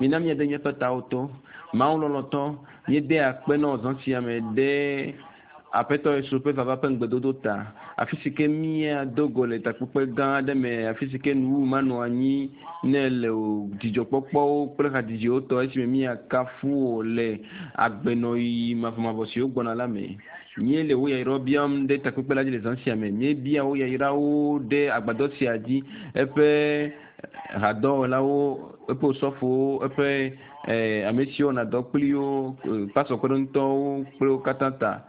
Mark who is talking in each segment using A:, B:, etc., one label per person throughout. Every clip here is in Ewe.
A: Mina míade míaƒe tawo to. Mawu lɔlɔ̃tɔ, míede akpe na wò zã sia me ɖe Aƒetɔ Yesu ƒe vava ƒe ŋugbedodo ta. Afi si ke míado go le takpekpe gã aɖe me, afi si ke nuwuwu manɔ anyi ne le o, dzidzɔkpɔkpɔwo kple hadzidziwo tɔ esime míakafu wò le agbenɔɣi mavɔmavɔ siwo gbɔna la me. Míele wò yayrawo biam ɖe takpekpe la dzi le zã sia me. Míebia wò yayrawo ɖe agbadɔ sia dzi, eƒe hadɔwɔlawo, eƒe osɔfowo, eƒe ame siwo wɔna dɔ kpli wo, pasɔ kpeɖeŋutɔwo kple wo katã ta.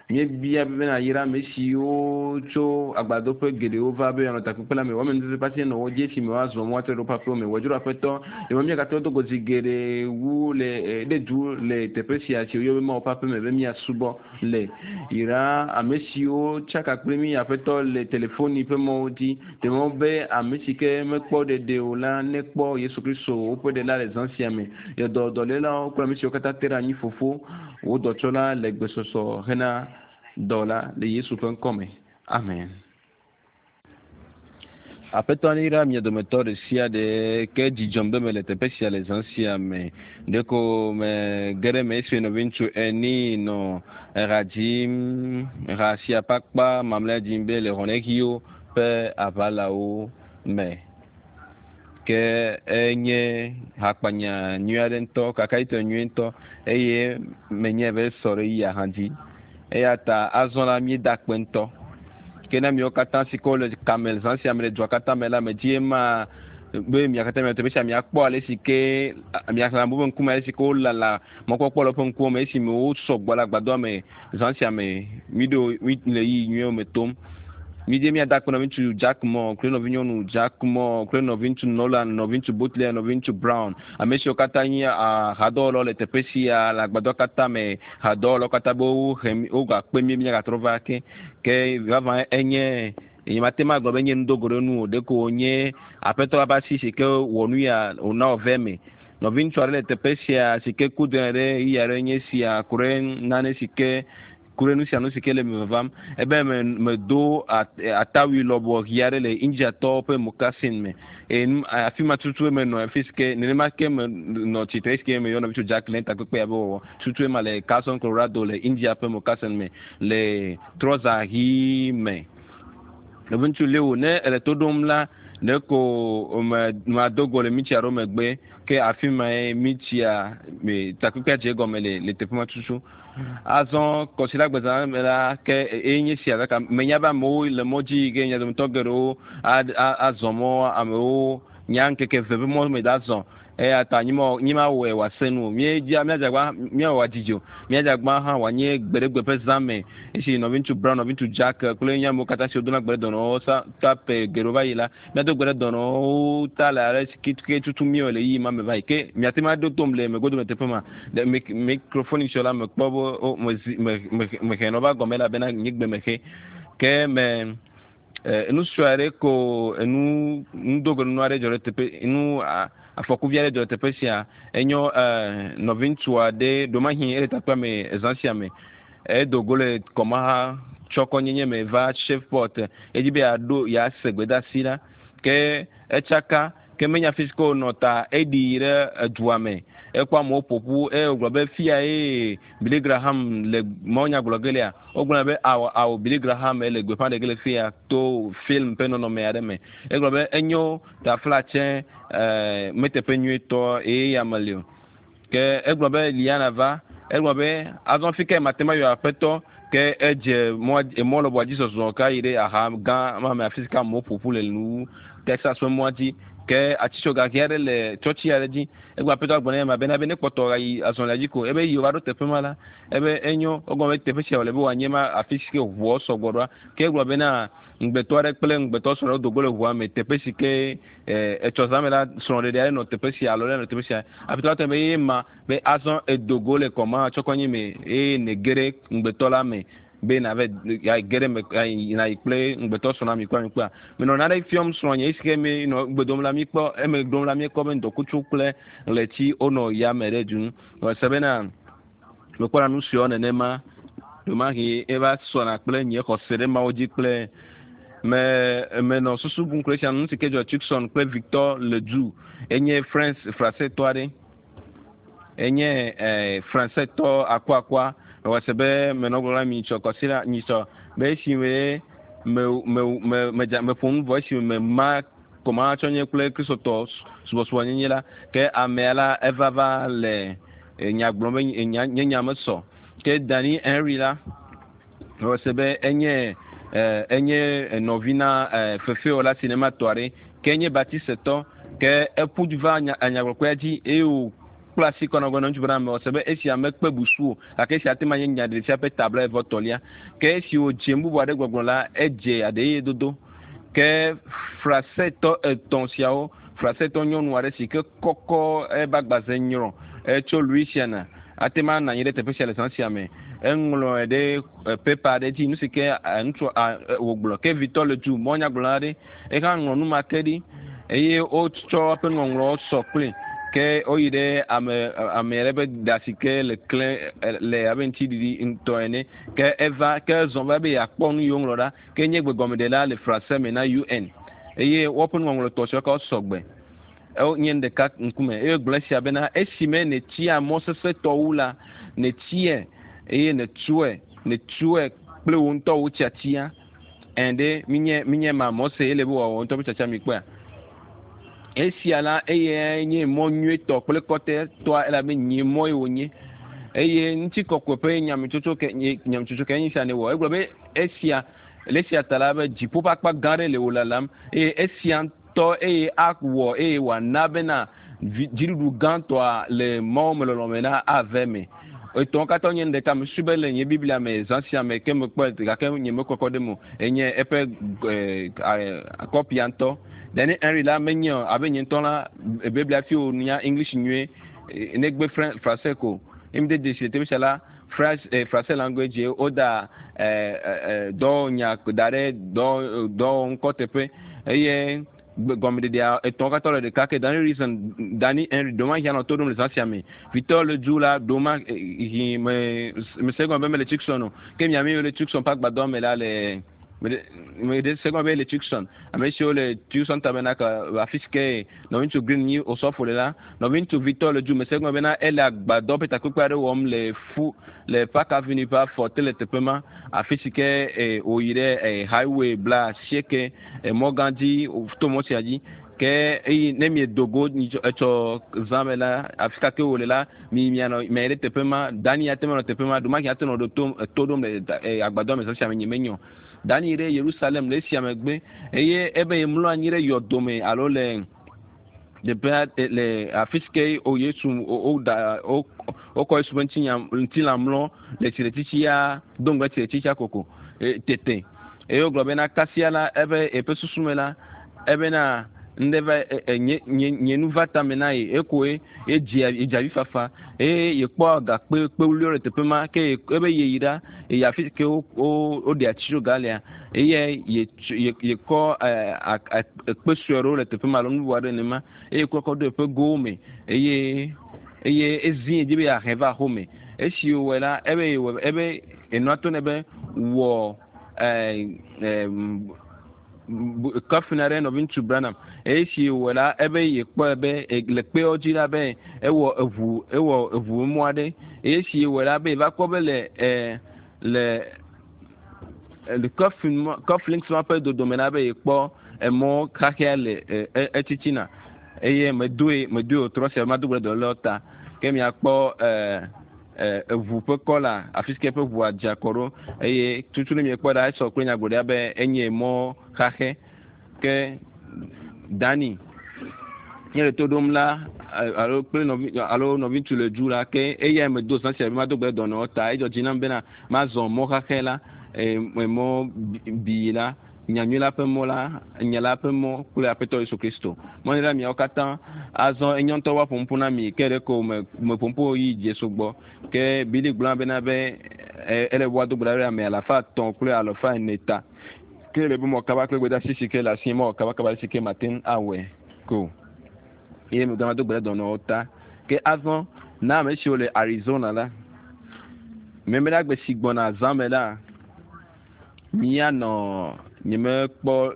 A: Míebia be nàyra ame siwo tso agbadɔƒe geɖewo va be yewoanɔ takpekpe la me. Wò amenuveve ƒe asi nenɔ wo dzi esime woazɔ mɔ atrɔ ɖe woƒe aƒewo me. Wɔ dzro Aƒetɔ, ɖe be míagatrɔ do go zi geɖe wu le ɖe du le teƒe sia si woyɔ be Mawu ƒe aƒe me be míasubɔ le. Yra ame siwo tsaka kpli mí Aƒetɔ le telefoni ƒe mɔwo dzi. Ɖe mɔ be ame si ke mekpɔ ɖeɖe o la nekpɔ Yesu Kristo woƒe Ɖela le zã sia me. Yɔ dɔ dɔlélawo kple ame siwo katã te ɖe anyi Fofo. Wò dɔtsɔla le gbesɔsɔ hena dɔ la le Yesu ƒe ŋkɔ me. Amen. Aƒetɔ neyra mia dometɔ ɖe sia ɖe ke dzi dzɔm be mele teƒe sia le zã sia me. Ɖeko mege ɖe eme esime nɔviŋutsu Ernie nɔ eha dzim, ha sia ƒe akpa mamlɛa dzim be le Hɔnɛxiwo ƒe aʋalawo me. Ke enye hakpanya nyui aɖe ŋutɔ, kakaɖitɔ nyui ŋutɔ eye menyae be esɔ ɖe eya hã dzi. Eya ta azɔ la míeda akpe ŋutɔ. Ke na miawo katã si ke wole kame zã sia me le dua katã me la, medzi ema be mia katã mianɔ teƒe sia miakpɔ ale si ke miaxlẽ amewo ƒe ŋkume ale si ke wolala mɔkpɔkpɔ le woƒe ŋkuwo me esime wosɔ gbɔ le agbadɔa me zã sia me. Míɖo mí le ɣeyiɣi nyuiwo me tom. Mídze míada akpe nɔviŋutsu Jack Moore kple nɔvinyɔnu Jack Moore kple nɔviŋutsu Nolan, nɔviŋutsu Butler, nɔviŋutsu Brown, ame siwo katã nye hadɔwɔlawo le teƒe sia le agbadɔ katã me, hadɔwɔlawo katã be wohe mí, wogakpe mí míagatrɔ va ake. Ke vavã enye, nyemate ŋu agblɔ be enye nudogoɖenu o, ɖeko wònye Aƒetɔ la ƒe asi si ke wɔ nu ya wòna wòve eme. Nɔviŋutsu aɖe le teƒe sia si ke ku dɔe ɖe ɣeyiɣi aɖe nye esia ku ɖe nane si ke ku ɖe nu sia nu si ke le eme vavam. Ebe me medo atawui lɔbɔ ɣi aɖe le Indiatɔwo ƒe mokasin me. Eye nu afi ma tutue menɔ afi si ke nenema ke menɔ tsitre esi ke meyɔ nɔvi tso Jack le takpekpe ya be wɔwɔ. Tutue ma le Carson, Colorado le India ƒe mokasin me le trɔza ɣi me. Nɔviŋutsu Leo, ne ele to ɖom la, ɖeko me mado go le mitsi aɖewo megbe ke afi mae mitsia me takpekpea dze egɔme le le teƒe ma tutu. Azɔ kɔsiɖagbezã me la ke eye nye sia gake menya be amewo le mɔ dzi yi ke mia dometɔ geɖewo azɔ mɔ amewo nya ŋkeke eve ƒe mɔ me da zɔ eya ta nyemawɔe wòase nu o. Míedzia míadze agbagba míawɔ wòadidi o. Míadze agbagba hã wòanye gbeɖegbe ƒe zã me esi nɔviŋutsu Brown, nɔviŋutsu Jack kple nye amewo katã siwo dona gbe ɖe dɔnɔwo sa ta ƒe geɖewo va yi la Míado gbe ɖe dɔnɔwo ta le ale si ke tutu míewɔ le ɣeyiɣi ma me va yi. Ke miate ŋu aɖo tom le megodome teƒe ma. Ɖe mik mikrofoni sɔ la mekpɔ be o mezi me me mehe nɔ va gɔme elabena nye gbe mexe. Ke me e, nu sue aɖe ko enu nudogoɖenu aɖe dzɔ ɖe teƒe nu a, afɔkuvi aɖe dzɔ ɖe teƒe sia. Enyo e, nɔviŋutsu aɖe ɖomahi ele takpea me zã sia me. Edo go le kɔmaha tsɔkɔnyenye me va Shreveport. Edzi be yeaɖo yease gbedeasi la. Ke etsaka, ke menya fi si ke wònɔ ta eɖi yi ɖe edua me. Ekpɔ amewo ƒo ƒu eye wògblɔ be fia ye Billy Graham le mawunya gblɔ ge lea. Wogblɔ be ao, ao Billy Graham le gbeƒã ɖe ge le fia to film ƒe nɔnɔme aɖe me. Egblɔ be enyo taflatse e meteƒe nyuietɔ eye ya meli o. Ke egblɔ be Liana va. Egblɔ be, Azɔ fi kae mate ŋu ayɔ Aƒetɔ? Ke edze mɔ, emɔ lɔbɔa dzi zɔzɔ ke ayi ɖe aha gã ma me afi si ke amewo ƒo ƒu le nu Texas ƒe mɔa dzi. Ke atsitsoga ʋi aɖe le tsɔtsi aɖe dzi. Egblɔ Aƒetɔ gblɔ nɛ ma bena be nekpɔtɔ ayi azɔlia dzi ko. Ebe yi wòva ɖo teƒe ma la, ebe enyo. Egɔme be teƒe sia wòle be wòanye ma afi si ke ʋuawo sɔgbɔ ɖoa. Ke egblɔ bena ŋugbetɔ aɖe kple ŋugbetɔ srɔ̃ ɖe wodo go le ʋua me teƒe si ke Etsɔ zã me la, srɔ̃ɖeɖe aɖe nɔ teƒe sia alo ɖe nɔ teƒe sia. Aƒetɔ la tɔ be ye ma be azɔ edo go le kɔma tsɔkɔnyi me eye nège ɖe ŋugbetɔ la me be nave ge ɖe me nayi kple ŋugbetɔ srɔ̃ na mi kpɔa mi kpɔa. Menɔ nane fiɔm srɔ̃nye esi ke mi nɔ gbe dom la mi kpɔ eme ɖom la míekpɔ be ŋdɔkutsu kple ɣleti wonɔ yame ɖe du nu. Mese bena mekpɔna nu siawo nenema ɖomahi eva sɔna kple nye xɔse ɖe Mawu dzi kple me menɔ susu bum kple sia nu si ke dzɔ Tucson kple Victor Ledoux enye France Francetɔ aɖe. Enye Fransetɔ akuakua. Mewɔ se be menɔ gblɔm na mi nyitsɔ kɔsiɖa nyitsɔ be esime me me me medza meƒo nu vɔ esime mema kɔmahatsɔ nye kple Kristotɔ subɔsubɔnyenye la ke amea la eva va le nya gblɔm be nya nye nya mesɔ. Ke Danny Henry la mewɔ se be enye enye nɔvi na fefewɔla sinematɔ aɖe ke enye Baptistetɔ ke eƒu va nyagblɔkpea dzi eye wòkpla asi kɔ na gblɔ na ŋutsu bena mewɔ se be esia mekpe busu o gake esia ate ma nye nyaɖeɖefia ƒe ta blaeve tɔ̃lia. Ke esi wòdze nu bubu aɖe gbɔgblɔ la edze aɖeye dodo. Ke Fransetɔ etɔ̃ siawo Fransetɔ nyɔnu aɖe si ke kɔkɔ ebe agbaze nyrɔ etso Louisiana ate ma nɔ anyi ɖe teƒe sia le zã sia me. Eŋlɔe ɖe pepa aɖe dzi nu si ke ŋutsu wògblɔ ke vitɔ le du mɔnyagblɔla aɖe ehã ŋlɔ nu ma ke ɖi eye wotsɔ eƒe ŋɔŋlɔwo sɔ kpli ke woyi ɖe ame ame aɖe ƒe da si ke le klẽ le abe ŋutiɖiɖi ŋutɔ ene ke eva ke zɔ va be yeakpɔ nu yi woŋlɔ ɖa ke nye gbegɔmeɖela le Français me na UN eye woƒe nuŋɔŋlɔ tɔ siwo ke sɔ gbe nye nu ɖeka ŋkume eye gblɔ esia bena esime nètia mɔ sesẽtɔ wu la nètiɛ eye nètsoe nètsoe kple wò ŋutɔ wò tiatia ɛn ɖe minye minye ma mɔ se ele be wòawɔ ŋutɔ ƒe tiatia mi kpɔea. Esia la eye nye mɔ nyuietɔ kple kɔtɛtɔa elabe nye mɔ ye wònye eye ŋutikɔkɔe ƒe nyametsotso ke nyametsotso ke enye sia ne wɔ. Egblɔ be esia le esia ta la be dziƒo ƒe akpa gã aɖe le wò lalam eye esia ŋutɔ eye awɔ eye wòana bena dziɖuɖu gãtɔa le Mawu me lɔlɔme na ave me. Etɔ̃wo katã nye nu ɖeka mesusu be le nye Biblia me zã sia me ke mekpɔe gake nye mekɔkɔ ɖe eme o enye eƒe kɔpia ŋutɔ. Danny Henry la menye abe nye ŋutɔ la Biblia fi wònya English nyuie negbe Français ko. Emi de dzesi le teƒe sia la Français language woda dɔwɔnya da ɖe dɔwɔŋkɔ teƒe eye gɔmeɖeɖea etɔ̃wo katã le ɖeka ke Danny Reason Danny Henry ɖewomahi anɔ to ɖom le zã sia me. Vitɔ le du la ɖewomahi me mese gɔme be mele Tucson o ke miami le Tucson ƒe agbadɔ me la le me ɖe se gɔme be le Tucson ame siwo le Tucson Tabernacle afi si ke nɔviŋutsu Green nyi osɔfo le la nɔviŋutsu Victor le du mese gɔme bena ele agbadɔ ƒe takpekpe aɖe wɔm le fu le Park Avenue ƒe afɔte le teƒe ma afi si ke wòyi ɖe highway 90 mɔ gã dzi to mɔ sia dzi ke eyi ne miedo go etsɔ zã me la afi ka ke wòle la mi mianɔ miayi ɖe teƒe ma. Dani ate ŋu anɔ teƒe ma ɖomahi ate nɔ ɖo to ɖom le agbadɔ me zã sia me nye menyo. Dani yi ɖe Yerusalem le esia megbe eye ebe yemlɔ anyi ɖe yɔdome alo le teƒea le afi si ke o Yesu woda wokɔ Yesu ƒe ŋutinya ŋutilã mlɔ le tsitretsitsia do ŋgɔ tsitretsitsia koko tete eye wogblɔ bena kasia la ebe eƒe susu me la ebena ŋɖe va nye nye nye nu va tame na ye ekoe edzi edzi avi fafa eye yekpɔ gakpe kpewuliwo le teƒe ma ke ebe yeyi ɖa eyi afi si ke wo wo woɖe atitsoga lea eye ye yekɔ ekpe sue aɖewo le teƒe ma alo nu bubu aɖe nenema eye kɔ kɔ do eƒe gowo me eye eye ezi edzi be yeahe va xome esi wòwɔe la ebe yewɔ ebe enua to ne be wɔ coffin aɖe nɔviŋutsu Branham eye esi wòwɔe la ebe yekpɔe be le kpeawo dzi la be ewɔ eʋu ewɔ eʋu mɔ aɖe eye esi wòwɔe la be yeva kpɔ be le le coffin cufflinks ma ƒe dodome la be yekpɔ emɔ xaxɛa le etitina eye medoe medoe wòtrɔ sia mado gbe ɖe dɔlélewo ta ke miakpɔ eʋu ƒe kɔla afi si ke eƒe ʋua dze akɔ ɖo eye tutu ne miekpɔ ɖa esɔ kple nyagblɔɖia be enye mɔ xaxɛ ke Dani nye le to ɖom la alo kple nɔvi alo nɔviŋutsu le du la ke eya medo zã sia be mado gbe dɔnɔwo ta edzɔ dzi nam bena mazɔ mɔ xaxɛ la mɔ bii la nyanyui la ƒe mɔ la nya la ƒe mɔ kple Aƒetɔ Yesu Kristo mɔni la miawo katã azɔ enye ŋutɔ woaƒo ƒu na mi ke ɖe ko me meƒo ƒu yi Jesu gbɔ ke Bili gblɔ bena be ele woado gbe ɖa ɖe ame 300 kple 400 ta ke le be mɔ kaba kple gbedeasi si ke le asi mɔ kaba kaba si ke mate ŋu awɔe ko eye megbe do gbe ɖe dɔnɔwo ta ke azɔ na ame siwo le Arizona la memleɖagbe si gbɔna zã me la míanɔ nyemekpɔ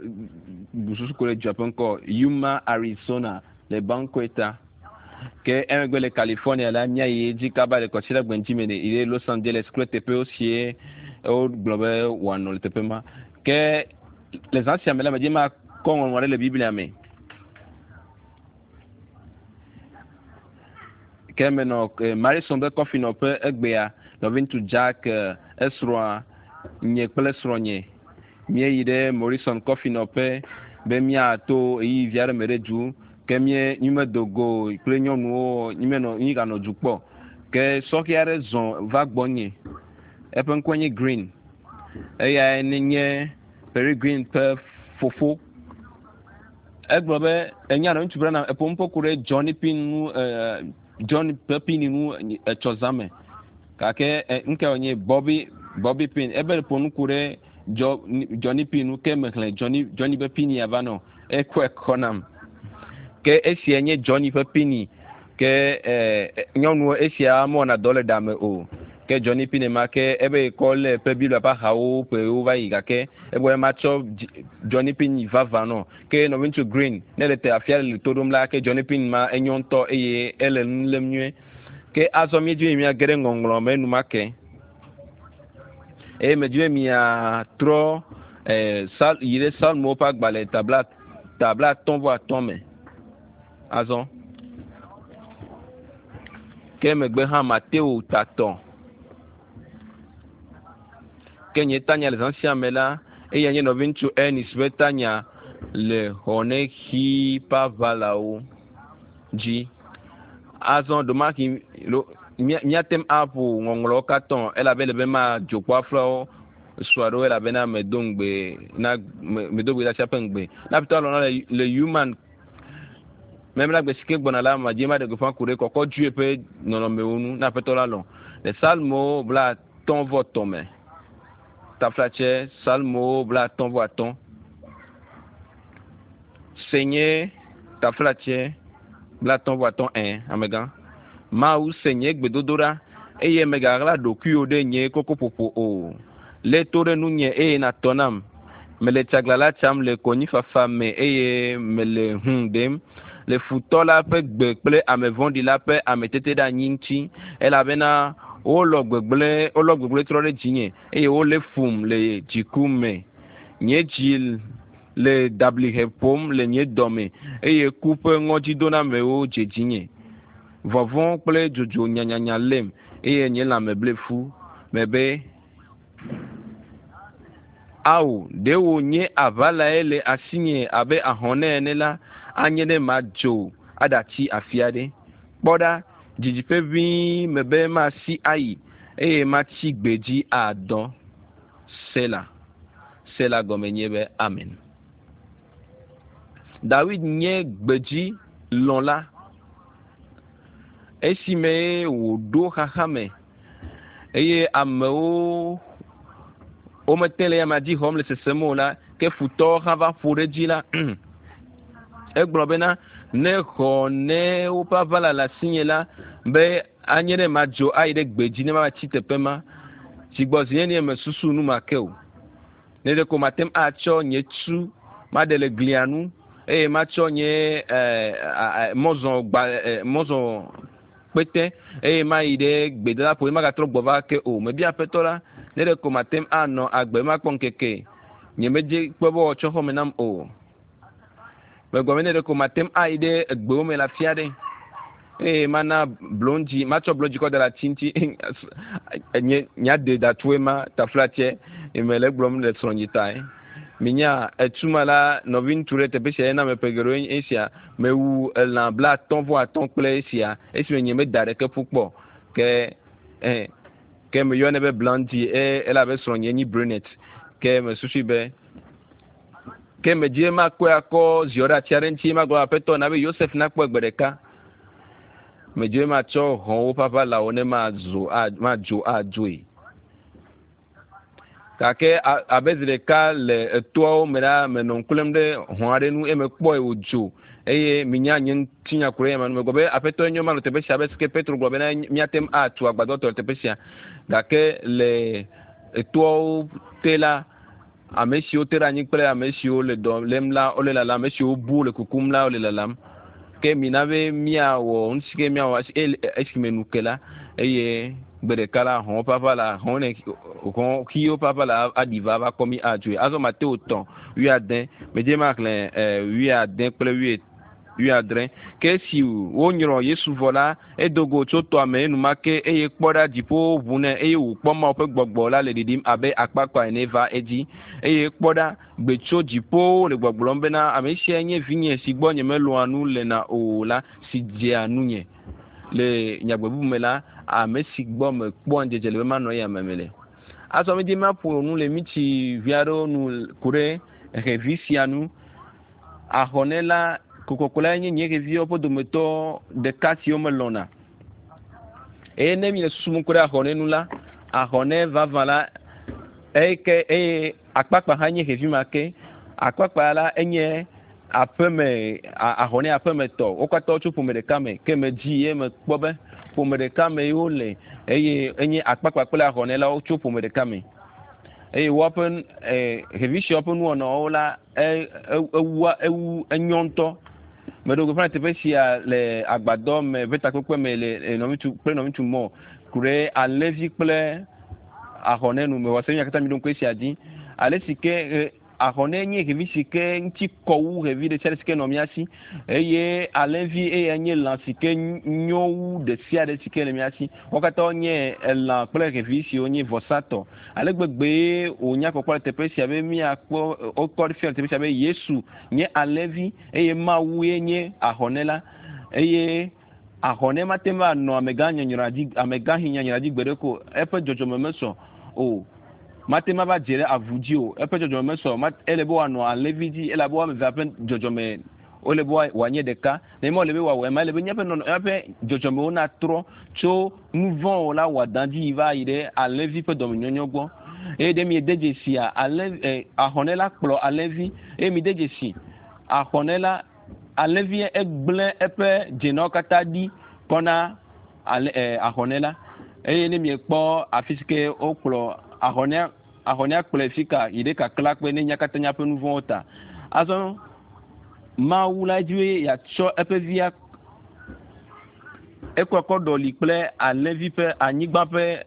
A: bususu ko le dua ƒe ŋkɔ Yuma, Arizona le Banqueta. Ke emegbe le California la míayi edzi kaba le kɔsiɖagbe ŋuti me yi ɖe Los Angeles kple teƒewo sie wogblɔ be wòanɔ le teƒe ma. Ke le zã sia me la medzi makɔ ŋɔŋlɔ aɖe le Biblia me. Ke menɔ Marison ƒe kɔfinɔƒe egbea, nɔviŋutsu Jack esrɔ̃a nye kple srɔ̃nye. Míeyi ɖe Morrison kɔfinɔƒe be míato ɣeyiɣi vi aɖe me ɖe du ke mí mímedo go kple nyɔnuwo mímenɔ míganɔ du kpɔ. Ke sɔhɛ aɖe zɔ va gbɔnye. Eƒe ŋkɔe nye Green. Eyae nye Perry Green ƒe fofo. Egblɔ be enya nɔ ŋutsu Branham eƒo nuƒo ku ɖe Johnny Pin ŋu John ƒe Pin ŋu etsɔ zã me. Gake ŋkɛ wònye Bobby Bobby Pin. Ebe ƒo nu ku ɖe Johnny Pin ŋu ke mexlẽ Johnny Johnny ƒe Pin ya va nɔ. Ekɔe kɔ nam. Ke esia nye Johnny ƒe Pin ke nyɔnuwo esia mewɔna dɔ le ɖa me o. Ke Johnny Pin ma ke ebe kɔ le ƒe Biblia ƒe axawo ƒewo va yi gake egblɔ be matsɔ Johnny Pin vavã nɔ. Ke nɔviŋutsu Green ne le te afia le to ɖom la ke Johnny Pin ma enyo ŋutɔ eye ele nu lém nyuie. Ke azɔ míedzi be míage ɖe ŋɔŋlɔ me enumake. Eye medzi be miatrɔ sal yi ɖe Psalmowo ƒe agbalẽ tabla tabla atɔ̃ vɔ atɔ̃ me. Azɔ. Ke megbe hã Mateo tatɔ. Ke nye tanya le zã sia me la, eya nye nɔviŋutsu Ernest ƒe tanya le xɔnexi ƒe aʋalawo dzi. Azɔ ɖomahi míate ŋu aƒo ŋɔŋlɔwo katã elabe ele be madzo kpɔ aflawo sua ɖewo elabena medo ŋugbe na medo gbe ɖe asia ƒe ŋugbe. Na aƒetɔ alɔ na le human memla gbe si ke gbɔna la madzi maɖe gbeƒã ku ɖe kɔkɔ dzoe ƒe nɔnɔmewo ŋu na aƒetɔ la lɔ. Le Psalmowo 53 me. Taflatse Psalmowo 55. Se nye taflatse 55 ɛ amegã. Mawu se nye gbedodoɖa eye megaɣla ɖokuiwò ɖe nye kokoƒoƒo o. Lé to ɖe nunye eye nàtɔ nam. Mele tsaglãla tsam le konyifafa me eye mele hũ ɖem le futɔ la ƒe gbe kple ame vɔ̃ɖi la ƒe ameteteɖeanyi ŋuti elabena wolɔ gbegblẽ wolɔ gbegblẽ trɔ ɖe dzinye eye wolé fum le dziku me. Nye dzi le dablihe ƒom le nye dɔme eye ku ƒe ŋɔdzidonamewo dze dzinye. Vɔvɔ̃ kple dzodzo nyanyanya lém eye nye lãme ble fu. Mebe ao ɖe wònye aʋalae le asinye abe ahɔnɛ ene la anye ne madzo aɖatsi afi aɖe. Kpɔ ɖa didiƒe ʋĩi mebe masi ayi eye matsi gbedzi adɔ. Sela. Sela gɔme nye be amen. Dawid nye gbedzi lɔ̃la. Esime wòɖo xaxa me eye amewo womete le eyama dzi xɔm le sesem o la, ke futɔwo hã va ƒo ɖe edzi la, egblɔ bena ne xɔ ne woƒe aʋala le asinye la be anye ne madzo ayi ɖe gbedzi ne mava tsi teƒe ma. Dzigbɔzi nye mesusu nu ma ke o. Ne ɖeko mate ŋu atsɔ nye tu maɖe le glia nu eye matsɔ nye mɔzɔ gba mɔzɔ kpete eye mayi ɖe gbedadaƒo eye magatrɔ gbɔ va ke o. Mebia aƒetɔ la ne ɖeko mate ŋu anɔ agbe makpɔ ŋkeke nye medze kpɔ be wòatsɔ xɔme nam o. Megblɔ be ne ɖeko mate ŋu ayi ɖe egbewo me le afi aɖe eye mana blondzi matsɔ blondzi kɔ da ɖe ati ŋuti nye nyade datue ma taflatse mele egblɔm le srɔ̃nye tae. Minya etuma la nɔviŋutsu ɖe teƒe sia yena me ƒe geɖewo nye esia mewu elã 55 kple esia esime nye meda ɖeke ƒu kpɔ ke ke meyɔnɛ be blondie elabe srɔ̃nye nyi brunette ke mesusui be ke medzi be makɔe akɔ ziɔ ɖe ati aɖe ŋuti magblɔ aƒetɔ na be Yosef nakpɔe gbe ɖeka. Medzi be matsɔ hɔ̃wo ƒe aʋalawo ne mazo madzo adzoe. Gake abe zi ɖeka le etoawo me la menɔ ŋku lém ɖe hɔ̃ aɖe ŋu eye mekpɔe wòdzo eye minya nye ŋutinya ku ɖe ema nu. Megblɔ be aƒetɔ enyo manɔ teƒe sia abe si ke Petro gblɔ bena míate ŋu atu agbadɔ tɔ le teƒe sia. Gake le etoawo te la ame siwo te ɖe anyi kple ame siwo le dɔ lém la wole lalam, ame siwo bu le kukum la wole lalam. Ke mina be míawɔ nu si ke míawɔ esime nu ke la eye gbe ɖeka la hɔ̃wo ƒe aʋa la hɔ̃ ne hɔ̃ xiwo ƒe aʋa la aɖi va va kɔ mí adzoe. Azɔ Mateo 3:80 medze maxlẽ 80 kple 80. Ke esi wonyrɔ Yesu vɔ la edo go tso tɔa me enumake eye kpɔ ɖa dziƒowo ʋu nɛ eye wòkpɔ Mawu ƒe gbɔgbɔ la le ɖiɖim abe akpakpa ene va edzi. Eye kpɔ ɖa gbe tso dziƒowo le gbɔgblɔm bena ame sia nye vinye si gbɔ nyemelɔ̃a nu lena o la si dzea nunye. Le nyagbe bubu me la ame si gbɔ mekpɔa ŋudzedze le be manɔ eya me le. Azɔ medzi maƒo nu le mitsi vi aɖewo nu ku ɖe xevi sia nu. Ahɔnɛ la kokoko la nye nye xeviwo ƒe dometɔ ɖeka siwo melɔ̃na. Eye ne mi le susum ku ɖe ahɔnɛ nu la, ahɔnɛ vavã la eye ke eye akpakpa hã nye xevi ma ke. Akpakpa la enye aƒeme ahɔnɛ aƒemetɔ. Wo katã wotso ƒome ɖeka me ke medzi ye mekpɔ be ƒome ɖeka me wole eye enye akpakpa kple ahɔnɛ la wotso ƒome ɖeka me. Eye woaƒe xevi siawo ƒe nuwɔnawo la ewua ewu enyɔ ŋutɔ. Meɖo gbeƒã le teƒe sia le agbadɔ me ƒe takpekpe me le nɔviŋutsu kple nɔviŋutsu mɔ ku ɖe alẽvi kple ahɔnɛ nu. Mewɔ se mia katã mi ɖo ŋku esia dzi. Ale si ke ahɔnɛ nye xevi si ke ŋuti kɔ wu xevi ɖe sia ɖe si ke nɔ mía si eye alẽvi eya nye lã si ke nyo wu ɖe sia ɖe si ke le mía si. Wo katã nye elã kple xevi siwo nye vɔsatɔ. Ale gbegbe wònya kpɔkpɔ le teƒe sia be míakpɔ wokɔ ɖe fia le teƒe sia be Yesu nye alẽvi eye Mawu ye nye ahɔnɛ la eye ahɔnɛ mate ŋu anɔ amegã nyanyra dzi amegãxi nyanyra dzi gbe ɖe ko eƒe dzɔdzɔme mesɔ o. Mate ŋu ava dze ɖe avu dzi o. Eƒe dzɔdzɔme mesɔ ele be wòanɔ alẽvi dzi elabe woame evea ƒe dzɔdzɔme wole be wòanye ɖeka. Ne mele be wòawɔ ema ele be míaƒe nɔnɔ míaƒe dzɔdzɔmewo natrɔ tso nu vɔ̃wo la wɔadã dzi yi va yi ɖe alẽvi ƒe dɔmenyɔnyɔ gbɔ. Eye ɖe miede dzesia alẽ ahɔnɛ la kplɔ alẽvi eye mide dzesi ahɔnɛ la alẽvi egblẽ eƒe dzenawo katã ɖi kɔ na ahɔnɛ la. Eye ne miekpɔ afi si ke wokplɔ ahɔnɛa ahɔnɛa kplɔe fi ka yi ɖe kakla kpe ne nya katã míaƒe nu vɔ̃wo ta. Azɔ Mawu la dzi be yeatsɔ eƒe via ekɔ kɔ ɖɔli kple alẽvi ƒe anyigba ƒe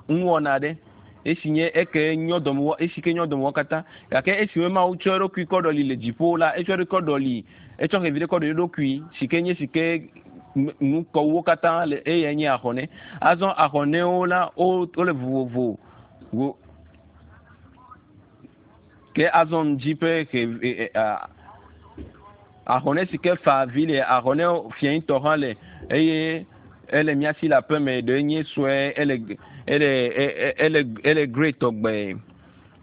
A: nuwɔna aɖe esi nye eke nyɔ dɔme esi ke nyɔ dɔme katã gake esime Mawu tsɔ eɖokui kɔ ɖɔli le dziƒo la etsɔ eɖokui kɔ ɖɔli etsɔ xevi ɖe kɔ ɖɔli eɖokui si ke nye si ke nu kɔwuwo katã le eyae nye ahɔnɛ. Azɔ ahɔnɛwo la wole vovovo wo ke azɔ ŋdzi ƒe xevi ahɔnɛ si ke fa avi le ahɔnɛ fiẽtɔ hã le eye ele mía si le aƒeme ɖe nye sue ele ele ele ele grey tɔgbe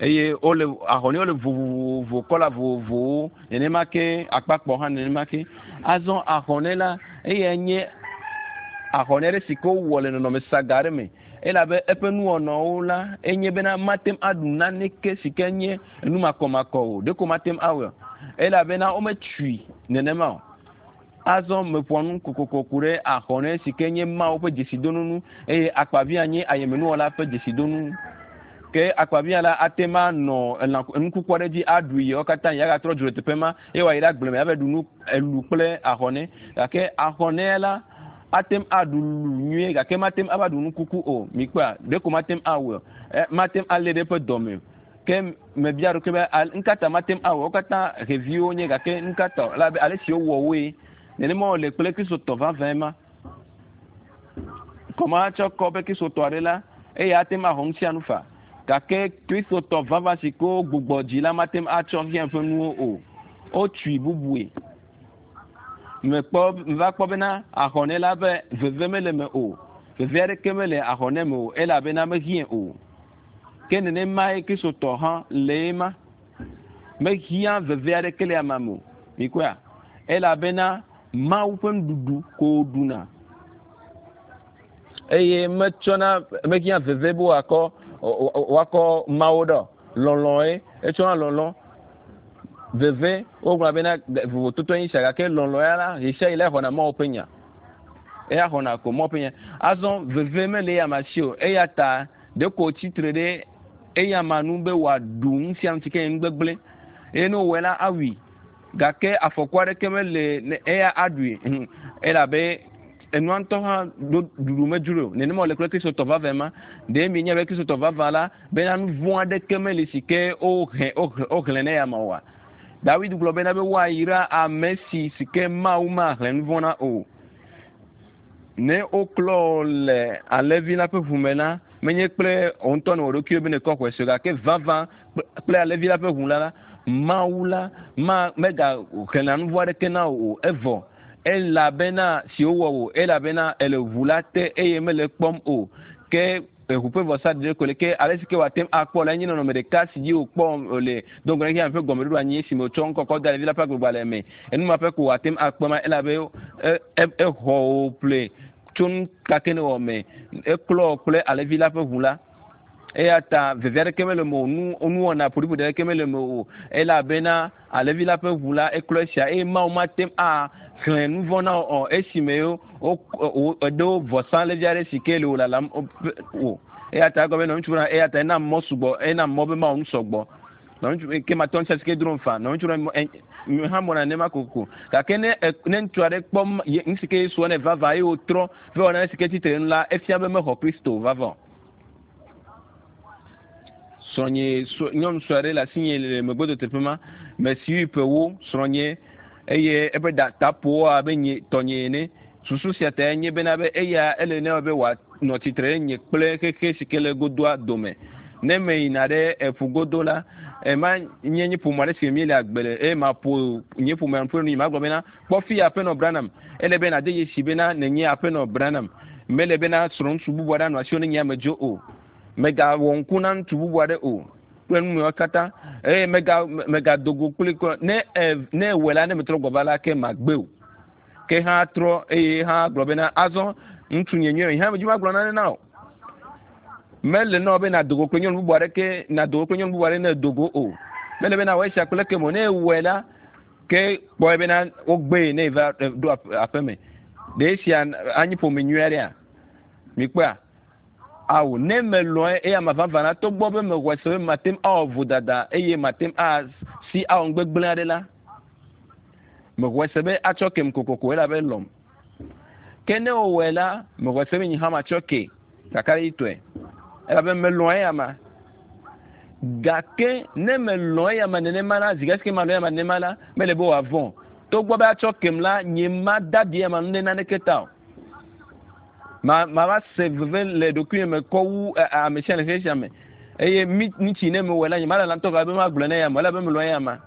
A: eye wole ahɔnɛwo le vovovo kɔla vovovowo nenema ke akpakpɔ hã nenema ke. Azɔ ahɔnɛ la eyae nye ahɔnɛ ɖe si ke wowɔ le nɔnɔme saga aɖe me elabe eƒe nuwɔnawo la enye bena mate ŋu aɖu naneke si ke nye enu makɔmakɔ o ɖeko mate ŋu awɔe elabena wometui nenema o. Azɔ meƒoa nu kokoko ku ɖe ahɔnɛ si ke nye Mawu ƒe dzesidonu eye akpavia nye ayemenuwɔla ƒe dzesidonu. Ke akpavia la ate ŋu anɔ elã enukuku aɖe dzi aɖui yewo katã yi agatrɔ dzo le teƒe ma eye wòayi ɖe agble me ava ɖu nu elu kple ahɔnɛ. Gake ahɔnɛ la ate ŋu aɖu lu nyuie gake mate ŋu ava ɖu nukuku o. Mikpɔa ɖeko mate ŋu awɔe o. Mate ŋu alé ɖe eƒe dɔme o. Ke mebia ɖokui be ŋkata mate ŋu awɔ wo katã xeviwo nye gake ŋkata elabe ale si wowɔ woe nenema wòle kple kristotɔ vavãe ma. Kɔma tsɔ kɔ be kristotɔ aɖe la eya ate ŋu axɔ nu sia nu fa gake kristotɔ vavã si ke wogbugbɔ dzi la mate ŋu atsɔ xexea ƒe nuwo o. Wotui bubue. Mekpɔ meva kpɔ bena ahɔnɛ la be veve mele me o. Veve aɖeke mele ahɔnɛ me o elabena mehiã o. Ke nenemae kristotɔ hã le ema. Mehiã veve aɖeke le amea me o. Mikpɔa? Elabena Mawu ƒe nuɖuɖu ko wòɖuna. Eye metsɔna mehiã veve be wòakɔ wòakɔ Mawu ɖe o. Lɔlɔ̃e etsɔna lɔlɔ̃ veve wogblɔna bena vovototo nye sia gake lɔlɔ̃ ya la ɣesia ɣi la exɔna Mawu ƒe nya. Eya xɔna ko Mawu ƒe nya. Azɔ veve mele eya ma si o eya ta ɖeko wòtsitre ɖe eya ma nu be wòaɖu nu sia nu si ke nye nu gbegblẽ eye ne wòwɔe la awui. Gake afɔku aɖeke mele ne eya aɖui elabe enua ŋutɔ hã ɖo ɖuɖu medzro o. Nenema wòle kple Kristotɔ vavãe ma. Ɖe mienya be Kristotɔ vavã la bena nu vɔ̃ aɖeke meli si ke wohe woxlẽ ne eyama oa? Dawid gblɔ bena be woayra ame si si ke Mawu maxlẽ nu vɔ̃ na o. Ne woklɔ le alẽvi la ƒe ʋu me la, menye kple wò ŋutɔ nèwɔ ɖokuiwò be nèkɔ xɔe se o, gake vavã kple alẽvi la ƒe ʋu la la, Mawu la ma megaxlẽna nu vɔ̃ aɖeke na wò o. Evɔ elabena si wowɔ wò, elabena èle ʋu la te eye mele ekpɔm o. Ke eʋu ƒe vɔsa ɖeɖe ko le ke ale si ke wòate ŋu akpɔ la nye nɔnɔme ɖeka si dzi wòkpɔ le do ŋgɔ na xexea me ƒe gɔmeɖoɖo anyi esime wòtsɔ ŋkɔ kɔ da ɖevi la ƒe agbegbalẽ me. Enu ma ƒe ko wòate ŋu akpɔ ma elabe exɔ wò ƒle tso nu ka ke nèwɔ me. Eklɔ wò kple alẽvi la ƒe ʋu la. Eya ta veve aɖeke mele eme o, nu nuwɔna ƒoɖiƒoɖi aɖeke mele eme o elabena alẽvi la ƒe ʋu la eklɔ esia eye Mawu mate ŋu axlẽ nu vɔ̃ na wò o esime eɖo vɔsalẽvi aɖe si ke le wò lalam o. Eya ta egɔme be nɔviŋutsu bena eya ta enam mɔ sugbɔ, enam mɔ be mawɔ nu sɔgbɔ. Nɔviŋutsu ke matɔ ŋuti si ke drom fa. Nɔviŋutsu bena hã mɔna nenema kokoko. Gake ne ne ŋutsu aɖe kpɔ nu si ke Yesu wɔ nɛ vavã eye wòtrɔ va wɔ nane si ke tsitre nu la, efia be mexɔ Kristo vavã o. Srɔ̃nye nyɔnu sue aɖe le asinye le megbedoteƒe ma. Mesi ƒewo srɔ̃nye eye eƒe ɖa ta ƒo abe nye tɔnye ene. Susu sia tae nye bena be eya ele nɛ be wòanɔ tsitre ɖe nye kple xexe si ke le godoa dome. Ne meyina ɖe eƒu godo la, ema nye nye ƒome aɖe si me míele agbe le eye maƒo nye ƒomea ƒe nu yi magblɔ bena kpɔ fi aƒenɔ Branham. Ele be nàde dzesi bena nènye aƒenɔ Branham. Mele bena srɔ̃ŋutsu bubu aɖe anɔ asiwò ne nye amedzo o. Mègawɔ ŋku na ŋutsu bubu aɖe o kple nu mawo katã eye mega megado go kpli kura. Ne e ne ewɔe la ne metrɔ gbɔ va la ke magbe o. Ke hã trɔ eye hã gblɔ bena azɔ ŋutsu nye nyuie hã medzi magblɔ nane na o. Mele na wò be nàdo go kple nyɔnu bubu aɖeke nàdo go kple nyɔnu bubu aɖe ne èdo go o. Mele be nawɔ esia kple eke me o. Ne ewɔe la ke kpɔe bena wogbee ne eva ɖo aƒe me. Ɖe esia anyi ƒome nyui aɖea? Mikpɔea? Ao, ne melɔ̃e eya ma vavã la, togbɔ be mexɔe se be mate ŋu awɔ vodada eye mate ŋu asi awɔ nu gbegblẽ aɖe la, mexɔe se be atsɔ kem kokoko elabe elɔ̃m. Ke ne wòwɔe la, mexɔe se be nye hã matsɔ kee kakaɖedzitɔe elabe melɔ̃ eya ma. Gake ne melɔ̃ eya ma nenema la, zi ɖe si ke malɔ̃ eya ma nenema la, mele be wòavɔ̃ o. Togbɔ be atsɔ kem la, nye mada ɖi eya ma ŋu ɖe naneke ta o. Ma mava se veve le ɖokuinye me kɔ wu ame sia le xexe sia me. Eye mi ŋutsi ne mewɔe la, nyemalala ŋutɔ gake be magblɔe na eya ma, elabe melɔ̃ eya ma.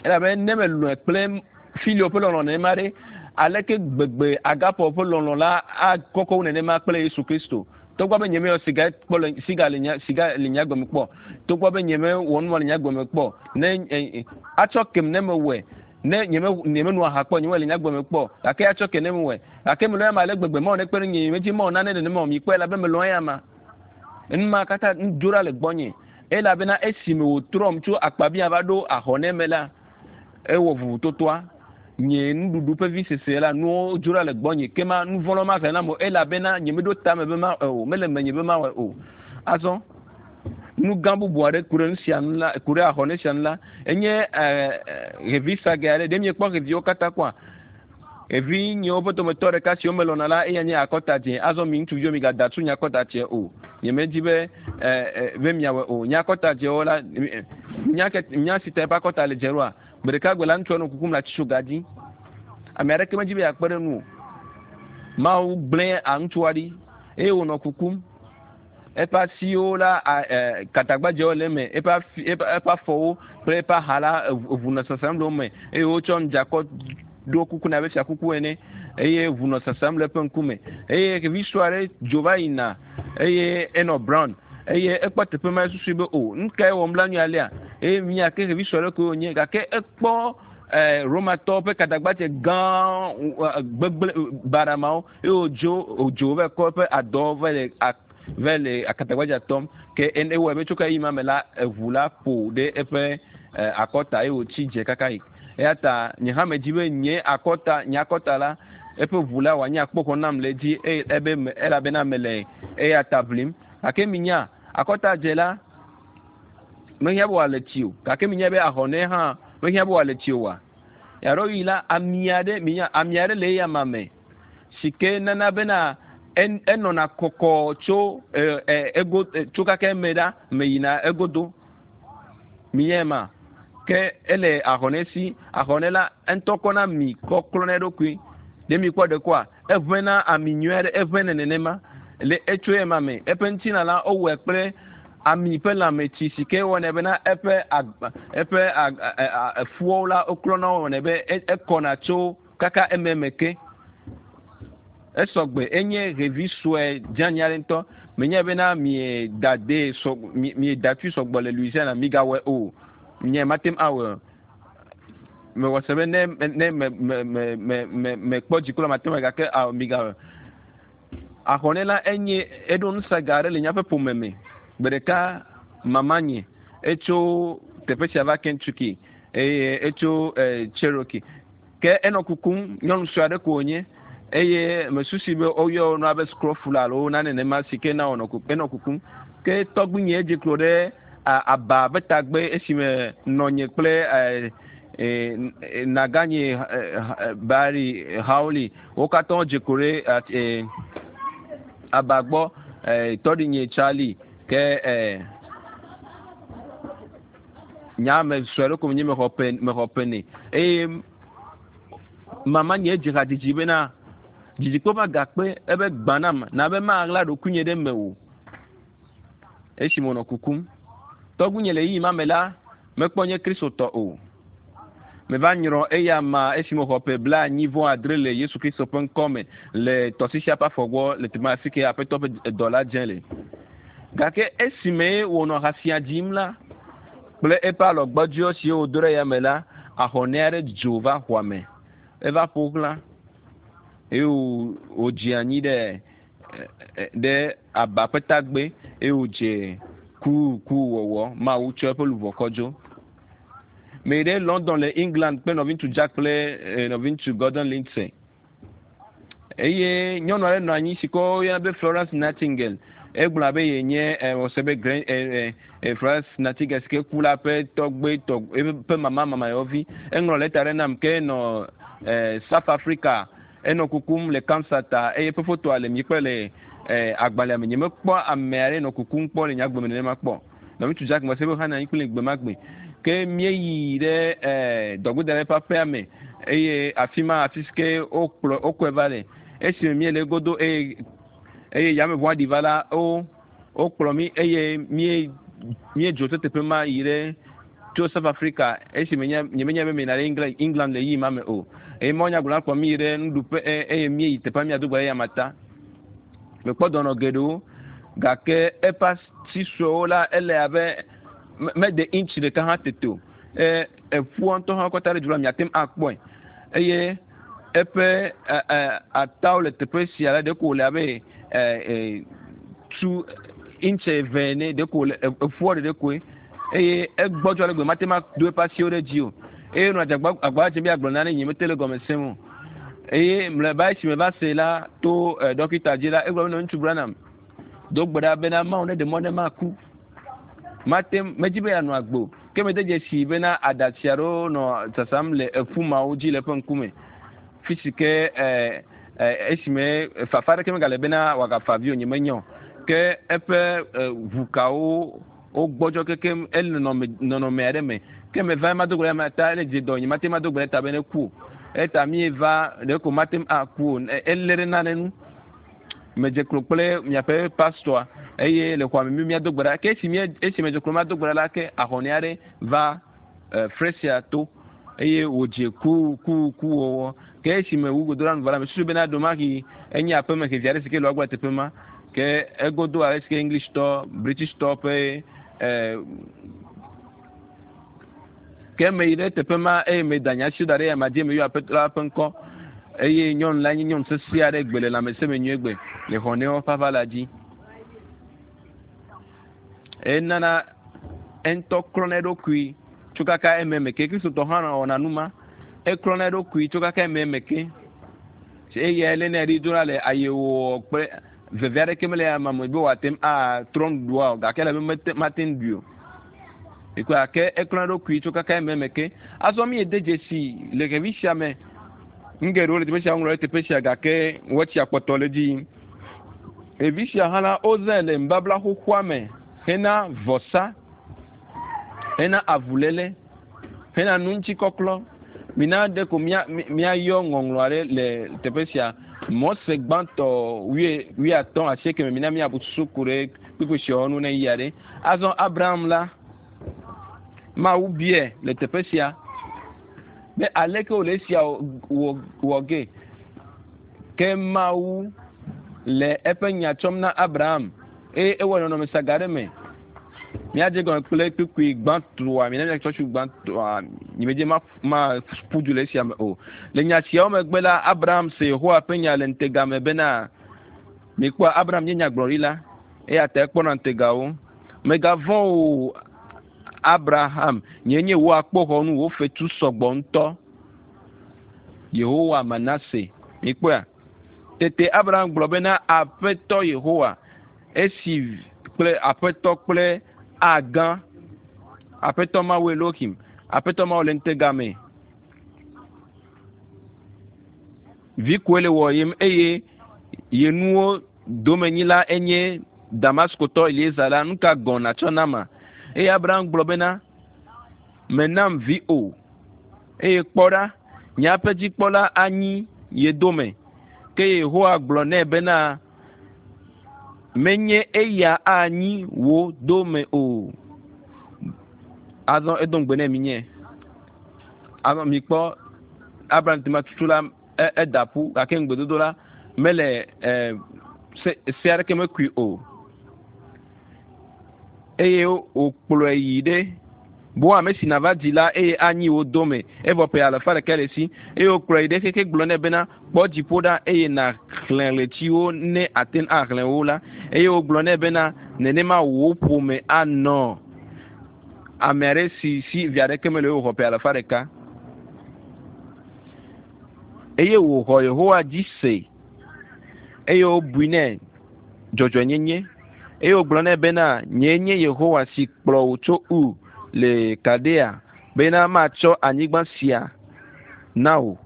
A: Elabe ne melɔ̃e kple filio ƒe lɔlɔ̃ nenema ɖe, aleke gbegbe agape ƒe lɔlɔ̃ la akɔkɔ wu nenema kple Yesu Kristo. Togbɔ be nyemeyɔ siga kpɔ le siga le nye siga le nye agbe me kpɔ, togbɔ be nyemewɔ nu ma le nye agbe me kpɔ, ne atsɔ kem ne mewɔe, ne nyeme nyemeno aha kpɔ, nyemewɔe le nye agbe me kpɔ, gake atsɔ ke ne mewɔe. Gake melɔ̃ eya ma ale gbegbe, Mawu nekpe ɖe ŋunye, nyemedi Mawu nane nenema o, mikpɔe elabe melɔ̃ eya ma. Enu ma katã dzo ɖa le gbɔnye elabena esime wòtrɔm tso akpabia va ɖo ahɔnɛ me la, ewɔ vovototoa. Nye nuɖuɖu ƒe visese la, nuwo dzo ɖa le gbɔnye. Ke ma nu vɔ̃ lɔ mahe nam o elabena nyemeɖo tame be mawɔe o, mele menye be mawɔe o. Azɔ nu gã bubu aɖe ku ɖe nu sia nu la, ku ɖe ahɔnɛ sia nu la, enye xevi sage aɖe. Ɖe miekpɔ xeviwo katã kpɔa? Evinyewo ƒe dometɔ ɖeka si womelɔ̃na la, eya nye akɔta dzẽ. Azɔ mi ŋutsuviwo migada tu nye akɔta dzẽ o. Nyemedi be be miawɔe o. Nye akɔta dzẽwo la, nya ke nya si ta eƒe akɔta le dzẽ ɖoa? Gbe ɖeka gbe la, ŋutsua nɔ kukum le atitsoga dzi. Ame aɖeke medi be yeakpe ɖe enu o. Mawu gblẽ ŋutsua ɖi eye wònɔ kukum. Eƒe asiwo la, katagbadzewo le eme, eƒe afi, eƒe, eƒe afɔwo kple eƒe aha la, eŋu nɔ sasam le wo me eye wotsɔ ŋdzakɔ ɖo kuku nɛ abe fiakuku ene eye ʋu nɔ sasam le eƒe ŋkume. Eye xevi sue aɖe dzo va yina eye enɔ brown eye ekpɔ teƒe ma esusui be o nu kae wɔm la nyuie alea eye mia ke xevi sue aɖe koe wònye gake ekpɔ Romatɔwo ƒe katagbadze gã gbegblẽ baɖa mawo eye wòdzo wòdzo va kɔ eƒe adɔ va le va le akatagbadza tɔm ke ewɔe be tso ka ɣeyiɣi ma me la eʋu la ƒo ɖe eƒe akɔta eye wòtsi dze kaka yi. Eya ta nye hã medi be nye akɔta nye akɔta la eƒe ʋu la wòanye akpoxɔ nam le edzi eye ebe elabena mele eya ta ʋlim. Gake minya akɔta dze la mehiã be wòale tsi o gake minya be ahɔnɛ hã. Mehiã be wòale tsi oa? Ɣeaɖewoɣi la, ami aɖe, minya, ami aɖe le eyama me si ke nana bena enɔna kɔkɔ tso e, ego tso kaka eme ɖa me yina egodo. Minyae ma? Ke ele ahɔnɛ si. Ahɔnɛ la, eŋutɔ kɔna ami kɔ klɔna eɖokui. Ɖe mikpɔ ɖe kɔa? Eʋẽna ami nyui aɖe, eʋẽnɛ nenema le etso ema me. Eƒe ŋutilã la, wowɔe kple ami ƒe lãmetsi si ke wɔnɛ bena eƒe agba, eƒe efuawo la, woklɔna wo wɔnɛ be ekɔna tso kaka ememe ke. Esɔgbe, enye ɖevi sue dzeani aɖe ŋutɔ. Menyae bena mieda dee sɔ, mieda tui sɔgbɔ le Louisiana, migawɔe o. Nye mate ŋu awɔe o. Mewɔ se be ne ne me me me me me mekpɔ dziku la mate ŋu awɔe gake ao migawɔe. Ahɔnɛ la enye eɖo nusaga aɖe le míaƒe ƒome me. Gbe ɖeka mamanye etso teƒe sia va Kentucky eye etso Cherokee. Ke enɔ kukum, nyɔnu sue aɖe ko wònye eye mesusi be woyɔ nua be scrofula alo nane nenema si ke na wònɔ enɔ kukum. Ke tɔgbuinye edze klo ɖe aba ƒe tagbe esime nɔnye kple naganye Barry Howley wo katã wodze klo ɖe aba gbɔ tɔɖinye Charlie ke nya me sue aɖe ko menye mexɔ ƒe mexɔ ƒe nɛ eye mama nye dze hadzidzi bena dzidzikpɔ va gakpe ebe gbã nam na be maɣla ɖokuinye ɖe mewò esi menɔ kukum. Tɔgbuinye le ɣeyiɣi ma me la mekpɔ nye Kristotɔ o. Meva nyrɔ eya ma esi mexɔ ƒe 75 le Yesu Kristo ƒe ŋkɔ me le tɔsisia ƒe afɔ gbɔ le teƒe ma afi ke Aƒetɔ ƒe dɔla dze le. Gake esime wònɔ ha sia dzim la kple eƒe alɔgbɔdzɔ siwo wòdo ɖe yame la, ahɔnɛ aɖe dzo va xɔa me. Eva ƒo xlã eye wòdze anyi ɖe ɖe aba ƒe tagbe eye wòdze kukuwɔwɔ. Mawu tsɔ eƒe luʋɔ kɔ dzo. Meyi ɖe London le England kple nɔviŋutsu Jack kple nɔviŋutsu Gordon Lindsay. Eye nyɔnu aɖe nɔ anyi si ke woyɔna be Florence Nightingale. Egblɔ abe yenye wòse be Florence Nightingale si ke ku la ƒe tɔgbe tɔ eƒe mama mamayɔvi. Eŋlɔ lɛta ɖe nam ke enɔ South Africa enɔ kukum le cancer ta eye eƒe fotoa le mi kple le agbalẽa me. Nyemekpɔ ame aɖe nɔ kukum kpɔ le nye agbe me nenema kpɔ. Nɔviŋutsu Jack mese be hã nɔ anyi kpli gbe ma gbe. Ke míeyi ɖe dɔgbedala ƒe aƒea me eye afi ma afi si ke wokplɔ wokɔe va le. Esime míele egodo eye eye yameʋua ɖi va la wo wokplɔ mí eye mí míedzo tso teƒe ma yi ɖe tso South Africa esime nye nyemenya be meyina ɖe England England le ɣeyiɣi ma me o. Eye mawunyagblɔla kplɔ mí yi ɖe nuɖuƒe eye míeyi teƒea míado gbe ɖe eyama ta. Mekpɔ dɔnɔ geɖewo gake eƒe asi suewo la ele abe mede intsi ɖeka hã tete o. Eƒua ŋutɔ hã kɔ ta ɖe dzi la miate ŋu akpɔe eye eƒe atawo le teƒe sia la ɖeko wòle abe tu intsi eve ene ɖeko wòle eƒua ɖeɖe koe eye egbɔdzɔ ale gbe mate ŋu ado eƒe asiwo ɖe dzi o eye nɔ adzagba agba dzem be yeagblɔ nane nye mete le gɔme sem o eye mlɔeba esi meva se la to dɔkita dzi la egblɔ be ŋutsu Branham do gbe ɖa bena Mawu neɖe mɔ ne maku mate medzi be yeanɔ agbe o ke mede dzesi bena aɖatsi aɖewo nɔ sasam le eƒu mawo dzi le eƒe ŋkume fi si ke esime fafa aɖeke megale bena wòagafa avi o nyemenya o ke eƒe ʋukawo wogbɔdzɔ kekem ele nɔnɔme aɖe me ke meva mado gbe ɖe ame ta ele dze dɔ nye mate mado gbe ɖe ta be ne ku o eta míeva ɖeko mate ŋu aku o elé ɖe nane nu medze klo kple miaƒe pastor eye le xɔa me mi míado gbe ɖa ke esi mía esi medze klo mado gbe ɖa la ke ahɔnɛ aɖe va fresia to eye wòdze ku ku ku wɔwɔ ke esi me wu godo ɖa nu vɔ la mesusu bena ɖomahi enye aƒeme xevi aɖe si ke le woagbɔ le teƒe ma ke egodo ale si ke English tɔ British tɔ ƒe ke meyi ɖe teƒe ma eye meda nye asiwo da ɖe yama dzi meyɔ aƒetɔ la ƒe ŋkɔ eye nyɔnu la nye nyɔnu sesẽ aɖe gbe le lãmesẽ me nyuie gbe le xɔnɛwo ƒe aʋala dzi. Enana eŋutɔ klɔna eɖokui tso kaka ememe ke. Kristotɔ hã wɔna nu ma. Eklɔna eɖokui tso kaka ememe ke. Eya lénɛ ɖi dona le ayewɔwɔ kple veve aɖeke mele ama me be wòate ŋu atrɔ nuɖuɖua o gake ele be mate ŋu ɖui o. Mikpɔe gake eklɔ eɖokui tso kaka ememe ke. Azɔ mi de dzesi le xevi sia me. Nu geɖewo le teƒe sia woŋlɔ ɖe teƒe sia gake wɔtsia kpɔtɔ le edzi yim. Ɖevi sia hã la, wozãe le nubabla xoxoa me hena vɔsa, hena avuléle, hena nuŋutikɔklɔ. Mina ɖe ko mía míayɔ ŋɔŋlɔ aɖe le teƒe sia. Mɔse gbãtɔ wuie wuiatɔ̃ asieke me mina míabu susu ku ɖe kpukpui siawo ŋu ne yia ɖe. Azɔ Abraham la, Mawu biae le teƒe sia be aleke wòle esia wɔ wɔ ge. Ke Mawu le eƒe nya tsɔm na Abraham eye ewɔ nɔnɔme saga aɖe me. Míadze gɔme kple kpukpui gbãtɔa, mina míatsɔ tsu gbãtɔa, nyemedze ma maƒu du le esia me o. Le nya siawo megbe la, Abraham se Yehowa ƒe nya le ŋutega me bena, Mikpɔa, Abraham nye nyagblɔɖila, eya ta ekpɔna ŋutegawo. Mègavɔ̃ o, Abraham, nyee nye wò akpoxɔnu, wò fetu sɔgbɔ ŋutɔ. Yehowa Manase. Mikpɔea? Tete Abraham gblɔ bena, Aƒetɔ Yehowa, esi kple Aƒetɔ kple Agã, Aƒetɔ Mawu Elohim, Aƒetɔ Mawu le ŋutega me. Vi koe le wɔyem eye ye nuwo domenyila enye Damaskotɔ Eliezer la, nu ka gɔ̃ nàtsɔ nama? Eye Abraham gblɔ bena, Menam vi o. Eye kpɔ ɖa, nye aƒedzikpɔla anyi ye dome. Ke Yehowa gblɔ nɛ bena, Menye eya anyi wò dome o. Azɔ edo ŋugbe nɛ minye. Azɔ mikpɔ Abraham tema tutu la eda ƒu gake ŋugbedodo la mele e, se, se aɖeke mekui o. Eye wòkplɔe yi ɖe bo ame si nàva dzi la eye anyi wò dome evɔ ƒe alafa ɖeka le esi. Eye wòkplɔe yi ɖe xexe gblɔ nɛ bena, Kpɔ dziƒo ɖa eye nàxlẽ ɣletiwo ne àte ŋu axlẽ wo la. Eye wògblɔ nɛ bena, Nenema wò ƒome anɔ. Ame aɖe si si vi aɖeke mele o wòxɔ ƒe alafa ɖeka. Eye wòxɔ Yehowa dzi se eye wobui nɛ dzɔdzɔenyenye. Eye wògblɔ nɛ bena, Nyee nye Yehowa si kplɔ wò tso Ur le Kaldea bena matsɔ anyigba sia na wò,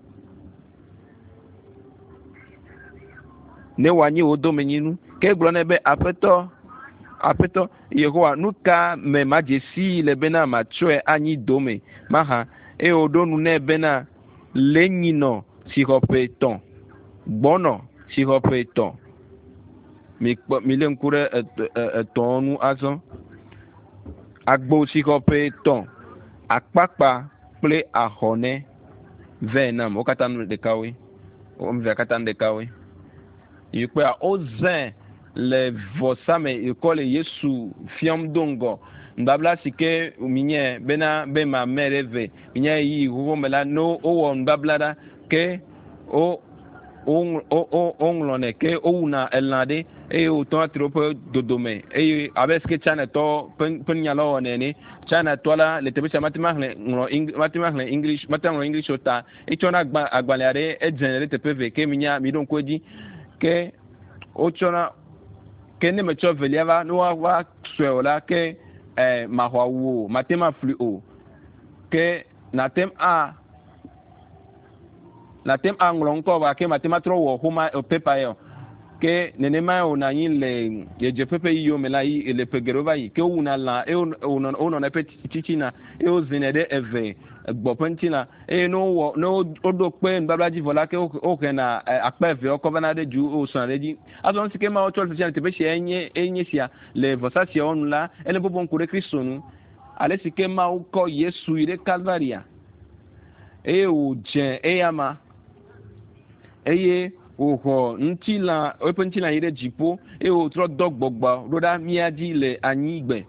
A: ne wòanyi wò domenyinu. Ke egblɔ nɛ be, Aƒetɔ, Aƒetɔ Yehowa, nu ka me madze sii le bena matsɔe anyi dome mahã? Eye wòɖo nu nɛ bena, Le nyinɔ si xɔ ƒe etɔ̃, gbɔnɔ si xɔ ƒe etɔ̃. Mikpɔ, milé ŋku ɖe etɔ̃ ŋu azɔ. Agbo si xɔ ƒe etɔ̃, akpakpa kple ahɔnɛ vɛ nam. Wo katã nu ɖekawoe. Wo ame evea katã nu ɖekawoe. Yi kpɔa, wozãe le vɔsa me yi kɔ le Yesu fiɔm do ŋgɔ. Nubabla si ke minye bena be mamɛ ɖe ve minye ɣeyiɣi xoxo me la, ne wowɔ nubabla ɖa ke wo woŋlɔnɛ ke wowuna elã ɖe eye wotɔna tri woƒe dodome eye abe sike Chinatɔ ƒe ƒe nunyalawo wɔnɛ ene. Chinatɔ la le teƒe sia mate ŋu axlẽ ŋlɔ mate ŋu axlẽ English mate ŋu aŋlɔ English o ta etsɔna agba agbalẽ aɖe edzenɛ ɖe teƒe eve ke minya miɖo ŋku edzi ke wotsɔna ke ne metsɔ evelia va ne woava sɔe o la ke eh, maxɔ awu o mate ŋu aflui o ke nate ŋu a Nàte ŋu aŋlɔ ŋkɔ gake màte ŋu atrɔ wɔ xoma pepa ya o. Ke nenemae wònɔ anyi le ɣedzeƒe ƒe yiyiwo me la yi le ƒe geɖewo va yi. Ke wowuna lã eye wonɔna eƒe tsitsina eye wozinɛ ɖe eve gbɔ ƒe ŋutilã. Eye ne wowɔ ne woɖo kpe nubabla dzi vɔ la ke wohena akpa eveawo kɔ vana ɖe dzu eye wosrɔ̃na ɖe edzi. Azɔ nu si ke Mawu tsɔ le fifia le teƒe sia enye enye sia le vɔsa siawo nu la, ele bɔbɔ ŋku ɖe Kristo ŋu. Ale si ke Mawu kɔ Yesu yi ɖe Kalvaria eye wòdze eyama eye wòxɔ ŋutilã eƒe ŋutilã yi ɖe dziƒo eye wòtrɔ dɔ gbɔgbɔ ɖo ɖa mía dzi le anyigbe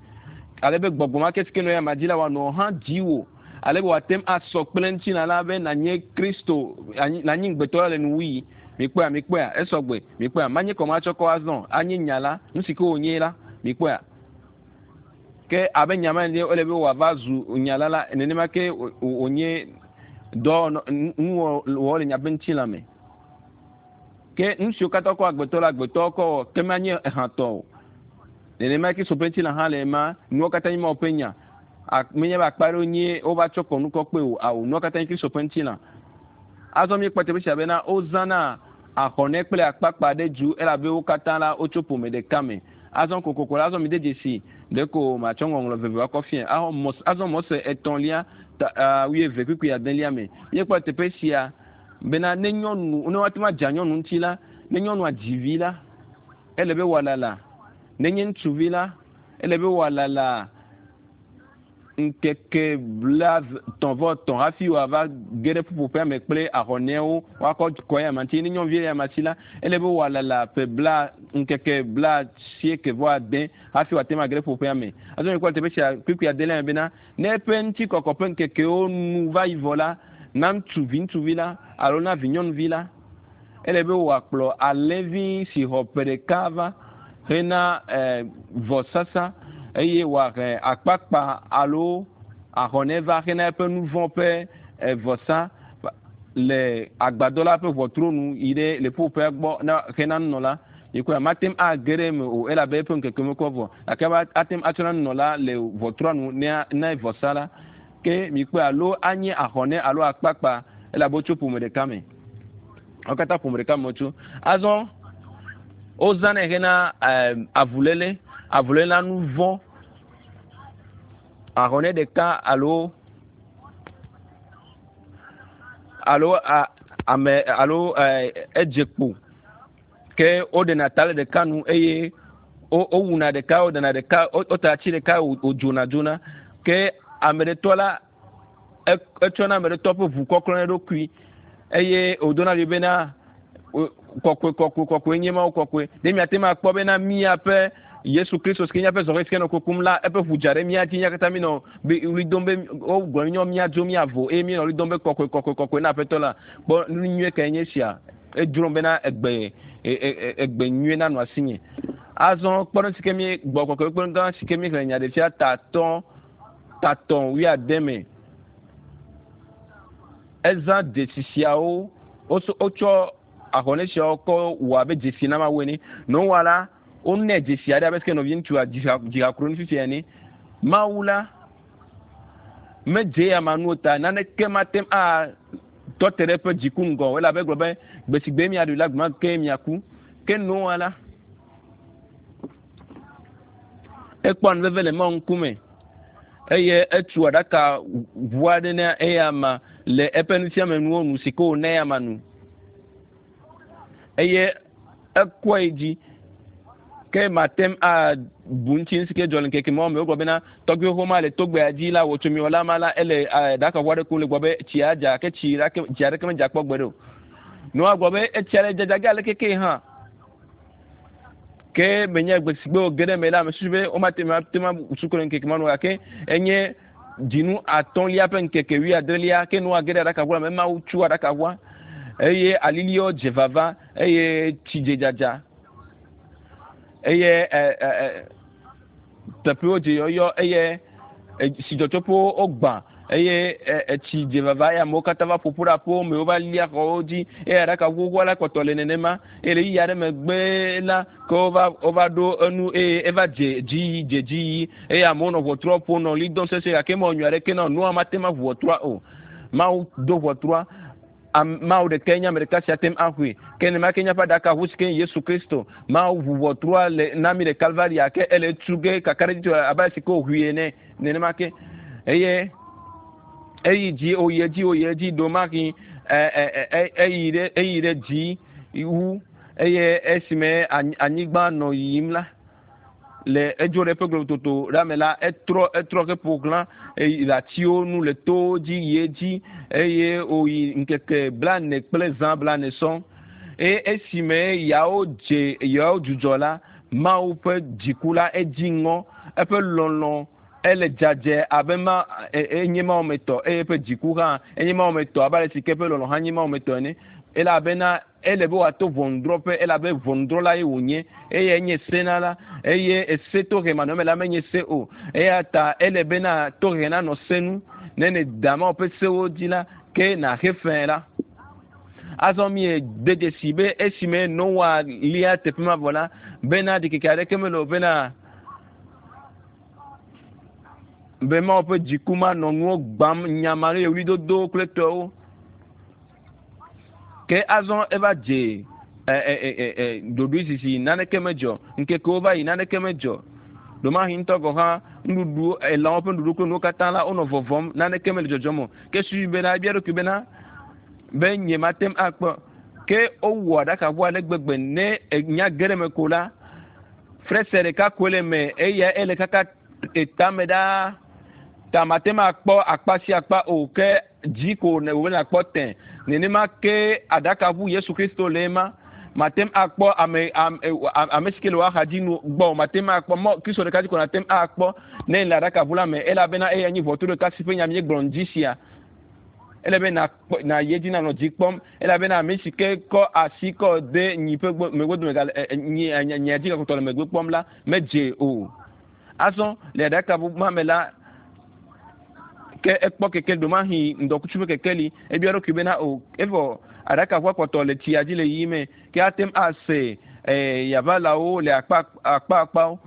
A: ale be gbɔgbɔ ma ke si ke nɔ eyama dzi la wòanɔ hã dziwò ale be wòate ŋu asɔ kple ŋutilã la be nànye Kristo nànyi ŋugbetɔ la le nuwuɣi. Mikpɔea, mikpɔea, esɔgbe, mikpɔea, manye kɔmatsɔkɔ azɔ, anye nya la, nu si ke wònye la, mikpɔea. Ke abe nya ma ene ele be wòava zu nya la la, nenema ke wònye dɔ nuwɔwɔ le nya ƒe ŋutilã me. Ke nu siwo katã kɔ agbetɔ la, agbetɔ kɔ wɔ, ke manye ehãtɔ o. Nenema ke so ƒe ŋutilã hã le ema, nuwo katã nye Mawu ƒe nya. Menye be akpa ɖewo nye wova tsɔ kɔnu kɔ kpe o. Awo, nua katã nye Kristo ƒe ŋutilã. Azɔ míekpɔ teƒe sia bena wozãna ahɔnɛ kple akpakpa ɖe du elabe wo katã la wotso ƒome ɖeka me. Azɔ kokoko la, azɔ mide dzesi ɖeko matsɔ ŋɔŋlɔ veve akɔ fia. Azɔ Mose etɔ̃lia ta 20 kpukpui adelia me. Míekpɔ teƒe sia bena ne nyɔnu ne woate ŋu adza nyɔnu ŋuti la, ne nyɔnua dzi vi la, ele be wòalala. Ne nye ŋutsuvi la, ele be wòalala ŋkeke 33 hafi wòava ge ɖe ƒuƒoƒea me kple ahɔnɛwo woakɔ kɔ ya ma ŋuti. Ne nyɔnuvi ya ma si la, ele be wòalala ƒe bla ŋkeke 90 hafi wòate ŋu age ɖe ƒuƒoƒea me. Azɔ míekpɔ teƒe sia kpukpui adelia me bena ne eƒe ŋutikɔkɔ ƒe ŋkekewo nu va yi vɔ la, na ŋutsuvi ŋutsuvi la alo na vi nyɔnuvi la, ele be wòakplɔ alẽvi si xɔ ƒe ɖeka va hena vɔsasa eye wòahe akpakpa alo ahɔnɛ va hena eƒe nu vɔ̃ ƒe vɔsa le agbadɔ la ƒe ʋɔtru nu yi ɖe le ƒuƒoƒea gbɔ na hena nunɔla. Yikɔe mate ŋu age ɖe eme o elabe eƒe ŋkeke mekɔ vɔ gake ate ŋu atsɔ na nunɔla le ʋɔtrua nu ne vɔsa la. Ke mikpɔe alo anye ahɔnɛ alo akpakpa elabe wotso ƒome ɖeka me. Wo katã ƒome ɖeka me wotso. Azɔ wozãnɛ hena avuléle, avuléle na nu vɔ̃. Ahɔnɛ ɖeka alo alo ame alo edze kpo ke woɖena ta le ɖeka nu eye wowuna ɖeka, woɖena ɖeka, wota tsi ɖeka wodzona dzona. Ke ame ɖetɔ la etsɔna ame ɖetɔ ƒe ʋu kɔklɔ na eɖokui eye wòdona ɖi bena kɔkɔe kɔkɔe kɔkɔe nye Mawu kɔkɔe. Ne miate ŋu akpɔ bena míaƒe Yesu Kristo si ke míaƒe zɔhɛ si ke nɔ kukum la, eƒe ʋu dza ɖe mía dzi, mía katã míenɔ ɣli dom be wogblɔ míɔ míadzo míavo eye míenɔ ɣli dom be kɔkɔe kɔkɔe kɔkɔe na Aƒetɔ la. Kpɔ nu nyuie kae nye esia? Edzrom bena egbe egbe nyuie nanɔ asinye. Azɔ kpɔɖeŋu si ke mí gbɔ kɔkɔe kpɔɖeŋu gã si ke míexlẽ Nyaɖeɖefia ta 3 80 me. Ezã dzesi siawo, wotsɔ ahɔnɛ siawo kɔ wɔ abe dzesi na Mawu ene. Noa la, wonɛ dzesi aɖe abe sike nɔvi ŋutsua dzihakro nu fifia ene. Mawu la medze ya ma nuwo ta naneke mate ŋu atɔ te ɖe eƒe dziku ŋgɔ o elabe egblɔ be gbe si gbe miaɖui la gbema ke miaku. Ke Noa la, ekpɔ nu veve le Mawu ŋkume eye etu aɖaka ʋu aɖe na eya ma le eƒe nufiamenuwo nu si ke wòna eya ma nu eye ekɔe yi dzi. Ke mate ŋu abu ŋuti nu si ke dzɔ le ŋkeke mawo me. Wogblɔ bena tɔgbuiwo xoxo ma le togbea dzi la, wò tsomiwɔla ma la, ele ɖaka ʋu aɖe kum le gbɔ be tsia dza ke tsi ɖeke tsi aɖeke medza kpɔ gbeɖe o. Noa gblɔ be etsia le dzadza ge aleke ke hã. Ke menye gbe si gbe wòge ɖe eme la, ame susu be womate ŋu ate ŋu abu suku le ŋkeke ma nu o gake enye dzinu atɔ̃lia ƒe ŋkeke wuiadrelia ke Noa ge ɖe aɖakaʋua la me. Mawu tso aɖakaʋua eye aliliwo dze vava eye tsi dze dzadza eye teƒewo dze yɔyɔ eye tsidzɔtsoƒewo wogbã eye etsi dze vava eye amewo katã va ƒoƒu ɖe aƒewo me wova lia xɔwo dzi eye aɖaka xoxoa la kpɔtɔ le nenema eye le ɣeyiɣi aɖe megbe la ke wova wova ɖo enu eye eva dze dzi yi dze dzi yi eye amewo nɔ ʋɔtrua ƒom nɔ ɣli dom sesĩe gake mewɔ nyui aɖeke na o Noa mate ŋu aʋu ʋɔtrua o. Mawu do ʋɔtrua. Mawu ɖekae nye ame ɖeka si ate ŋu axɔe. Ke nenema ke míaƒe aɖakaʋu si ke nye Yesu Kristo. Mawu ʋu ʋɔtrua le na mí le Kalvari gake ele etu ge kakaɖedzitɔe abe ale si ke wòʋui ene. Nenema ke eye eyi dzi wòyi edzi wòyi edzi ɖomahi eyi ɖe eyi ɖe dzi wu eye esime anyigba nɔ yiyim la le edzo ɖe eƒe globototo ɖa me la, etrɔ etrɔ heƒo xlã le atiwo nu le towo dzi yi edzi eye wòyi ŋkeke blane kple zã blane sɔŋ. Eye esime yawo dze yawo dzudzɔ la, Mawu ƒe dziku la edzi ŋɔ, eƒe lɔlɔ̃ ele dzadzɛ abe ma enye Mawu me tɔ eye eƒe dziku hã enye Mawu me tɔ abe ale si ke eƒe lɔlɔ̃ hã nye Mawu me tɔ ene. Elabena ele be wòato ʋɔnudrɔ̃ƒe elabe ʋɔnudrɔ̃la ye wònye eye enye senala eye ese tohe manɔme la menye se o. Eya ta ele bena tohe nanɔ se nu. Ne nèda Mawu ƒe sewo dzi la, ke nàxe fe la. Azɔ míede dzesi be esime Noa lia teƒe ma vɔ la, bena ɖikeke aɖeke mele o bena Be Mawu ƒe dziku manɔ nuwo gbam nyama ɖe ɣlidodo kple tɔwo. Ke azɔ eva dze ɖoɖoe sisi, naneke medzɔ. Ŋkekewo va yi, naneke medzɔ. Ɖomahi ŋutɔ gɔ̃ hã, nuɖuɖu, elãwo ƒe nuɖuɖu kple nuwo katã la, wonɔ vɔvɔm, naneke mele dzɔdzɔm o. Ke susui bena, ebia eɖokui bena, be nyemate ŋu akpɔ. Ke wowɔ aɖakaʋu ale gbegbe ne enya ge ɖe eme ko la, frese ɖeka koe le eme eya ele kaka etame ɖaa. Ta mate ŋu akpɔ akpa sia akpa o, ke dzi ko wòbe nàkpɔ tẽ. Nenema ke aɖakaʋu Yesu Kristo le ema. Mate ŋu akpɔ ame ame ame si ke le wò axa dzi nu gbɔ o. Mate ŋu akpɔ mɔ Kristo ɖeka dzi ko nàte ŋu akpɔ ne le aɖakaʋu la me elabena eya nye ʋɔtru ɖeka si ƒe nya míegblɔ ŋdi sia. Ele be nàkpɔ nàyi edzi nànɔ dzi kpɔm elabena ame si ke kɔ asi kɔ de nyi ƒe megbe dome gale nyi nyia dzi gakpɔtɔ le megbe kpɔm la medze o. Azɔ le aɖakaʋu ma me la ke ekpɔ kekeli ɖomahi ŋdɔkutsu ƒe kekeli ebia eɖokui bena o evɔ aɖakaʋua kpɔtɔ le tsia dzi le yiyim me ke ate ŋu ase yaʋalawo le akpa akpa akpawo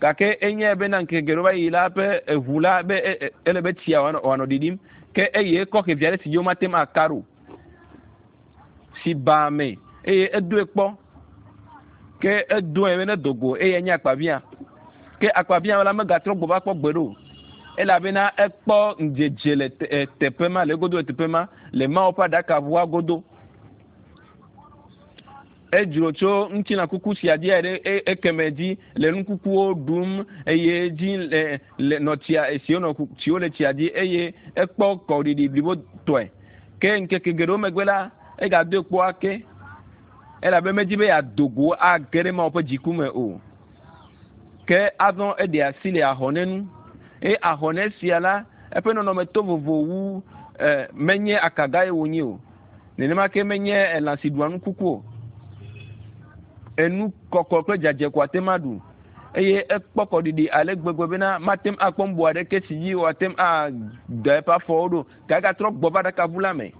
A: gake enyae bena ŋkeke geɖewo va yi la ƒe eʋu la be ele be tsia wòanɔ ɖiɖim ke eye ekɔ xevi aɖe si dzi womate ŋu aka ɖo si baa me eye edoe kpɔ ke edoe be ne do go eye nye akpavia ke akpavia la megatrɔ gbɔ va kpɔ gbe ɖo elabena ekpɔ ŋdzedze le teƒe ma le egodo le teƒe ma le Mawu ƒe aɖakaʋua godo. Edzro tso ŋutilã kuku sia dzi ɖe ekeme dzi le nu kukuwo ɖum eye dzi le le nɔ tsia esiwo nɔ tsiwo le tsia dzi eye ekpɔ kɔɖiɖi blibotɔe. Ke ŋkeke geɖewo megbe la, egadoe kpɔ ake elabe medzi be yeado go age ɖe Mawu ƒe dziku me o. Ke azɔ eɖe asi le ahɔne nu eye ahɔne sia la eƒe nɔnɔme to vovo wu menye akagae wònye o. Nenema ke menye elã si ɖua nu kuku o. Enu kɔkɔ kple dzadzɛ ko ate ŋu aɖu. Eye ekpɔ kɔɖiɖi ale gbegbe bena mate ŋu akpɔ nu bu aɖeke si dzi wòate ŋu ada eƒe afɔwo ɖo. Gake egatrɔ gbɔ va aɖakaʋu la me.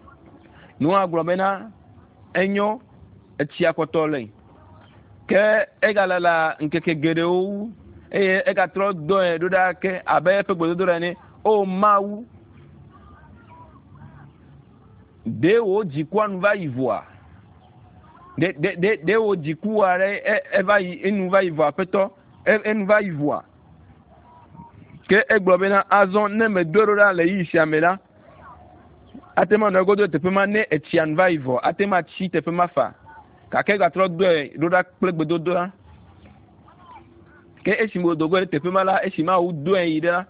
A: Noa gblɔ bena enyo, etsia kpɔtɔ le. Ke egalala ŋkeke geɖewo wu eye egatrɔ dɔe ɖo ɖa ke abe eƒe gbedodoɖa ene. O Mawu, ɖe wò dzikua nu va yi vɔa? Ɖe ɖe ɖe ɖe wò dzikua ɖe eva yi enu va yi vɔa aƒetɔ? Enu va yi vɔa? Ke egblɔ bena azɔ ne medoe ɖo ɖa le ɣeyiɣi sia me la, ate ŋu anɔ egodo le teƒe ma ne etsia nu va yi vɔ ate ŋu atsi teƒe ma fa. Gake egatrɔ doe ɖo ɖa kple gbedodoɖa. Ke esime wòdo go ɖe teƒe ma la, esi Mawu doe yi ɖe la,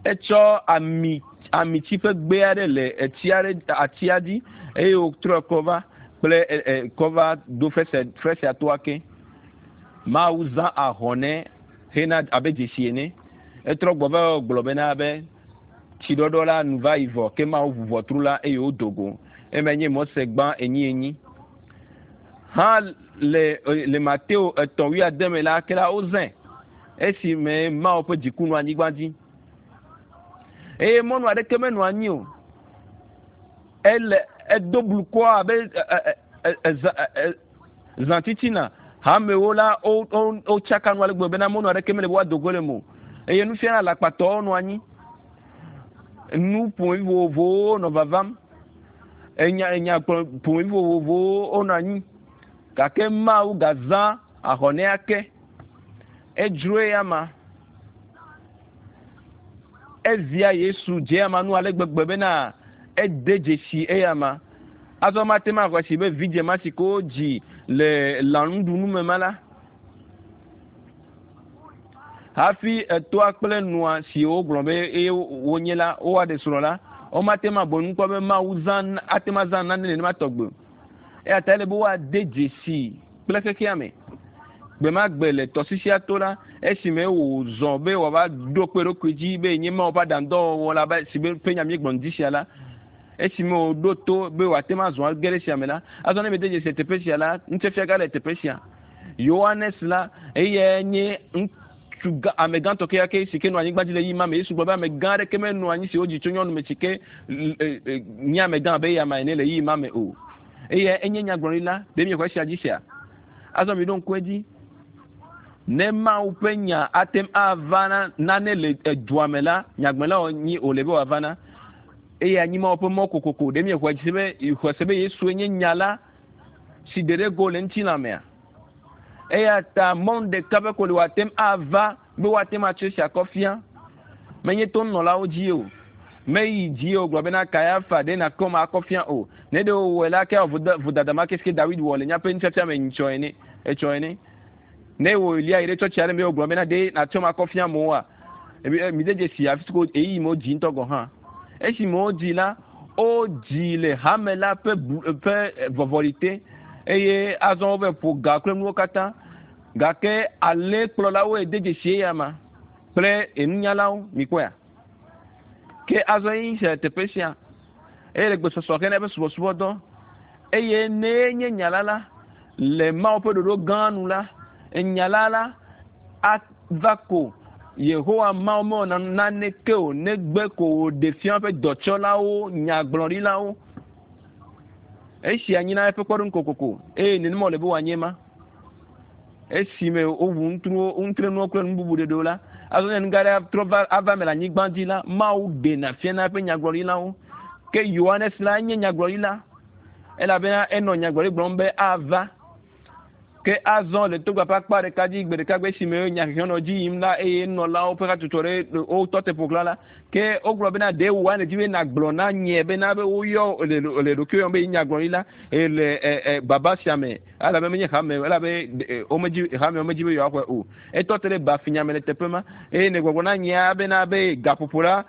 A: etsɔ ami amitsi ƒe gbe aɖe le etsi aɖe atsia dzi eye wòtrɔ kɔ va kple kɔ va do fresea fresea toa ke. Mawu zã ahɔne hena abe dzesi ene. Etrɔ gbɔ va gblɔ bena be tsiɖɔɖɔ la nu va yi vɔ ke Mawu ʋu ʋɔtru la eye wodo go. Eme nye Mose gbã enyi enyi. Hã le le Mateo etɔ̃ wuiade me la ke la wozãe esime Mawu ƒe dziku nɔ anyigba dzi. Eye mɔnu aɖeke menɔ anyi o. Ele edo blukɔ abe zã titina. Hamewo la wo wo wotsaka nu ale gbegbe bena mɔnu aɖeke mele be woado go le me o. Eye nufiala alakpatɔwo nɔ anyi. Nu ƒomevi vovovowo nɔ vavam. Enya enya ƒomevi vovovowo wonɔ anyi. Gake Mawu gazã ahɔnɛ ake. Edzro eya ma. Evia Yesu dze ama nu ale gbegbe bena ede dzesi eyama. Azɔ mate ŋu axɔe si be vidze ma si ke wodzi le lãnuɖunu me ma la, hafi etoa kple nua si wogblɔ be eye wonye la, woaɖe srɔ̃ la, womate ŋu abu enu kpɔ be Mawu zã ate ŋu azã nane nenema tɔgbe o. Eya ta ele be woade dzesi kple xexea me. Gbe ma gbe le tɔsisia to la, esime wòzɔ be wòava ɖo kpe eɖokui dzi be yenye Mawu ƒe aɖaŋudɔwɔwɔ la be si be ƒe nya míegblɔ ŋdi sia la, esime wòɖo to be wòate ŋu azɔ age ɖe esia me la, azɔ ne miede dzesi le teƒe sia la, ŋutiafiaga le teƒe sia. Yohanes la, eyae nye ŋutsu gã, ame gãtɔ kekeake si ke nɔ anyigba dzi le ɣeyiɣi ma me. Yesu gblɔ be ame gã aɖeke menɔ anyi si wodzi tso nyɔnu me si ke nye ame gã abe eya ma ene le ɣeyiɣi ma me o. Eyae enye nyagblɔɖila. Ɖe miexɔ esia dzi sea? Azɔ miɖo ŋku edzi. Ne Mawu ƒe nya ate ŋu ava na nane le edua me la, nyagblɔla wònyi wòle be wòava na. Eye anyi Mawu ƒe mɔ kokoko. Ɖe miexɔe dzi se be xɔe se be Yesue nye nya la si ɖe ɖe go le ŋutilã mea? Eya ta mɔnu ɖeka ƒe ko li wòate ŋu ava be woate ŋu atsɔ esia akɔ fia. Menye to nunɔlawo dzi o. Meyi dzi o gblɔ bena Kayafa ɖe nakɔm akɔ fia o. Ne ɖe wòwɔe la, ke awɔ vodada ma ke si ke Dawid wɔ le míaƒe nufiafia me nyitsɔ ene, etsɔ ene. Ne wò Elia yi ɖe tsɔtsi aɖe me wògblɔ bena ɖe nàtsɔm akɔ fia amewoa, mide dzesi afi si ko ɣeyiɣi me wodzi ŋutɔ gɔ̃ hã. Esime wodzi la, wodzi le hame la ƒe ƒe vɔvɔli te eye azɔ wova ƒo ga kple nuwo katã. Gake alẽkplɔlawoe de dzesi eya ma kple enunyalawo, mikpɔea? Ke azɔ eyi se teƒe sia eye le gbesɔsɔ hena eƒe subɔsubɔdɔ. Eye ne nye nya la la, le Mawu ƒe ɖoɖo gã nu la, nya la la ava ko. Yehowa Mawu mewɔna naneke o negbe ko wòɖe fia eƒe dɔtsɔlawo, nyagblɔɖilawo. Esia nyina eƒe kpɔɖeŋu kokoko eye nenema wòle be wòanye ma. Esime woʋu ŋutrenuwo kple nu bubu ɖeɖewo la, azɔ ne nu gã aɖe trɔ va ava eme le anyigba dzi la, Mawu ɖena fiana eƒe nyagblɔɖilawo. Ke Yohanes la enye nyagblɔɖila elabena enɔ nyagblɔɖi gblɔm be ava. Ke azɔ le togba ƒe akpa ɖeka dzi gbe ɖeka gbe esime nyahehe nɔ dzi yim la eye nunɔlawo ƒe hatsotso ɖe wotɔ te ƒo xlã la, ke wogblɔ bena ɖe wò nèdi be nàgblɔ na nye bena be woyɔ le le ɖokuiwò yɔm be nyagblɔɖila le e, e, baba sia me elabe menye hame elabe womedzi hame womedzi be yewoaxɔe o. Etɔ te ɖe bafinya me le teƒe ma eye nègbɔgblɔ na nyea bena be gaƒoƒo la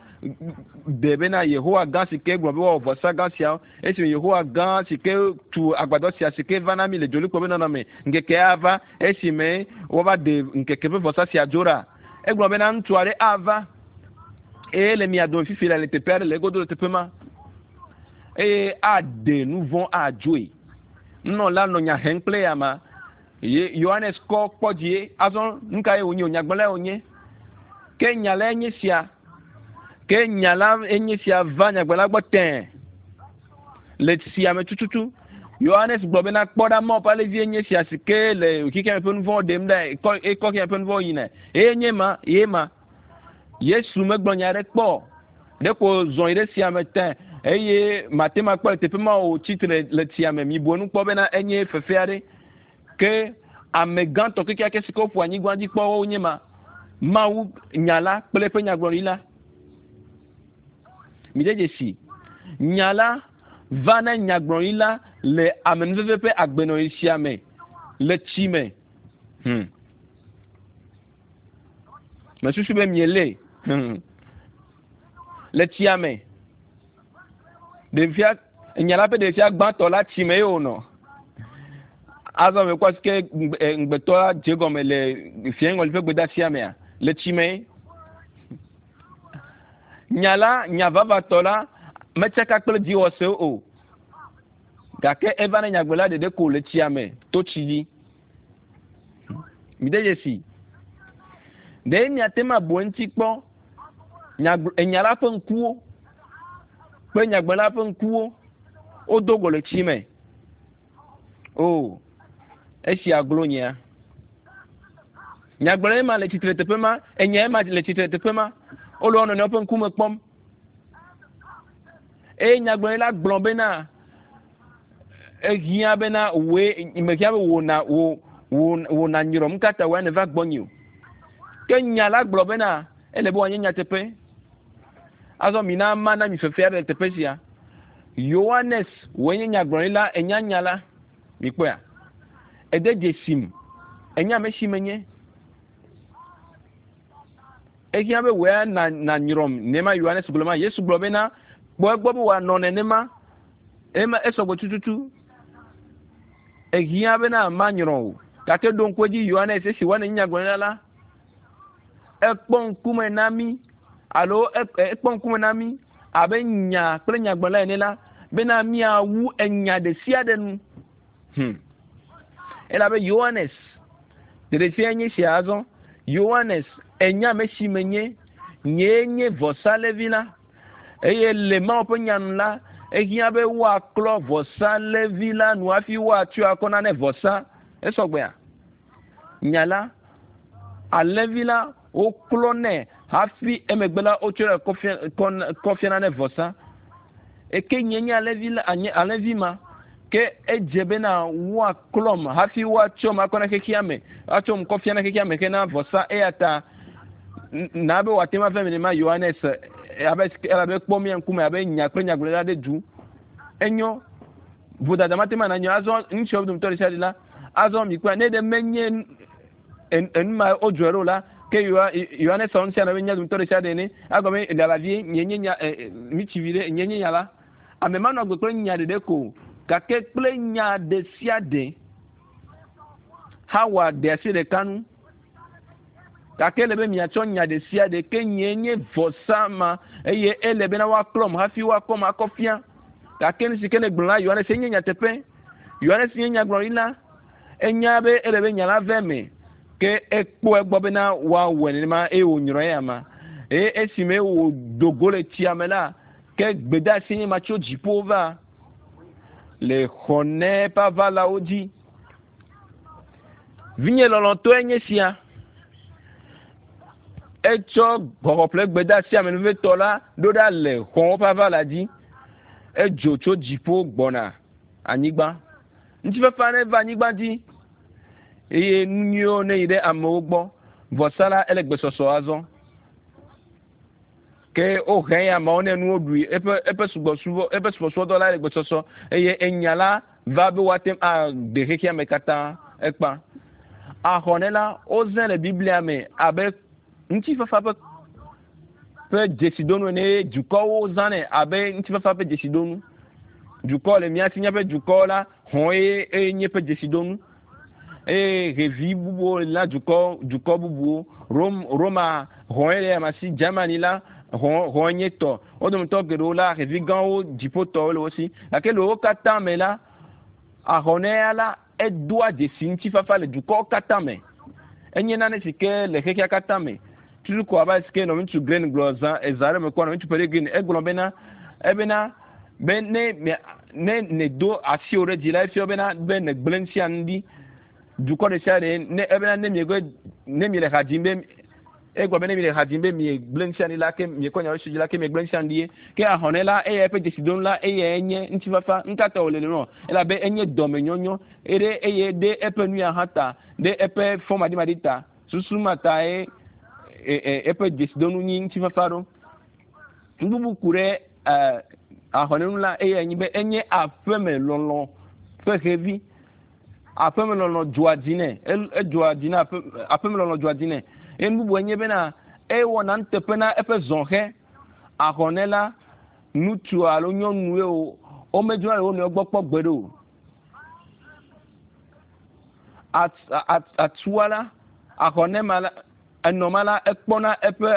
A: de bena Yehowa gã si ke gblɔ be woawɔ vɔsa gã siawo esime Yehowa gã si ke tu agbadɔ sia si ke va na mi le dzolikpɔ be nɔnɔme ŋkeke ava esime woava de ŋkeke ƒe vɔsa sia dzo ɖa. Egblɔ bena ŋutsu aɖe ava eye le mia dome fifi le le teƒe aɖe le egodo le teƒe ma eye aɖe nu vɔ̃ adzoe. Nunɔla nɔ nya hem kple ya ma. Ye Yohanes kɔ kpɔ dzie. Azɔ nu kae wònye o? Nyagblɔlae wònye. Ke nya lae nye sia. Ke nya la enye sia va nyagblɔla gbɔ tẽe le tsia me tututu. Yohanes gblɔ bena kpɔ ɖa Mawu ƒe alẽvi enye sia si ke le xexea me ƒe nu vɔ̃wo ɖem ɖa ekɔ ekɔ xexea me ƒe nu vɔ̃wo yina. Eye nye ma, ye ma. Yesu megblɔ nya aɖe kpɔ o. Ɖeko zɔ yi ɖe tsia me tẽ eye mate ŋu akpɔ le teƒe ma o tsi tre le tsia me. Mibu enu kpɔ bena enye fefe aɖe. Ke ame gãtɔ kekeake si ke woƒo anyigba dzi kpɔ wonye ma. Mawu nya la kple eƒe nyagblɔɖi la. Mide dzesi. Nya la va na nyagblɔɖi la le amenuveve ƒe agbenɔɣi sia me le tsi me. Hmm. Mesusu be miele hmm. le tsia me. Ɖevia, nya la ƒe ɖevia gbãtɔ la tsi me ye wònɔ. Azɔ mekpɔ si ke ŋugbetɔ la dze gɔme le fiaŋɔli ƒe gbedeasia mea, le tsi me. Nya la, nya vavatɔ la metsaka kple dziwɔsewo o. Gake eva ne nyagblɔla ɖeɖe ko le tsia me to tsi dzi. Mide dzesi. Ɖe miate ŋu abu eŋuti kpɔ enya la ƒe ŋkuwo kple nyagblɔla ƒe ŋkuwo wodo go le tsi me. O, oh, esia glo nyea. Nyagblɔla ema le tsitre teƒe ma, enya ema le tsitre teƒe ma. Wole wo nɔnɔewo ƒe ŋkume kpɔm. Eye nyagblɔɖila gblɔ bena, ehiã bena wòe, mehiã be wò na, wò, wò, wò nanyrɔm, nu ka ta wòe nèva gbɔnye o? Ke nya la gblɔ bena, ele be wòanye nyateƒe. Azɔ mina mana mi fefe aɖe le teƒe sia. Yohanes, wòe nye nyagblɔɖila, ènya nya la. Mikpɔea? Ède dzesim. Ènya ame si menye. Ehiã be wòe na, nanyrɔm. Nenema Yohanes gblɔ ma. Yesu gblɔ bena, kpɔ egbɔ be wòanɔ nenema. Ema esɔgbe tututu. Ehiã bena manyrɔ o. Gake ɖo ŋku edzi Yohanes esi woane nyagblɔɖila la, ekpɔ ŋkume na mí alo ekpɔ ŋkume na mí abe nya kple nyagblɔla ene la bena míawu enya ɖe sia ɖe nu. Hmm. Elabe Yohanes ɖeɖefia nye sia azɔ. Yohanes enya ame si menye. Nyee nye vɔsalevi la. Eye le Mawu ƒe nya nu la, ehiã be woaklɔ vɔsalẽvi la nu hafi woatsɔe akɔ na ne vɔsa. Esɔgbea? Nya la. Alẽvi la woklɔnɛ hafi emegbe la wotsɔe kɔ fiana ne vɔsa. Eke nye nye alẽvi la nye alẽvi ma ke edze bena woaklɔm hafi woatsɔm akɔ na xexea me atsɔm kɔ fiana xexea me hena vɔsa eya ta na be wòate ŋu ava eme nenema Yohanes abe elabe kpɔ mía ŋkume abe nya kple nyagblɔɖila ɖe du. Enyo vodada mate ŋu anɔ azɔ ŋutsuawo dometɔ ɖe sia ɖe la azɔ mikpɔe ne ɖe menye enu ma wodzɔe ɖo la ke Yohanes sɔ ŋutia nɔ be nya dometɔ ɖe sia ɖe ene agɔme lala vie nye nye nya mitsi vi ɖe nye nye nya la ame manɔ agbe kple nya ɖeɖe ko gake kple nya ɖe sia ɖe Hawa ɖe asi ɖeka nu gake ele be miatsɔ nya ɖe sia ɖe ke nye nye vɔsa ma eye ele bena woaklɔm hafi woakɔm akɔ fia gake nu si ke ne gblɔ la Yohanes enye nyateƒe Yohanes nye nyagblɔɖila enya be ele be nya la ve me ke ekpɔ egbɔ bena woawɔe nenema eye wònyrɔ eya ma eye esime wòdo go le tsia me la ke gbedeasi nye ma tso dziƒo va le xɔnɛ ƒe aʋalawo dzi. Vinye lɔlɔ̃tɔe nye sia. Etsɔ xɔxɔƒle gbedeasi amenuvetɔ la ɖo ɖa le xɔ̃wo ƒe aʋala dzi. Edzo tso dziƒo gbɔna anyigba. Ŋutifafa ne va anyigba dzi eye nu nyuiwo ne yi ɖe amewo gbɔ. Vɔsa la ele gbesɔsɔ azɔ. Ke wohe ya amewo ne nuwo ɖui eƒe eƒe subɔsubɔ eƒe subɔsubɔdɔ la le gbesɔsɔ eye enya la va be woate ŋu aɖe xexea me katã ekpa. Ahɔne la wozẽ le Biblia me abe ŋutifafa ƒe ƒe dzesidonu ene eye dukɔwo zãnɛ abe ŋutifafa ƒe dzesidonu. Dukɔ le mía si míaƒe dukɔ la hɔn ye eye nye ƒe dzesidonu eye xevi bubuwo le na dukɔ dukɔ bubuwo. Rom Roma hɔn ye le ama si Germany la hɔn hɔn nye tɔ. Wo dometɔ geɖewo la xevi gãwo dziƒotɔwo le wo si gake le wo katã me la ahɔnɛ la edoa dzesi ŋutifafa le dukɔwo katã me. Enye nane si ke le xexea katã me. Tutu ko abe si ke nɔviŋutsu Glenn gblɔ zã eza ɖe me kpɔ nɔviŋutsu Perry Green egblɔ bena ebena be ne ne nèdo asiwò ɖe dzi la efia bena be nègblẽ nu sia nu ɖi. Dukɔ ɖe sia ɖe ne ebena ne miegbe ne miele ha dzim be egblɔ be ne miele ha dzim be miegblẽ nu sia nu ɖi la ke miekɔ nya ɖe dzi la ke miegblẽ nu sia nu ɖi ye. Ke ahɔnɛ la eya eƒe dzesidonu la eyae nye ŋutifafa. Nu ka ta wòle nenema? Elabe enye dɔmenyɔnyɔ eye eye ɖe eƒe nu ya hã ta ɖe eƒe fɔmaɖimaɖi ta. Susu ma tae eƒe dzesidonu nyi ŋutifafa ɖo. Nu bubu ku ɖe ahɔnɛ ŋu la eyae nye be enye aƒeme lɔlɔ̃ ƒe xevi. Aƒeme lɔlɔ̃ dzɔa dzi nɛ. Edzɔa dzi na aƒe aƒeme lɔlɔ̃ dzɔa dzi nɛ. Eye nu bubu enye bena ewɔna nuteƒe na eƒe zɔhɛ. Ahɔnɛ la ŋutsu alo nyɔnue o womedzona le wo nɔewo gbɔ kpɔ gbeɖe o. Atua la ahɔnɛ ma la enɔ ma la ekpɔna eƒe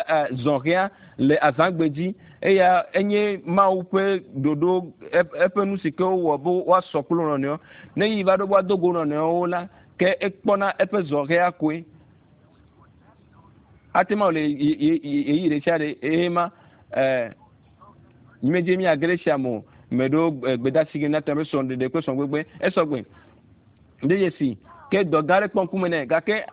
A: zɔhɛa le azãgbe dzi eya enye Mawu ƒe ɖoɖo eƒe nu si ke wowɔ be woasɔ kple wo nɔnɔewo. Ne yi va ɖo be woado go nɔnɔewo la ke ekpɔna eƒe zɔhɛa koe. Ate ŋu awɔ le ɣeyiɣi ɖe sia ɖe eye ma mímedze míage ɖe esia me o. Ame ɖewo gbedeasi ge míate ŋu abe srɔ̃ɖeɖe kple srɔ̃gbegbe esɔgbe. De dzesi ke dɔ gã aɖe kpɔ ŋkume nɛ gake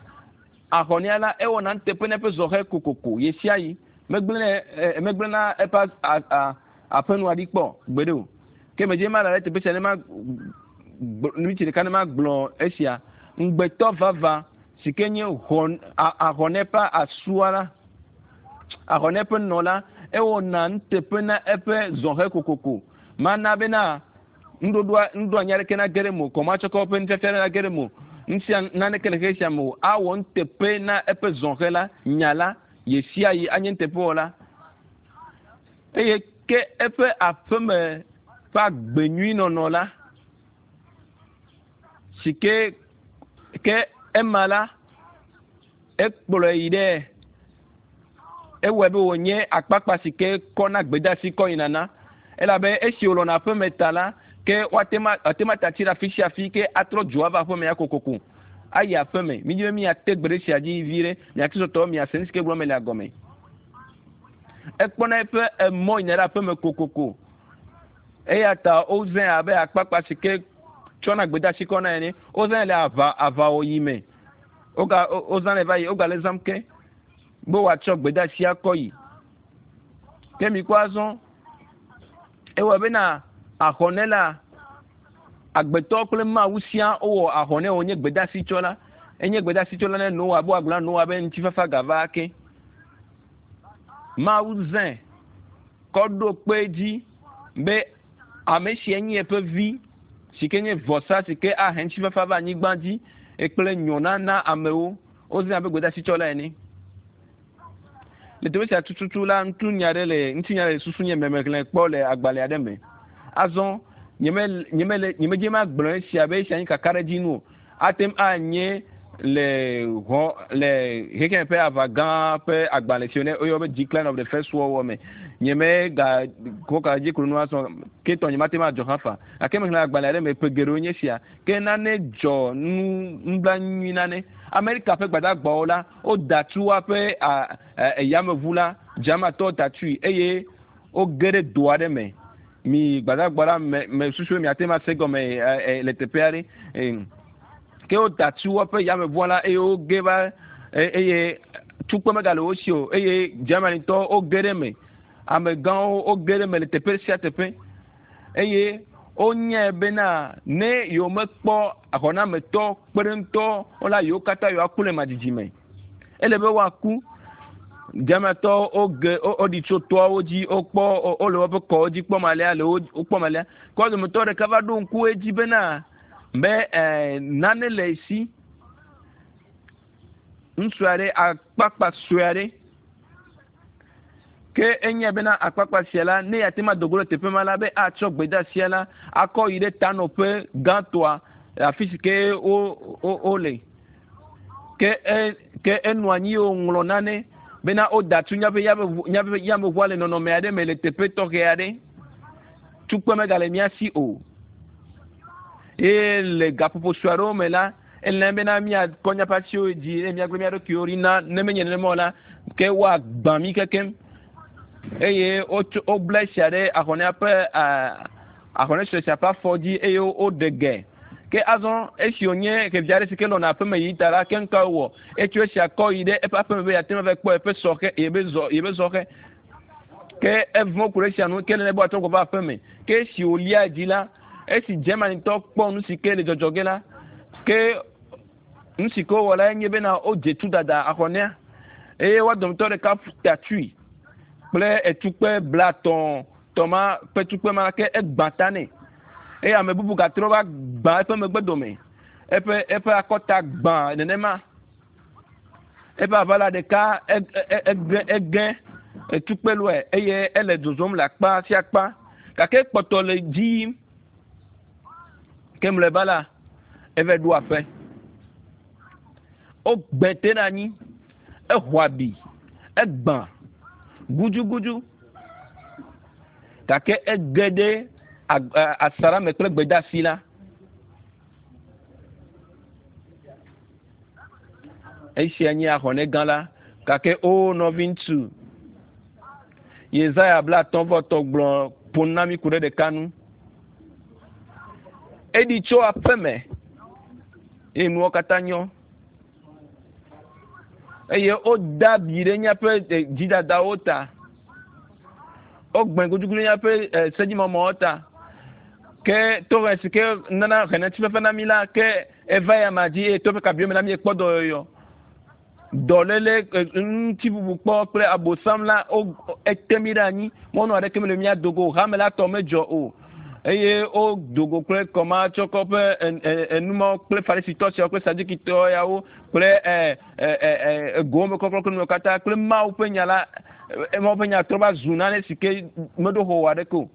A: ahɔnea la ewɔna nuteƒe na eƒe zɔhɛ kokoko ɣesiaɣi. Megblẽ megblẽna eƒe aƒenua ɖi kpɔ gbeɖe o. Ke medze ma le teƒe sia ne ma miniti ɖeka ne ma gblɔ esia. Ŋugbetɔ vava si ke nye hɔn ahɔnɛ ƒe asua la ahɔnɛ ƒe nɔ la ewɔna nuteƒe na eƒe zɔhɛ kokoko. Mana bena nuɖoɖoa nuɖoanyi aɖeke nage ɖe eme o kɔmatsɔkɔ ƒe nufiafia aɖe nage ɖe eme o. Nusia naneke le xexe sia me o. Awɔ nuteƒe na eƒe zɔhɛ la nya la ɣesiaɣi anye nuteƒewɔla. Eye ke eƒe aƒeme ƒe agbe nyui nɔnɔ la si ke ke ema la ekplɔe yi ɖe ewɔe be wònye akpakpa si ke kɔna gbedeasi kɔ yina na elabe esi wòlɔna aƒeme ta la ke woate ma ate ma ta tsi ɖe afi sia afi ke atrɔ dzo ava aƒeme ya kokoko ayi aƒeme mídi be míate gbe ɖe sia dzi vi ɖe mia kristotɔwo miase nu si ke gblɔm mele gɔme ekpɔna eƒe emɔ yina ɖe aƒeme kokoko eya ta wozãe abe akpakpa si ke tsɔna gbedeasi kɔna ene wozãe le aʋa aʋawɔyi me. Woga wozãnɛ va yi wogale zãm ke be wòatsɔ gbedeasi akɔ yi. Ke mikpɔ azɔ ewɔ bena ahɔnɛ la agbetɔ kple Mawu sia wowɔ ahɔnɛ wònye gbedeasi tsɔla. Enye gbedeasi tsɔla ne Noa be wòagblɔ na Noa be ŋutifafa gava ake. Mawu zãe kɔ ɖo kpe edzi be ame sia nye eƒe vi si ke nye vɔsa si ke ahe ŋutifafa va anyigba dzi kple nyɔna na amewo. Wozãe abe gbedeasi tsɔla ene. Le teƒe sia tututu la, ŋutinya aɖe le ŋutinya le susu nye me mexlẽ kpɔ le agbalẽ aɖe me. Azɔ nyeme nyemele nyemedze magblɔ esia be esia nye kakaɖedzi nu o. Ate ŋu anye le hɔ le xexeme ƒe aʋa gã ƒe agbalẽ si woyɔ be Decline of the First World War me. Nyemega kɔ ka dzi klo nu azɔ ke tɔ nyemate ŋu adzɔ hafa. Gake mexlẽ agbalẽ aɖe me ƒe geɖewo nye esia. Ke nane dzɔ nu nublanui nane. Amerika ƒe gbadagbawo la woda tu woaƒe yameʋu la, Germantɔwo da tui eye woge ɖe do aɖe me. Mi gbadagba la me me susu be miate ŋu ase gɔme le teƒe aɖe. Ke woda tu woaƒe yameʋua la eye woge va eye tukpe megale wo si o eye Germanytɔwo woge ɖe eme. Amegãwo woge ɖe eme le teƒe sia teƒe eye wonyae bena ne yewomekpɔ xɔnametɔ kpeɖeŋutɔ wo la yewo katã yewoaku le madzidzi me. Ele be woaku. Germanytɔwo woge woɖi tso toawo dzi wokpɔ wole woƒe kɔwo dzi kpɔm alea le wo kpɔm alea. Ke wo dometɔ ɖeka va ɖo ŋku edzi bena be nane le esi. Ŋutsu aɖe akpakpa sue aɖe ke enyae bena akpakpa sia la ne yeate ŋu ado go ɖe teƒe ma la be atsɔ gbedeasia la akɔ yi ɖe tanɔƒe gãtɔa afi si ke wo wo wole. Ke e ke enɔ anyi ye wòŋlɔ nane bena woda tu míaƒe yameʋu míaƒe yameʋua le nɔnɔme aɖe me le teƒe tɔxɛ aɖe. Tukpe megale mía si o. Eye le gaƒoƒo sue aɖewo me la, ele bena míakɔ míaƒe asiwo dzi eye míagblẽ mía ɖokuiwo ɖi na ne menye nenema o la, ke woagbã mí kekem. Eye wotso wobla esia ɖe ahɔnea ƒe ahɔne sue sia ƒe afɔ dzi eye woɖe ge. Ke azɔ esi wònye xevi aɖe si ke lɔna aƒeme yi ta la, ke nu ka wòwɔ? Etso esia kɔ yi ɖe eƒe aƒeme be yeate ŋu ava kpɔ yeƒe sɔxe yeƒe zɔ yeƒe zɔxe. Ke evɔ̃ ku ɖe esia nu ke nene be wòatrɔ gbɔ va aƒeme. Ke esi wòlia dzi la, esi Germanytɔ kpɔ nu si ke le dzɔdzɔ ge la, ke nu si ke wowɔ la nye bena wodze tudada ahɔnea eye woa dometɔ ɖeka ta tui kple etukpe blatɔ̃ tɔ ma ƒe tukpe ma ke egbã ta nɛ eye ame bubu gatrɔ va gbã eƒe megbe dome eƒe eƒe akɔta gbã nenema eƒe aʋala ɖeka ege ege etukpe lɔe eye ele zozom le akpa sia akpa gake kpɔtɔ le dzi yim ke mlɔeba la eve ɖo aƒe wogbe te ɖe anyi exɔ abi egbã gudugudu gake ege ɖe asaɖa me kple gbedeasi la. Esia nye ahɔnɛ gã la. Gake o nɔviŋutsu, Yesaya 50 gblɔ ƒo nu na mí ku ɖe ɖeka nu. Eɖi tso aƒe me eye nuwo katã nyɔ. Eye woda abi ɖe míaƒe dzidadawo ta. Wogbẽ gudugudu ɖe míaƒe sedzimɔmɔwo ta. Ke tohe si ke nana hena ŋutifafa na mí la, ke eva ya ma dzi eye to ƒe kabiwo me la míekpɔ dɔyɔyɔ. Dɔléle, ŋutibubu kpɔ kple abosam la, wo ete mí ɖe anyi. Mɔnu aɖeke mele mía do go o. Hame la tɔ medzɔ o. Eye wodo go kple kɔmatsɔkɔ ƒe enumawo kple farisitɔ siawo kple sadukitɔ yawo kple egowo me kɔklɔ kple nuwo katã kple Mawu ƒe nya la, Mawu ƒe nya trɔ va zu nane si ke meɖo xɔ aɖeke o.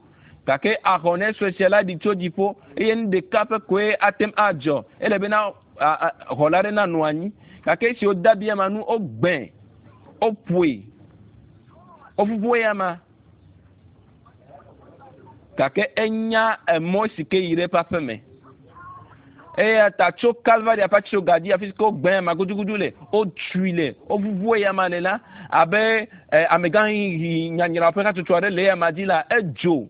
A: Gake ahɔnɛ sue sia la ɖi tso dziƒo eye nu ɖeka ƒe koe ate ŋu adzɔ. Ele bena xɔla aɖe nanɔ anyi. Gake esi wode abi ama nu, wogbẽ, woƒoe, wovuvu eyama. Gake enya emɔ si ke yi ɖe eƒe aƒe me. Eya ta tso Kalvaria ƒe atitsoga dzi afi si ke wogbẽ ama gudugudu le, wotui le, wovuvu eyama le la, abe amegãxiɣi nyanyra ƒe hatsotso aɖe le eyama dzi la, edzo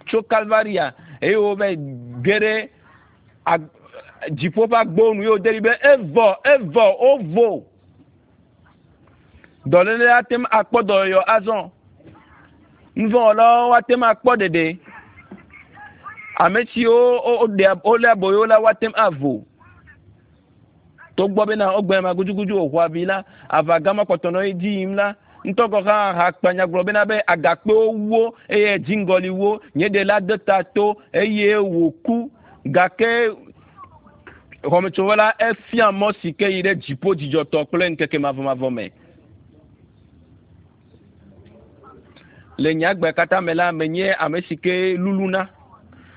A: tso Kalvaria eye wova ge ɖe Dziƒo ƒe agbowo nu ye wòde ɖi be evɔ, evɔ, wovo. Dɔléle ate ŋu akpɔ dɔyɔyɔ azɔ. Nuvɔ̃wɔlawo ate ŋu akpɔ ɖeɖe. Ame siwo wolé aboyo la woate ŋu avo. Togbɔ bena wogbe ama gudugudu wòxɔ abi la, aʋa gã ma kpɔtɔ nɔ edzi yim la, ŋutɔ gɔ̃ hã hakpanya gblɔ bena be agakpewo wu wo eye dziŋgɔli wu wo. Nye ɖela de ta to eye wòku. Gake xɔmetsovɔ la efia mɔ si ke yi ɖe dziƒo dzidzɔtɔ kple ŋkeke mavɔmavɔ me. Le nye agbe katã me la, menye ame si ke luluna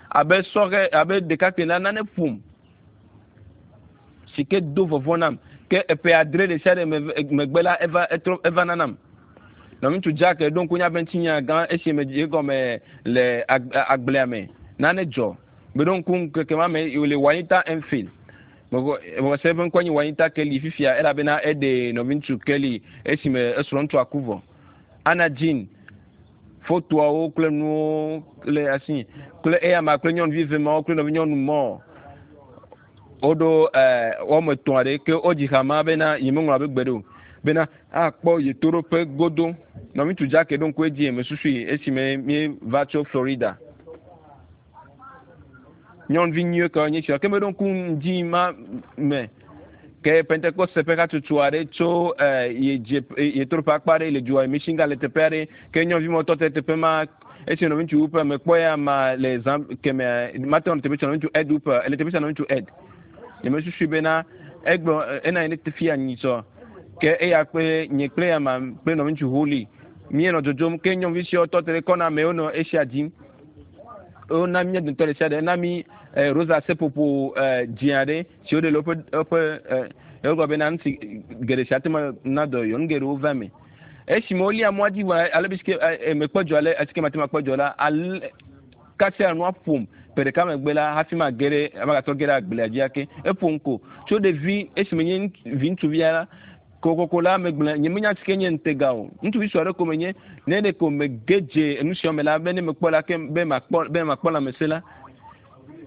A: abe sɔhɛ abe ɖekakpui la nane ƒom si ke do vɔvɔ̃ nam. Ke eƒe adre ɖe sia ɖe megbe la, eva etrɔ eva nanam. Nɔviŋutsu Jack ɖo ŋku míaƒe ŋutinya gã esi me dze egɔme le agblea me. Nane dzɔ. Meɖo ŋku ŋkeke ma me le Juanita Enfield. Mexɔ se eƒe ŋkɔe nye Juanita Kelly fifia elabena eɖe nɔviŋutsu Kelly esime esrɔ̃ ŋutsua ku vɔ. Anna Jean fotoawo kple nuwo le asi kple eyama kple nyɔnuvi eve mawo kple nɔvinyɔnu mɔ woɖo wɔme etɔ̃ aɖe ke wodzi ha ma bena yemeŋlɔ abe gbe ɖe o bena akpɔ yetoɖoƒe godo. Nɔviŋutsu Jack ɖo ŋku edzi mesusui esime míeva tso Florida. Nyɔnuvi nyuie kawo nye sia ke meɖo ŋku ŋdi ma me ke Pentekoste ƒe hatsotso aɖe tso ye dze yetoɖoƒe akpa aɖe le dua Michigan le teƒe aɖe ke nyɔnuvi mɔ tɔ te teƒe ma esi nɔviŋutsu Hooper mekpɔ ya ma le zã kemea mate ŋu teƒe sia nɔviŋutsu Ed Hooper ele teƒe sia nɔviŋutsu Ed nyemesusui bena egblɔ ena yi ɖe fia nyitsɔ ke eya kple nye kple ya ma kple nɔviŋutsu Holly míenɔ dzodzom ke nyɔnuvi siawo tɔ te ɖe kɔna me wonɔ esia dim wona mía dometɔ ɖe sia ɖe na mí rosa seƒoƒo dzĩ aɖe si woɖe le woƒe woƒe wogblɔ bena nu si geɖe si ate ŋu na dɔyɔyɔ nu geɖewo va eme. Esime wolia mɔa dzi vɔ ale be si ke mekpɔ dzɔ ale esi ke mate ŋu akpɔ dzɔ la ale kasia nua ƒom ƒe ɖeka megbe la hafi mage ɖe magatrɔ ge ɖe agblea dzi ake. Eƒom ko tso ɖevi esime nye vi ŋutsuvia la Kokoko la, megblɔe, nyemenya si ke nye ŋutega o. Ŋutsuvi sue aɖe ko menye. Ne ɖeko mege dze enu sia me la, be ne mekpɔ la, ke be makpɔ, be makpɔ lãmesẽ la.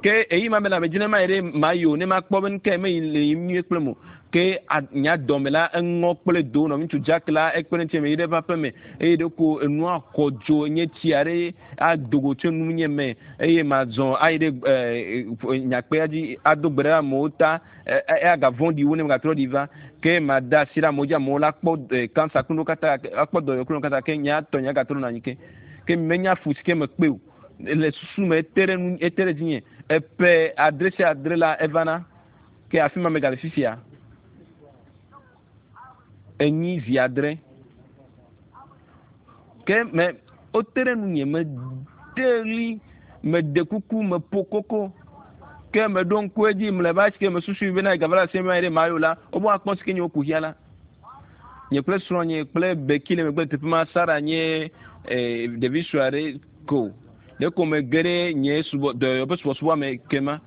A: Ke eyi ma me la, medzi ne mayi ɖe mayi o, ne makpɔ be nukae meyi le yiyim nyuie kple mo. Ke a, nye dɔme la, eŋɔ kple do. Nɔviŋutsu Jack la, ekpe ɖe ŋutinye meyi ɖe eƒe aƒe me eye ɖeko enua xɔ dzo nye tsi aɖe ado go tso nunye me eye mazɔ ayi ɖe e, nyakpea dzi ado gbe ɖe amewo ta. Eya gavɔ̃ɖi wu ne megatrɔ ɖi va. Ke made asi ɖe amewo dzi, amewo la kpɔ kansa kple nuwo katã, akpɔ dɔyɔyɔ kple nuwo katã, ke nye tɔ nye gatrɔ nɔ anyi ke. Ke menya fu si ke mekpe o. Le susu me ete ɖe nu, ete ɖe dzinye. Eƒe adre sia adre la evana. Ke afi ma megale fifia. Enyi zi adre. Ke me wote ɖe nunye, mede ɣli, meɖe kuku, meƒo koko. Ke meɖo ŋku edzi mlɔeba esi ke mesusui bena gava le asi me ɖe mayo la, wobe woakpɔ si ke nye wo kuxia la. Nye kple srɔ̃nye kple Becky le megbe le teƒe ma, Sara nye eh, ɖevi sue aɖe ko. Ɖeko mege ɖe nye subɔ, dɔyɔyɔ ƒe subɔsubɔa me kema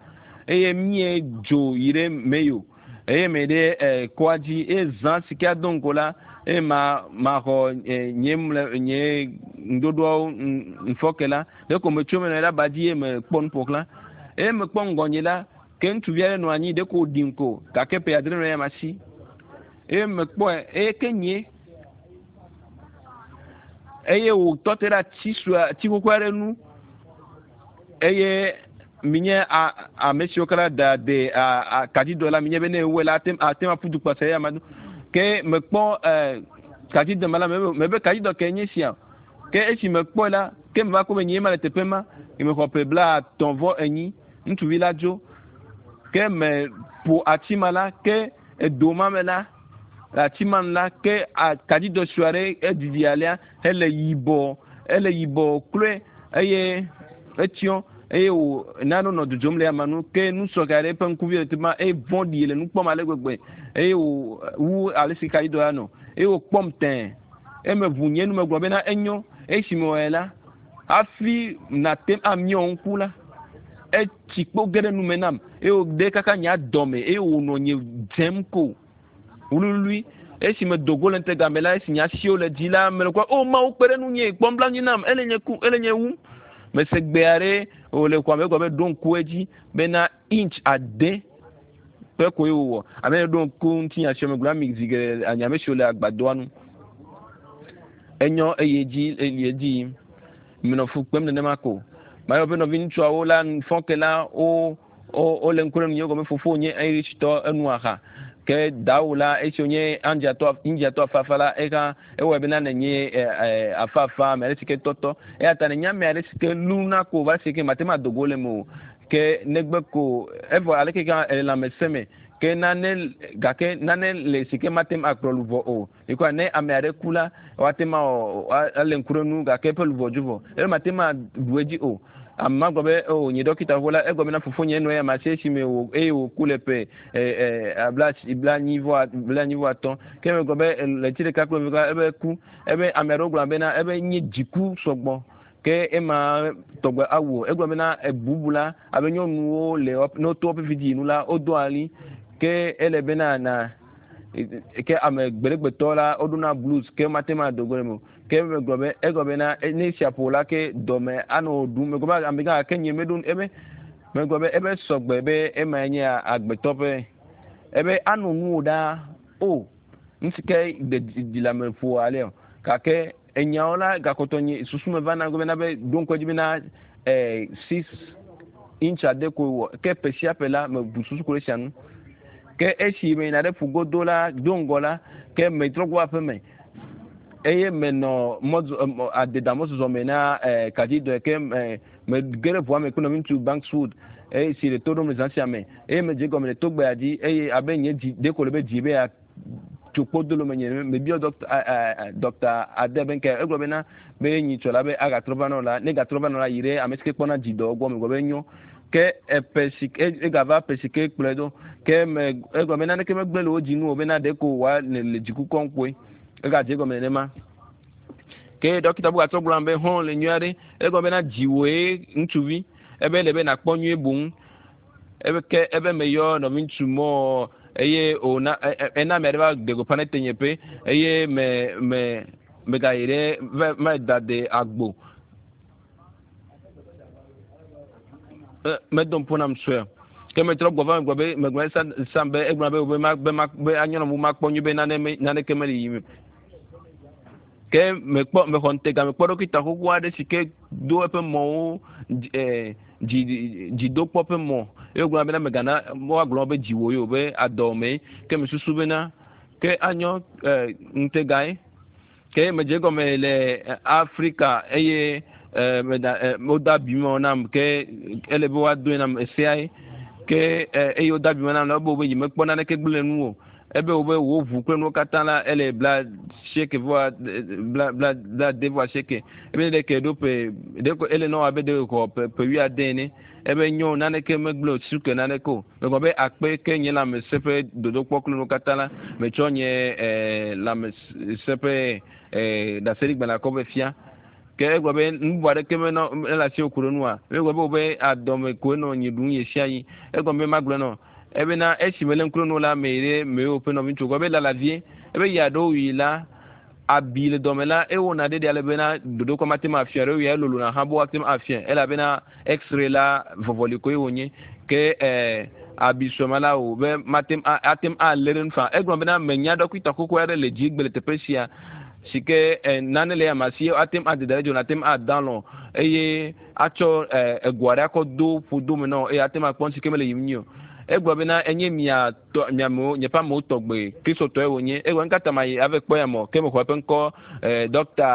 A: eye míedzo yi ɖe Mayo. Eye me ɖe eh, kɔa dzi eye zã si ke ado ŋgo la eye ma maxɔ eh, nye mle nye ŋɖoɖoawo ŋfɔke la ɖeko metso me nɔ ɖe aba dzi eye mekpɔ nu ƒo xlã eye mekpɔ ŋgɔnye la ke ŋutsuvi aɖe nɔ anyi ɖeko wòɖim ko gake ƒe adre nɔ eya ma si eye mekpɔe eye ke nye eye wòtɔ te ɖe ati sue ati xoxo aɖe nu eye minye ame siwo katã da de kadzidɔ la minye be ne ewɔe la ate ate ŋu aƒu du kpase eya ma do ke mekpɔ kadzidɔ ma la mebe kadzidɔ ke nye sia ke esi mekpɔe la ke meva kpɔ be nye ma le teƒe ma mexɔ ƒe 35 ŋutsuvi la dzo ke meƒo ati ma la ke edo ma me la le ati ma nu la ke kadzidɔ sue aɖe edidi alea hele yibɔ ele yibɔ kloe eye etsyɔ eye wò nane nɔ dzodzom le ama nu ke nusrɔ̃ aɖe eƒe ŋkuvi le teƒe ma eye vɔ̃ɖi le nu kpɔm ale gbegbe eye wò wu ale si kaɖi la nɔ eye wòkpɔm tẽe eme ʋu nye nu megblɔ bena enyo esi mewɔe la hafi nate ŋu amiɔ ŋku la etsi kpo ge ɖe nume nam eye wòde kaka nye adɔme eye wònɔ nye dzem ko wluiwlui esi medo go le ŋutega me la esi nye asiwo le dzi la mele kpɔ o mawu kpe ɖe ŋunye kpɔ nublanui nam ele nye ku ele nye wum mese gbe aɖe wòle xɔa me gblɔ be ɖo ŋku edzi bena inch ade Ƒe koe wòwɔ. Ame yi ɖo ŋku ŋutinya sia me gblɔ ami zi geɖe anye ame siwo le agbadɔa nu. Enyɔ eye dzi eli edzi yim. Menɔ fu kpem nenema ko. Mayɔ be nɔviŋutsuawo la fɔ ke la wo wo wole ŋku ɖe nunye gɔme fofo nye Irishtɔ enu aha. Ke dawo la esi wonye Indiatɔ Indiatɔ afafa la eha ewɔe bena nenye e, e, afafa ame aɖe si ke tɔtɔ. Eya ta nenye ame aɖe si ke luna ko va si ke mate ŋu ado go le eme o. Ke negbe ko evɔ aleke gã ele lãmesẽ me ke nane gake nane le si ke mate ŋu akplɔ luʋɔ o. Ekɔa ne ame aɖe ku la, woate ŋu awɔ ale ŋku ɖe nu gake eƒe luʋɔ dzo vɔ. Eye mate ŋu aɖu edzi o. Ame ma gblɔ be o nye ɖɔkita xoxo la egblɔ bena fofonye enɔ ya ma si esime wò eye wòku le ƒe e, e, bla 45. Ke megblɔ be ɣleti ɖeka kple eve ebe ku. Ebe ame aɖewo gblɔ bena ebe nye dziku sɔgbɔ. Ke ema tɔgbe awu o. Egblɔ bena ebubu la abe nyɔnuwo le ne woto woƒe vidzinu nu la wodoa ɣli. Ke ele bena na ke ame gbeɖegbetɔ la woɖona blues ke mate ŋu ado go ɖe eme o. Ke megblɔ be egblɔ bena ne esia ƒo la ke dɔme anɔ ɖum. Megblɔ be amegã ke nye meɖo ebe megblɔ be ebe sɔgbe be ema nye agbetɔ ƒe ebe anɔ nuwò ɖaa o nu si ke ɖe dzi le ame ƒo alea o. Gake enyawo la gakpɔtɔ nye susu me vana bena be ɖo ŋku edzi bena eh, 6 inch ade koe wɔ ke ƒe sia ƒe la mebu susu ku ɖe esia ŋu. Ke esi meyina ɖe ƒugodo la do ŋgɔ la ke metrɔ gbɔ aƒe me eye menɔ mɔzɔ adeda mɔzɔzɔ me na eh, kadzidɔe ke eh, mege ɖe ʋua me kple nɔviŋutsu Bankswood eye si le to ɖom le zã sia me eye medze gɔme le togbea dzi eye abe nye dzi ɖeko le be dzi be ya tso kpodolo me nye mebiɔ dɔkta dɔkta ade be nke egblɔ bena be nyitsɔ la be agatrɔ va nɔ la ne gatrɔ va nɔ la yi ɖe ame si ke kpɔna dzidɔ gbɔ megblɔ be nyo ke eƒe si egava ƒe si ke kplɔe ɖo ke me egblɔ be naneke megblẽ le wo dzi ŋu o bena ɖeko wòa le le dziku kɔm kpoe egadze egɔme nenema ke dɔkita bubu gatrɔ gblɔ be hɔn le nyui aɖe egblɔ bena dziwòe ŋutsuvi ebe le be nakpɔ nyuie boŋ ebe ke ebe meyɔ nɔviŋutsu mɔ eye wòna ena ame aɖe va de gbeƒã ɖe tenyeƒe eye me me megayi ɖe va va da de agbo medo ŋpo nam sue ke metrɔ gbɔ va megblɔ be megblɔ sa sam be egblɔ be be ma be ma be anyɔ na makpɔ nyuie be nane me naneke meli yim ke mekpɔ mexɔ ŋutega mekpɔ ɖɔkita xoxo aɖe si ke do eƒe mɔwo dzi dzidokpɔ ƒe mɔ eye wogblɔ bena megana woagblɔ be dziwò ye o be adɔ me ke mesusu bena ke anyɔ ŋutegae ke medze gɔme le Afrika eye meda woda abi me nam ke ele be woadoe nam eseae ke eye woda abi me nam la ebe wo be nyemekpɔ naneke gblẽ nu o ebe wo be wo ʋu kple nuwo katã la ele 80 vɔ bla bla 89 ebe ɖe ke ɖo ƒe ɖe ko ele nɔ abe ɖe xɔ ƒe ƒe 70 ene ebe nyo naneke megblẽ o suke naneke o megblɔ be akpe ke nye lãmesẽ ƒe dodokpɔ kple nuwo katã la metsɔ nye lãmesẽ ƒe ɖaseɖigbalẽ kɔ be fia ke egblɔ be nu bubu aɖeke menɔ mele asi ku ɖe nua egblɔ be wo be adɔme koe nɔ nyi ɖum ɣe sia ɣi egblɔ be magblɔ nɔ ebena esi mele ŋku ɖe nu la me yi ɖe mewo ƒe nɔviŋutsu gbɔ be lala vie ebe yi aɖewo yi la abi le dɔme la ewɔna ɖe ɖe ale bena dodokpɔ mate ŋu afia ɖewo ya elolona hã be woate ŋu afia elabena x-ray la vɔvɔli koe wònye ke abi suema la o be mate ŋu ate ŋu alé ɖe nu fa egblɔ bena menya ɖɔkita xoxo aɖe le dzigbe le teƒe sia si ke nane le ama si ate ŋu ade da ɖe dzo ate ŋu ada lɔ eye atsɔ ego aɖe akɔ do ƒodo me nɔ eye ate ŋu akpɔ nu si ke mele yim nyuie o egblɔ bena enye mia tɔ miamewo nye ƒe amewo tɔgbe kristotɔe wònye egblɔ nu ma yi ave kpɔ ya mɔ ke mexɔ eƒe ŋkɔ dɔkta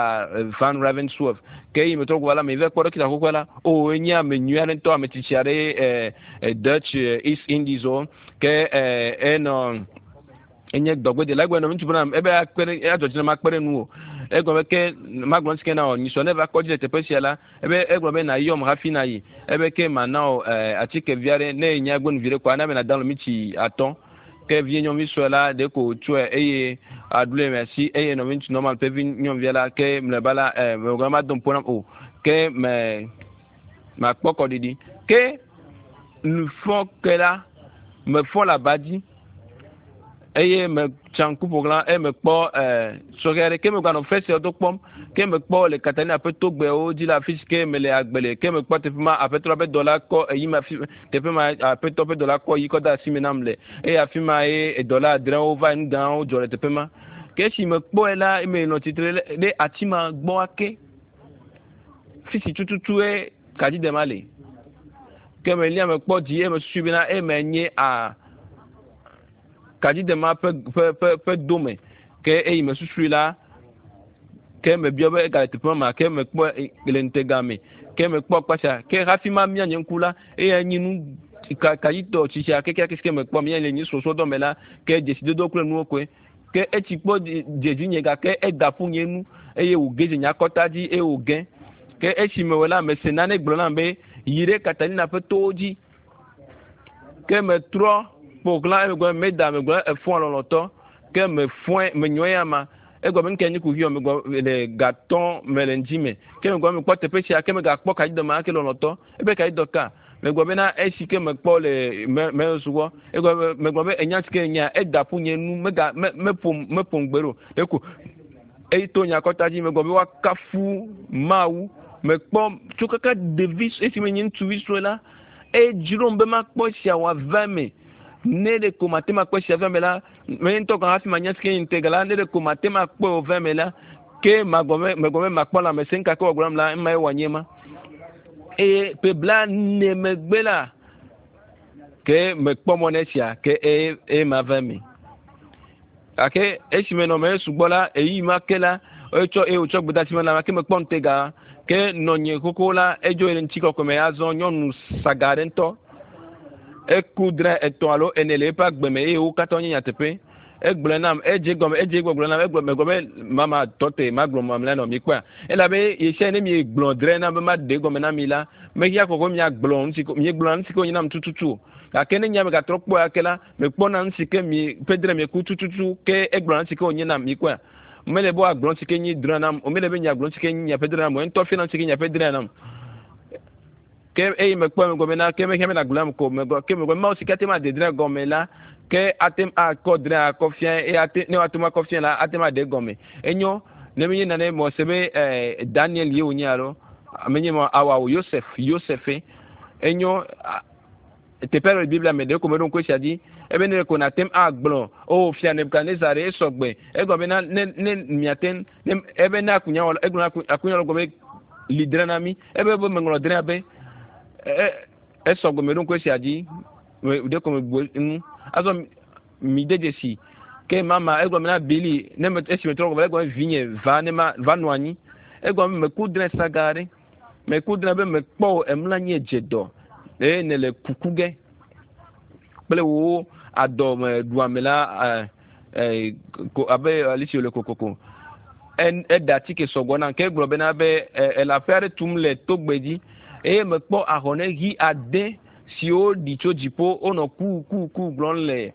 A: Van Ravensworth ke yi metrɔ gbɔ la me va kpɔ ɖɔkita xoxoa la o enye ame nyui aɖe ŋutɔ ame tsitsi aɖe Dutch East Indies wo ke enɔ enye dɔgbedela egblɔ nɔ ŋutsu bena ebe akpe ɖe adzɔ dzi na makpe ɖe nu o egblɔ be ke magblɔ ŋuti ke na wɔ nyisɔ ne va kɔdzi le teƒe sia la ebe egblɔ be na yɔm hafi na yi ebe ke mana wɔ atike vi aɖe ne enya gbenu vi ɖe kɔa na be na da mitsi 5 ke vie nyɔnuvi sue la ɖe ko tsɔe eye aɖu le asi eye nɔvi ŋutsu normal ƒe vi nyɔnuvia la ke mlɔeba la megblɔ ma do ŋpo nam o ke me makpɔ kɔɖiɖi ke nufɔ ke la mefɔ le aba dzi. Eye metsa ŋku ƒo xlã eye mekpɔ sɔhɛ aɖe ke meganɔ fesreawo do kpɔm ke mekpɔ le Katalina ƒe togbɛwo dzi le afi si ke mele agbe le ke mekpɔ teƒe ma aƒetɔ ƒe dɔla kɔ eyi ma fi teƒe ma aƒetɔ ƒe dɔla kɔ yi kɔ de asi me nam le eye afi ma ye dɔla adrewo va nu gãwo dzɔ le teƒe ma ke esi mekpɔe la eme nɔ tsitre ɖe ati ma gbɔ ake fi si tututue kadzidema le ke melia mekpɔ dzi eye mesusui bena eme nye a kadzidema ƒe ƒe ƒe ƒe dome ke eyi mesusui la ke mebiɔ be egale teƒe ma ke mekpɔ le ŋutega me ke mekpɔ kpatsa ke hafi ma mia nye ŋku la eya nye nu kadzitɔ tsitsia kekeake si ke mekpɔ mia le nye srɔ̃srɔ̃dɔ me la ke dzesidodo kple nuwo koe ke etsi kpɔ dze dzinye gake eda ƒu nye nu eye wòge dze nye akɔta dzi eye wòge ke esi mewɔ la mese nane gblɔ nam be yi ɖe Katalina ƒe towo dzi ke metrɔ ƒo xlã emegbe meda megblɔ efɔa lɔlɔtɔ ke mefɔe menyɔe ya ma egɔme nke nye kuxi megblɔ le gatɔ me le ŋdzi me ke megblɔ mekpɔ teƒe sia ke megakpɔ kadzidɔ ma ke lɔlɔtɔ ebe kadzidɔ ka megblɔ bena esi ke mekpɔ le me me sugbɔ egɔme megblɔ be enya si ke nya eda ƒu nye nu mega me meƒom meƒom gbe ɖo ɖeko eyi to nye akɔta dzi megblɔ be woakafu Mawu mekpɔ tso kaka ɖevi esi menye ŋutsuvi sue la edzrom be makpɔ esia wòava eme ne ɖe ko mate makpɔ esia va eme la menye ŋutɔ gɔ̃ hafi manya si ke nye ŋutega la ne ɖe ko mate makpɔe wòva eme la ke magblɔ be megblɔ be makpɔ lãmesẽ ŋka ke wòagblɔ nam la ema ye wòanye ma eye ƒe 40 megbe la ke mekpɔ mɔ ne esia ke eye eye mava eme gake esi menɔ me sugbɔ la eyi ma ke la etsɔ eye wòtsɔ gbedasi me la ke mekpɔ ŋutega ke nɔnye xoxo la edzo yi ɖe ŋutikɔkɔe me azɔ nyɔnu saga aɖe ŋutɔ eku dre etɔ̃ alo ene le eƒe agbe me eye wo katã nye nyateƒe egblɔe nam edze gɔme edze gbɔgblɔ nam egblɔ megblɔ be mama tɔ te magblɔ mamlɛ nɔ mi kpɔa elabe ɣesia ne mi gblɔ dre na be maɖe gɔme na mi la mehia kɔkɔ miagblɔ nu si ko miegblɔna nu si ke wonye nam tututu o gake ne nya megatrɔ kpɔe ake la mekpɔna nu si ke mi ƒe dre mieku tututu ke egblɔna nu si ke wonye nam mi kpɔa mele be woagblɔ nu si ke nyi dre nam o mele be miagblɔ nu si ke nyi miaƒe dre nam o ŋutɔ fia nu si ke miaƒe dre nam ke eye mekpɔ megblɔ bena ke mehia bena gblɔ nam ko megblɔ ke megblɔ Mawu si ke ate ŋu ade dre gɔme la ke ate ŋu akɔ dre akɔ fia eye ate ne woate ŋu akɔ fia la ate ŋu aɖe gɔme enyo ne menye nane mɔ se be Daniel ye wònye alo menye mɔ awa o Yosef Yosef enyo teƒe aɖe le Biblia me ɖe ko meɖo ŋku esia dzi ebe ne ko nate ŋu agblɔ o fia Nebukadnezar ɖe esɔgbe egblɔ bena ne ne miate ŋu ne ebe ne akunyawɔla egblɔ na akunyawɔla gblɔ be li dre na mi ebe be meŋlɔ drea be esɔgbe meɖo ŋku esia dzi ɖe ko megbo ŋu azɔ mi de dzesi ke mama egblɔ bena Bili ne me esi metrɔ gɔme egblɔ be vinye va ne ma va nɔ anyi egblɔ be meku dre saga ɖe meku dre be mekpɔ o emla anyi edze dɔ eye ne le kuku ge kple wo adɔme ɖuame la ko abe alesi wòle kokoko eɖe atike sɔgbɔ nam ke egblɔ bena be ele aƒe aɖe tum le togbe dzi eye mekpɔ ahɔne ɣi ade siwo ɖi tso dziƒo wonɔ ku ku ku gblɔm le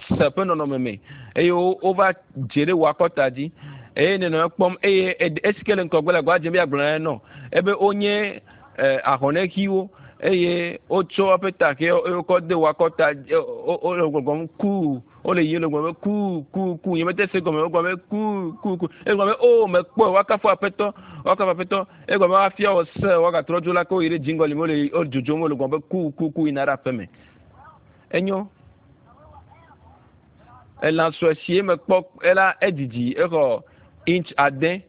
A: se ƒe nɔnɔme me eye wova dze ɖe wò akɔta dzi eye nenɔ ekpɔm eye esi ke le ŋgɔgbe le agba dzem be yeagblɔ na nɔ ebe wonye ahɔne ɣiwo eye wotsɔ woƒe ta ke wokɔ de wò akɔta wole gbɔgblɔm ku wole yiyim le gbɔgblɔm be ku ku ku nye mete se gɔme wogblɔ be ku ku ku egblɔ be o mekpɔe woakafu aƒetɔ woakafu aƒetɔ egblɔ be woafia wò se woagatrɔ dzo la ke woyi ɖe dziŋgɔli me wole wo dzodzom wole gbɔgblɔm be ku ku ku yina ɖe aƒe me enyo elã sue si mekpɔ ela edidi exɔ inch 9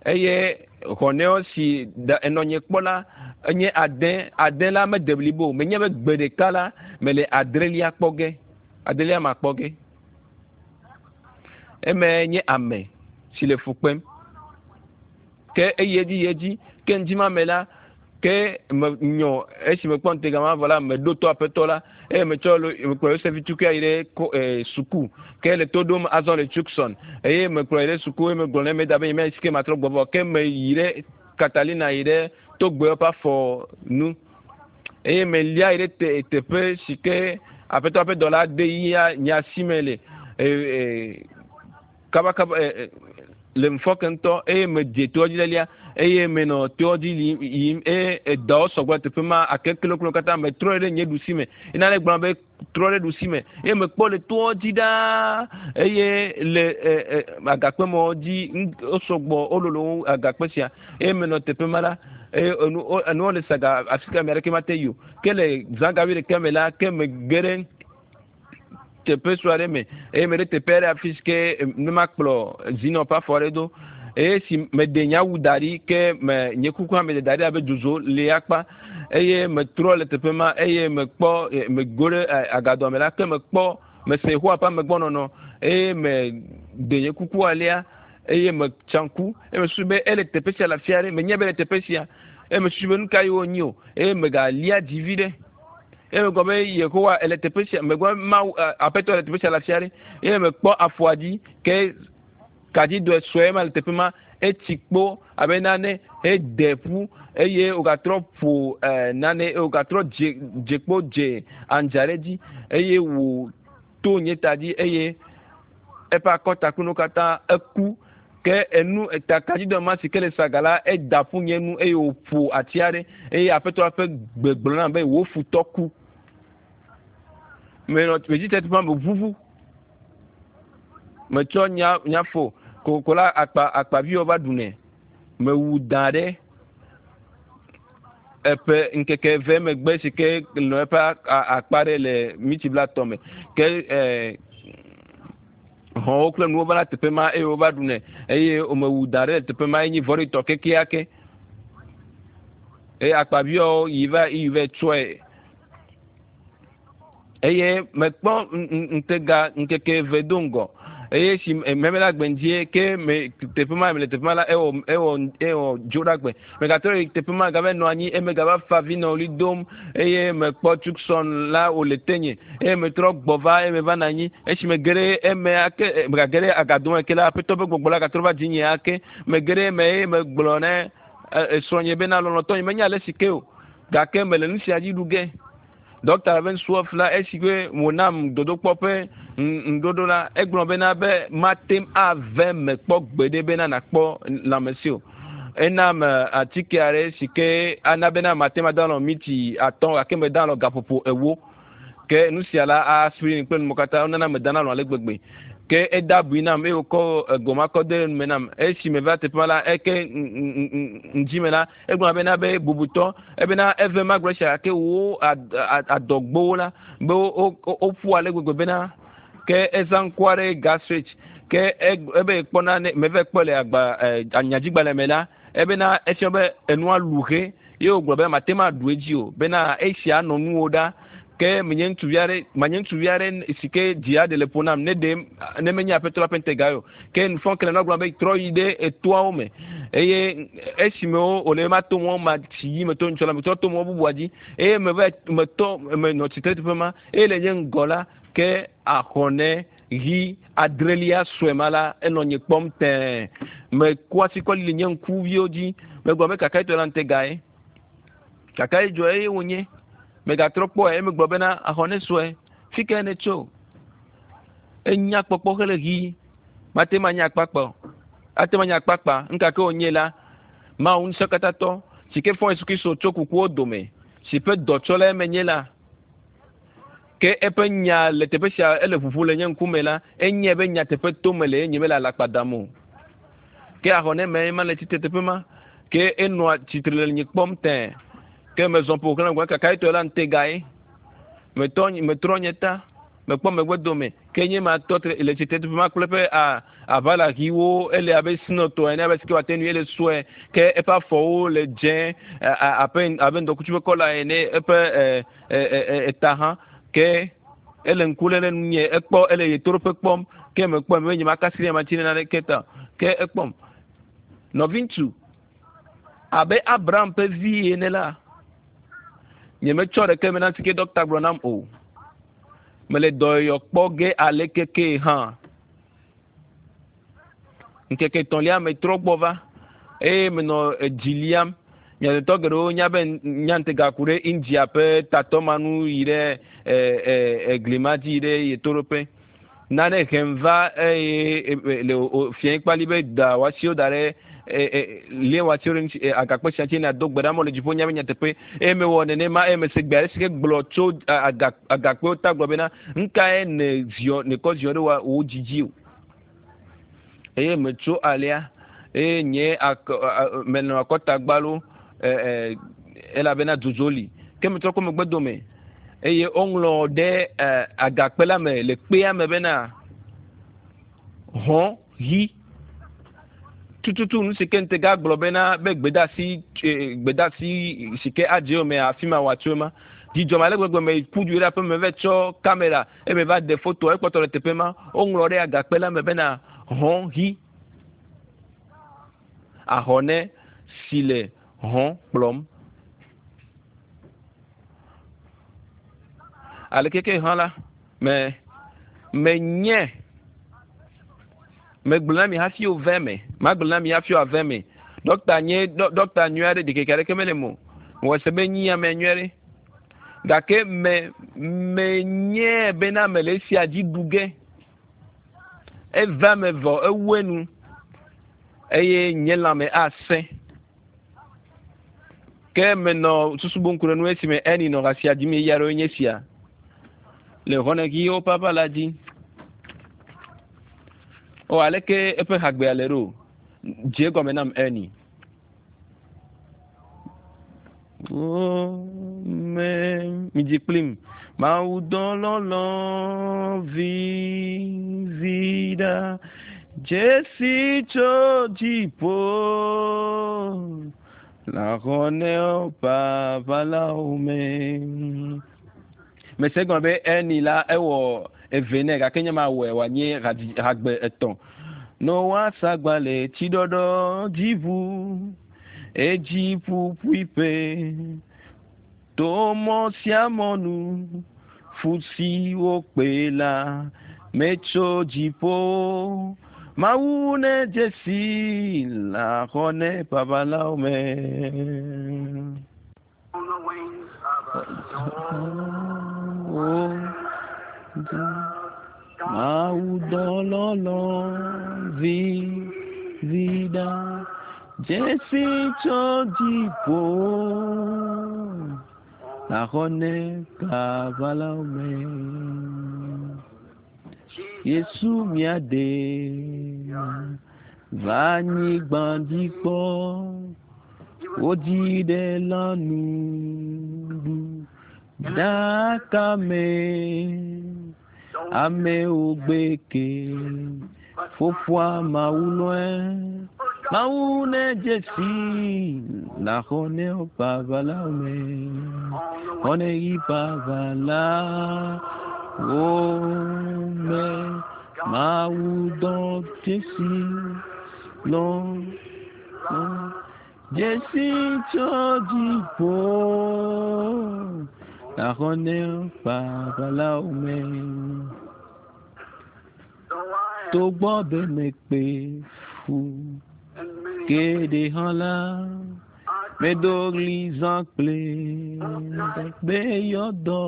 A: eye xɔnɛwo si enɔnye kpɔ la enye ade ade la mede blibo menye be gbe ɖeka la mele adrelia kpɔ ge adrelia ma kpɔ ge eme nye ame si le fu kpem ke eyi edzi yi edzi ke ŋdi ma me la ke me nyɔ esi mekpɔ ŋutega ma vɔ la meɖo to aƒetɔ la eye metsɔ mekplɔ Yosef tukui yi ɖe ko suku ke le to ɖom azɔ le Tucson eye mekplɔ yi ɖe suku eye megblɔ ne meda be nye si ke matrɔ gbɔ vɔ ke meyi ɖe Catalina yi ɖe togbewo ƒe afɔ nu eye melia yi ɖe te teƒe si ke aƒetɔ ƒe dɔla de yia nye asi me le kabakaba le ŋfɔke ŋutɔ eye medze toa dzi lelia Eye menɔ toa dzi yim eye edawo sɔgbɔ le teƒe ma ake kloklo katã metrɔ ɖe nye ɖusi me. Eye nane gblɔ be trɔ ɖe ɖusi me eye mekpɔ le toa dzi ɖaa eye le agakpe mɔ dzi wosɔgbɔ wololo wu agakpe sia eye menɔ teƒe ma la eye enu enuwo le saga afi ka ame aɖeke mate yi o. Ke le zã ga wuiɖekɛ me la ke mege ɖe teƒe sue aɖe me eye meɖe teƒe aɖe afi si ke ne makplɔ zinɔ ƒe afɔ aɖe do eye si meɖe nye awu da ɖi ke me nye kuku hã meɖe da ɖi abe dzodzo li akpa eye metrɔ le teƒe ma eye mekpɔ mego ɖe agadoa me la ke mekpɔ mese Yehowa ƒe amegbɔnɔnɔ eye meɖe nye kuku alea eye metsa ŋku eye mesusu be ele teƒe sia le afi aɖe menye be le teƒe sia eye mesusu be nu ka ye wonyi o eye megalia dzi vi ɖe eye megblɔ be Yehowa ele teƒe sia megblɔ Mawu aƒetɔ le teƒe sia le afi aɖe eye mekpɔ afɔa dzi ke kadzidɔe sue ma le teƒe ma etsi kpo abe nane hede ƒu eye wògatrɔ ƒo nane eye wògatrɔ dze dzekpo dze andza ɖe dzi eye wòto nye ta dzi eye eƒe akɔtakunu katã eku ke enu eta kadzidɔ ma si ke le saga la eda ƒu nye nu eye wòƒo ati aɖe eye aƒetɔ ƒe gbe gblɔ nam be wò futɔ ku. Menɔ medzi teƒe ma meʋuʋu. Metsɔ nya nyafo kokoko la akpa akpaviwo va ɖunɛ. Mewu da ɖe eƒe ŋkeke eve megbe si ke nɔ eƒe akpa ɖe le miti blatɔ me. Ke hɔ̃wo kple nuwo va na teƒe ma eye wova ɖunɛ eye womewu da ɖe le teƒe ma enyi vɔ̃ɖitɔ kekeake. Eye akpaviwo yi va yi va tsɔe. Eye mekpɔ ŋutega ŋkeke eve do ŋgɔ eye si meme la gbe ŋdzie ke me teƒe ma le teƒe ma la ewɔ ewɔ ewɔ dzo ɖa gbe megatrɔ yi teƒe ma gava nɔ anyi eye megava fa vi nɔ ɣli dom eye mekpɔ Tucson la wòle tenye eye metrɔ gbɔ va eye meva nɔ anyi esi mege ɖe eme ake megage ɖe agado me ke la aƒetɔ ƒe gbɔgbɔ la gatrɔ va dzinye ake mege ɖe eme eye megblɔ ne esrɔ̃nye bena lɔlɔ̃tɔ nye menya ale si ke o gake mele nu sia dzi ɖu ge. Dɔkta ƒe nusuɔf la esi ke wònam dodokpɔ ƒe ŋɖoɖo la egblɔ bena be mate ave me kpɔ gbeɖe bena nakpɔ lãmesi o. Enam atike aɖe si ke ana bena mate ŋu ada alɔ miti atɔ̃ gake meda alɔ gaƒoƒo ewo. Ke nu sia la aspirin kple nuwo katã wonana medana alɔ ale gbegbe. Ke eda abui nam eye wòkɔ egoma kɔ de ɖe nume nam. Esi meva teƒe ma la eke ŋdzime la egblɔ bena be bubutɔ ebena eve magblɔ sia gake wo adɔgbowo la be woƒu ale gbegbe bena ke ezã ŋku aɖe gastrate ke ebe kpɔna ne meve kpɔ le agba anyadzigbalẽ me la ebena efia be enua lu he ye wògblɔ be mate ŋu aɖu edzi o bena esia nɔ nuwo ɖa ke menye ŋutsuvi aɖe manye ŋutsuvi aɖe si ke dzi aɖe le ƒo nam ne ɖe ne menye aƒetɔ la ƒe ŋutega o ke nufɔkele na gblɔ be trɔ yi ɖe etoawo me eye esime wòle ma to mɔ ma si yi meto ŋutsɔ la metrɔ to mɔ bubua dzi eye meva metɔ menɔ tsitre teƒe ma eye le nye ŋgɔ la ke axɔne ɣi adrelia sue ma la enɔ nye kpɔm tɛɛ meku asi kɔ li nye ŋkuviwo dzi megblɔ be kaka etɔ la ŋutega ye kaka ye dzɔ eye wònye megatrɔ kpɔe eye megblɔ bena axɔne sue fi ke ne tso enya kpɔkpɔ hele ɣi mate ma nye akpakpa o ate ma nye akpakpa ŋkake wònye la Mawu ŋusẽkatãtɔ si ke fɔ Yesu Kristo tso kukuwo dome si ƒe dɔtsɔla menye la ke eƒe nya le teƒe sia ele ʋuʋu le nye ŋkume la enye be nyateƒe tome le ye nye mele alakpa dam o ke axɔne me ma le tsitre teƒe ma ke enɔa tsitre le nye kpɔm tɛɛ ke mezɔ ƒo xlã gbe kaka etɔ la ŋutega ye metɔ metrɔ nye ta mekpɔ megbe dome ke nye ma tɔ le tsitre teƒe ma kple eƒe aʋala ɣiwo ele abe sinɔtɔ ene abe si ke wòate ŋui ele sue ke eƒe afɔwo le dzẽ abe abe ŋdɔkutsu ƒe kɔla ene eƒe eta hã ke ele ŋku lé ɖe nunye ekpɔ ele ɣetoɖoƒe kpɔm ke mekpɔe be nye makasi ɖe matsi ɖe naneke ta ke ekpɔm nɔviŋutsu abe Abraham ƒe vi ene la nyemetsɔ ɖeke me na si ke dɔkta gblɔ nam o mele dɔyɔyɔ kpɔ ge ale keke hã ŋkeke etɔ̃lia metrɔ gbɔ va eye menɔ edzi liam miadetɔ geɖewo nya be nya ŋutega ku ɖe India ƒe tatɔ ma nu yi ɖe egli ma dzi yi ɖe ɣetoɖoƒe nane hem va eye le fiẽ kpali be da wòasiwo da ɖe lie wòatsi ɖe ŋuti agakpe sia ŋuti nàdo gbe ɖa mɔ le dziƒo nya be nyateƒe eye mewɔ nenema eye mese gbe aɖe si ke gblɔ tso agakpewo ta gblɔ bena nukae ne ziɔ nekɔ ziɔ ɖe wò dzi dzi o eye metso alea eye nye akɔ menɔ akɔta gbalo elabena dzodzo li ke metrɔ kɔ megbe dome eye woŋlɔ ɖe agakpe la me le kpea me bena hɔn ɣi tututu nu si ke ŋutega gblɔ bena be gbedasi gbedasi si ke adze yome afi ma wòatso ema dzidzɔ ma le gbegbe me ku du ɖe aƒe me va tsɔ kamera eye va ɖe foto ekpɔtɔ le teƒe ma woŋlɔ ɖe agakpe la me bena hɔn ɣi ahɔne si le hɔn kplɔm aleke ke hã la me menye megblɔ na mi hafi wòve me magblɔ na mi hafi wòave me ɖɔkta nye ɖɔkta nyui aɖe ɖikeke aɖeke mele mo wɔ se be nyi ame nyui aɖe gake me menye bena mele esia dzi ɖu ge eva me vɔ ewu enu eye nye lãme asẽ ke menɔ susu bom ku ɖe nu esime eni nɔ asia dzim eya ɖewo nye sia le xɔnegiwo papa la dzi o aleke eƒe hagbea le ɖo dze gɔme nam eni me midzi kplim mawu dɔlɔlɔ vivi ɖa dzesi tso dziƒo la papa la me mese gɔme be eni la ewɔ eve nɛ gake nye ma wɔe wòanye hagbe etɔ̃ noa sagbalẽ tsiɖɔɖɔ dziʋu edzi ƒuƒuiƒe to mɔ sia mɔ nu fu si wokpe la metso dziƒo mawu ne dzesi la xɔ ne babalawo me.
B: On the wings of a snow
A: Mawu dɔlɔlɔ vivi ɖa dzesi tso dziƒo la xɔ ne babalawo me. Yesu mía de va anyigba dzi kpɔ wodzi ɖe lãnuɖu ɖaka me amewo gbe ke fofoa mawu lɔe mawu ne dzesi la xɔ ne babalawo me xɔ ne yi babalawo me mawu dɔ dzesi lɔ lɔ dzesi tso dziƒo la xɔ ne babalawo me.
B: Though I
A: Togbɔ be mekpe fu
B: and many
A: geɖe hã la
B: I
A: medo ɣli zã kple be yɔdɔ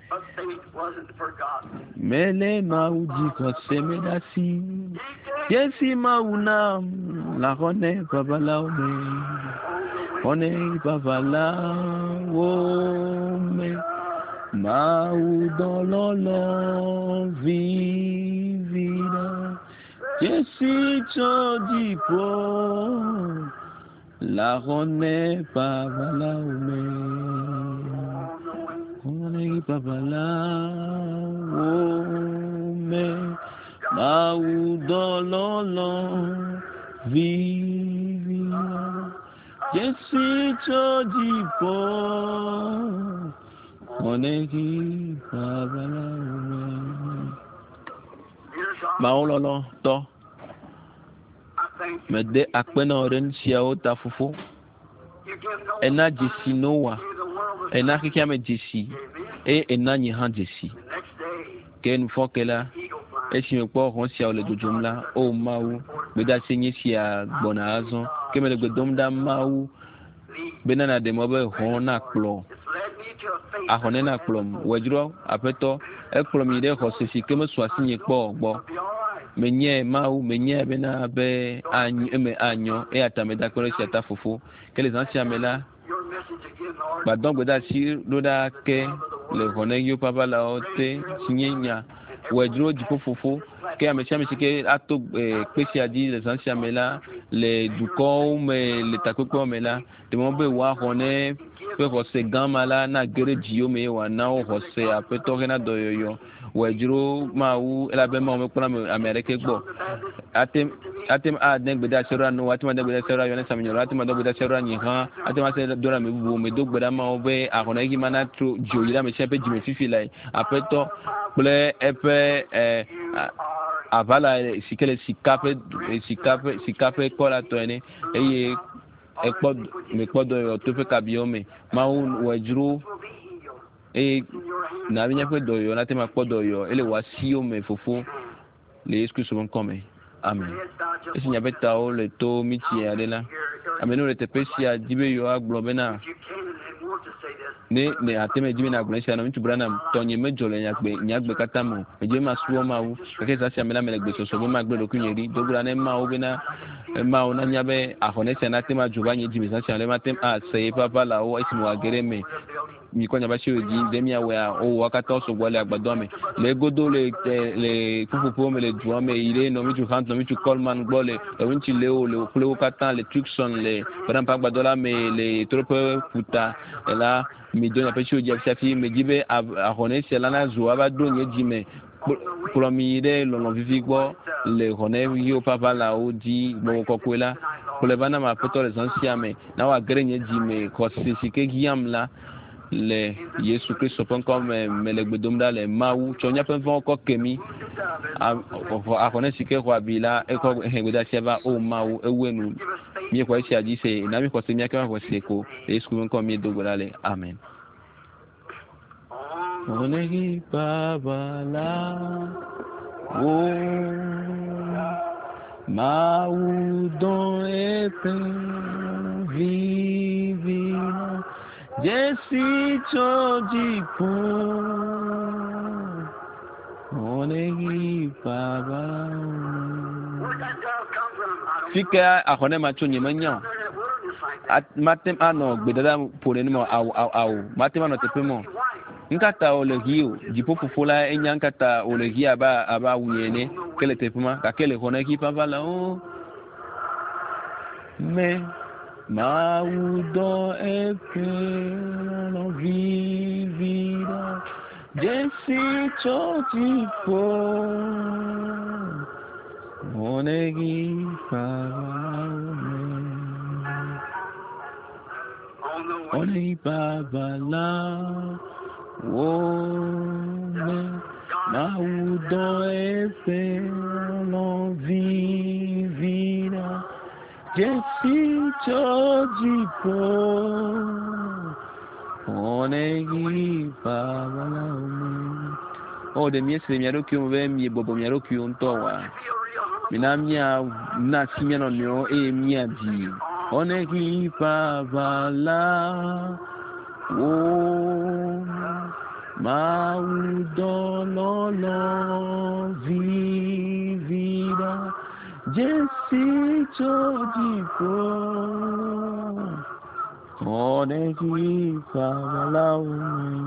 B: but faith wasn't forgotten.
A: mele mawu dzi xɔse me ɖe asi dzesi mawu nam la xɔ ne babalawo me xɔ ne babalawo me mawu dɔlɔlɔ vivi ɖa dzesi tso dziƒo la xɔ ne babalawo me
B: On the wings
A: xɔ ne babalawo me mawu dɔlɔlɔ vivi ɖa dzesi tso dziƒo xɔ ne babalawo me.
B: Dear God,
A: Mawu lɔlɔtɔ
B: I thank you.
A: mede akpe na wò ɖe nu siawo ta fofo
B: You give no
A: ena dzesi Noa
B: sign, the world was
A: ena xexea me dzesi
B: Amen.
A: eye ena nye hã dzesi
B: The next day,
A: ke nufɔke la
B: eagle flying.
A: esi mekpɔ hɔn siawo le dzodzom la o mawu gbedeasi nye sia gbɔna azɔ ke mele gbe dom ɖa mawu
B: Lead.
A: bena nàɖe mɔ be hɔn nakplɔ
B: It's led me to a faith
A: ahɔne nakplɔm wòdzro aƒetɔ ekplɔ mi ɖe xɔse si ke mesu asinye kpɔ o gbɔ
B: It'll be all right.
A: Menyae Mawu, menyae bena be any eme anyɔ eya ta meda akpe ɖe esia ta fofo. Ke le zã sia me la,
B: Your message again, Lord.
A: gbadɔ gbedeasi ɖo ɖa ke le xɔneɣiwo ƒe aʋalawo te si nye nya wɔe dzro dziƒo fofo ke ame sia ame si ke ato kpe sia dzi le zã sia me la le dukɔwo me le takpekpewo me la ɖe be woaxɔ ne ƒe xɔse gã ma la na ge ɖe dziwo me eye wòana wo xɔse aƒetɔ hena dɔyɔyɔ wɔe dzro mawu elabe mawu mekpɔna ame ame aɖeke gbɔ ate ate ŋu ade gbedeasi ɖo Noa ate ŋu ade gbedeasi ɖo Yohanes Amenyrɔla ate ŋu ade gbedeasi ɖo Nyiha ate ŋu ase do ɖe ame bubuwo me do gbe ɖa mawu be ahɔneɣi ma natro dzo yi ɖe ame sia ƒe dzime fifi lae aƒetɔ kple eƒe ɛ aʋala si ke le sika ƒe sika ƒe sika ƒe kɔ la tɔ ene eye ekpɔ mekpɔ dɔyɔyɔ to eƒe kabiwo me mawu wɔe dzro
B: Will be healed
A: eye
B: in your hand.
A: na be míaƒe dɔyɔyɔ nate ŋu akpɔ dɔyɔyɔ ele wò asiwo me fofo le Yesu Kristo ƒe ŋkɔ me amen.
B: Your heads bowed just
A: Esi
B: one
A: miaƒe
B: minute.
A: tawo le to mitsi aɖe la ame yiwo le teƒe sia di be yewoagblɔ bena
B: If you can and want to say this,
A: ne ne ate me dzi be nagblɔ esia na ŋutsu Branham tɔnye medzɔ le nyagbe nyagbe katã me o medzi be masubɔ Mawu gake zã sia me la mele gbesɔsɔ be magblẽ ɖokuinye ɖi do gbe ɖa ne Mawu bena Mawu nanya be axɔne sia nate ŋu adzo va nye dzime zã sia me mate ŋu ase yeƒe aʋalawo esime wòage ɖe eme mikɔ miaƒe asiwo dzi ɖe miawɔea wowɔ katã wo sɔgbɔ le agbadɔa me le egodo le le ƒuƒoƒewo me le dua me yi ɖe nɔviŋutsu Hunt nɔviŋutsu Coleman gbɔ le nɔviŋutsu Leo le kple wo katã le Tucson le Branham ƒe agbadɔ la me le ɣetoɖoƒe ƒuta la mido miaƒe asiwo dzi afi medzi be ahɔne sia la nazu ava ɖo nye dzi me kplɔ mi yi ɖe lɔlɔ vivi gbɔ le xɔne ɣiwo ƒe aʋalawo dzi gbɔgbɔ kɔkɔe la kplɔe va nam aƒetɔ le zã sia me na wòage ɖe nye dzi me xɔse si ke hiãm la le Yesu Kristo ƒe ŋkɔ me mele gbe dom ɖa le Mawu tsɔ míaƒe vɔ̃wo kɔ ke mí axɔne si ke xɔ abi la ekɔ he gbedeasia va o Mawu ewu enu míexɔ esia dzi se na mi xɔse míake va xɔse ko le Yesu ƒe ŋkɔ míedo gbe ɖa le amen.
B: on the
A: Onegi baba la wo Mawu dɔ eƒe vivi la dzesi tso dziƒo. Onegi baba
B: Where'd that dove come from? I don't
A: Fi
B: know.
A: ke axɔne ma tso nye menya o.
B: Out there in that wilderness like that.
A: Mate ŋu anɔ gbedada ƒo ɖe numa awu awu awu mate ŋu anɔ teƒe mɔ.
B: Be white.
A: Nkata wòle ɣi o dziƒo fofo la enya nkata wòle ɣi abe abe awu ene ke le teƒe ma gake le xɔne ɣi ƒe aʋalawo me Mawu dɔ eƒe lɔlɔ vivi ɖa dzesi tso dziƒo xɔne ɣi ƒe aʋalawo me.
B: On the way.
A: Xɔne ɣi ƒe aʋalawo me. Mawu dɔ eƒe lɔlɔ vivi ɖa dzesi tso dziƒo. Xɔne ɣi ƒe aʋalawo me. O ɖe miese le mia ɖokuiwo me be miebɔbɔ mia ɖokuiwo ŋutɔ oa?
B: Feel real humble.
A: Mina mía na asi mía nɔnɔewo eye míadzi. Xɔne ɣi ƒe aʋalawo me. Mawu dɔ lɔlɔ vivi ɖa dzesi tso dziƒo. Xɔne ɣi ƒe aʋalawo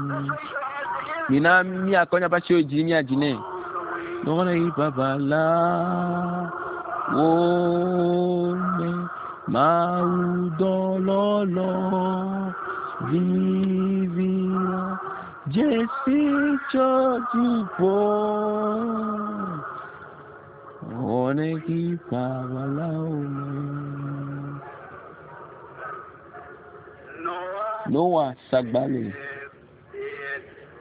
A: me.
B: Let's raise your hands together.
A: Mina míakɔ míaƒe asiwo dzi míadzi nɛ.
B: On the way.
A: Xɔne ɣi ƒe aʋalawo me. Mawu dɔ lɔlɔ vivi ɖa dzesi tso dziƒo. Xɔne ɣi ƒe aʋalawo me.
B: Noah
A: Noa sagbale
B: it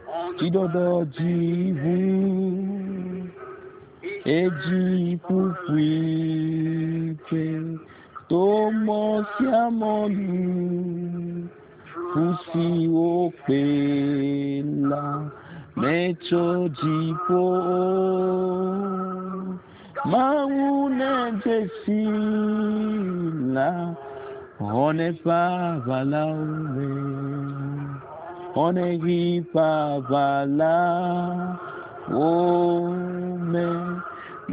B: on the
A: tsiɖɔɖɔ dzi ʋu edzi ƒuƒuiƒe to mɔ sia mɔ nu ƒu si wokpe la metso dziƒo o. Mawu ne dzesi la xɔne ƒe aʋalawo me. Xɔne ɣi ƒe aʋalawo me.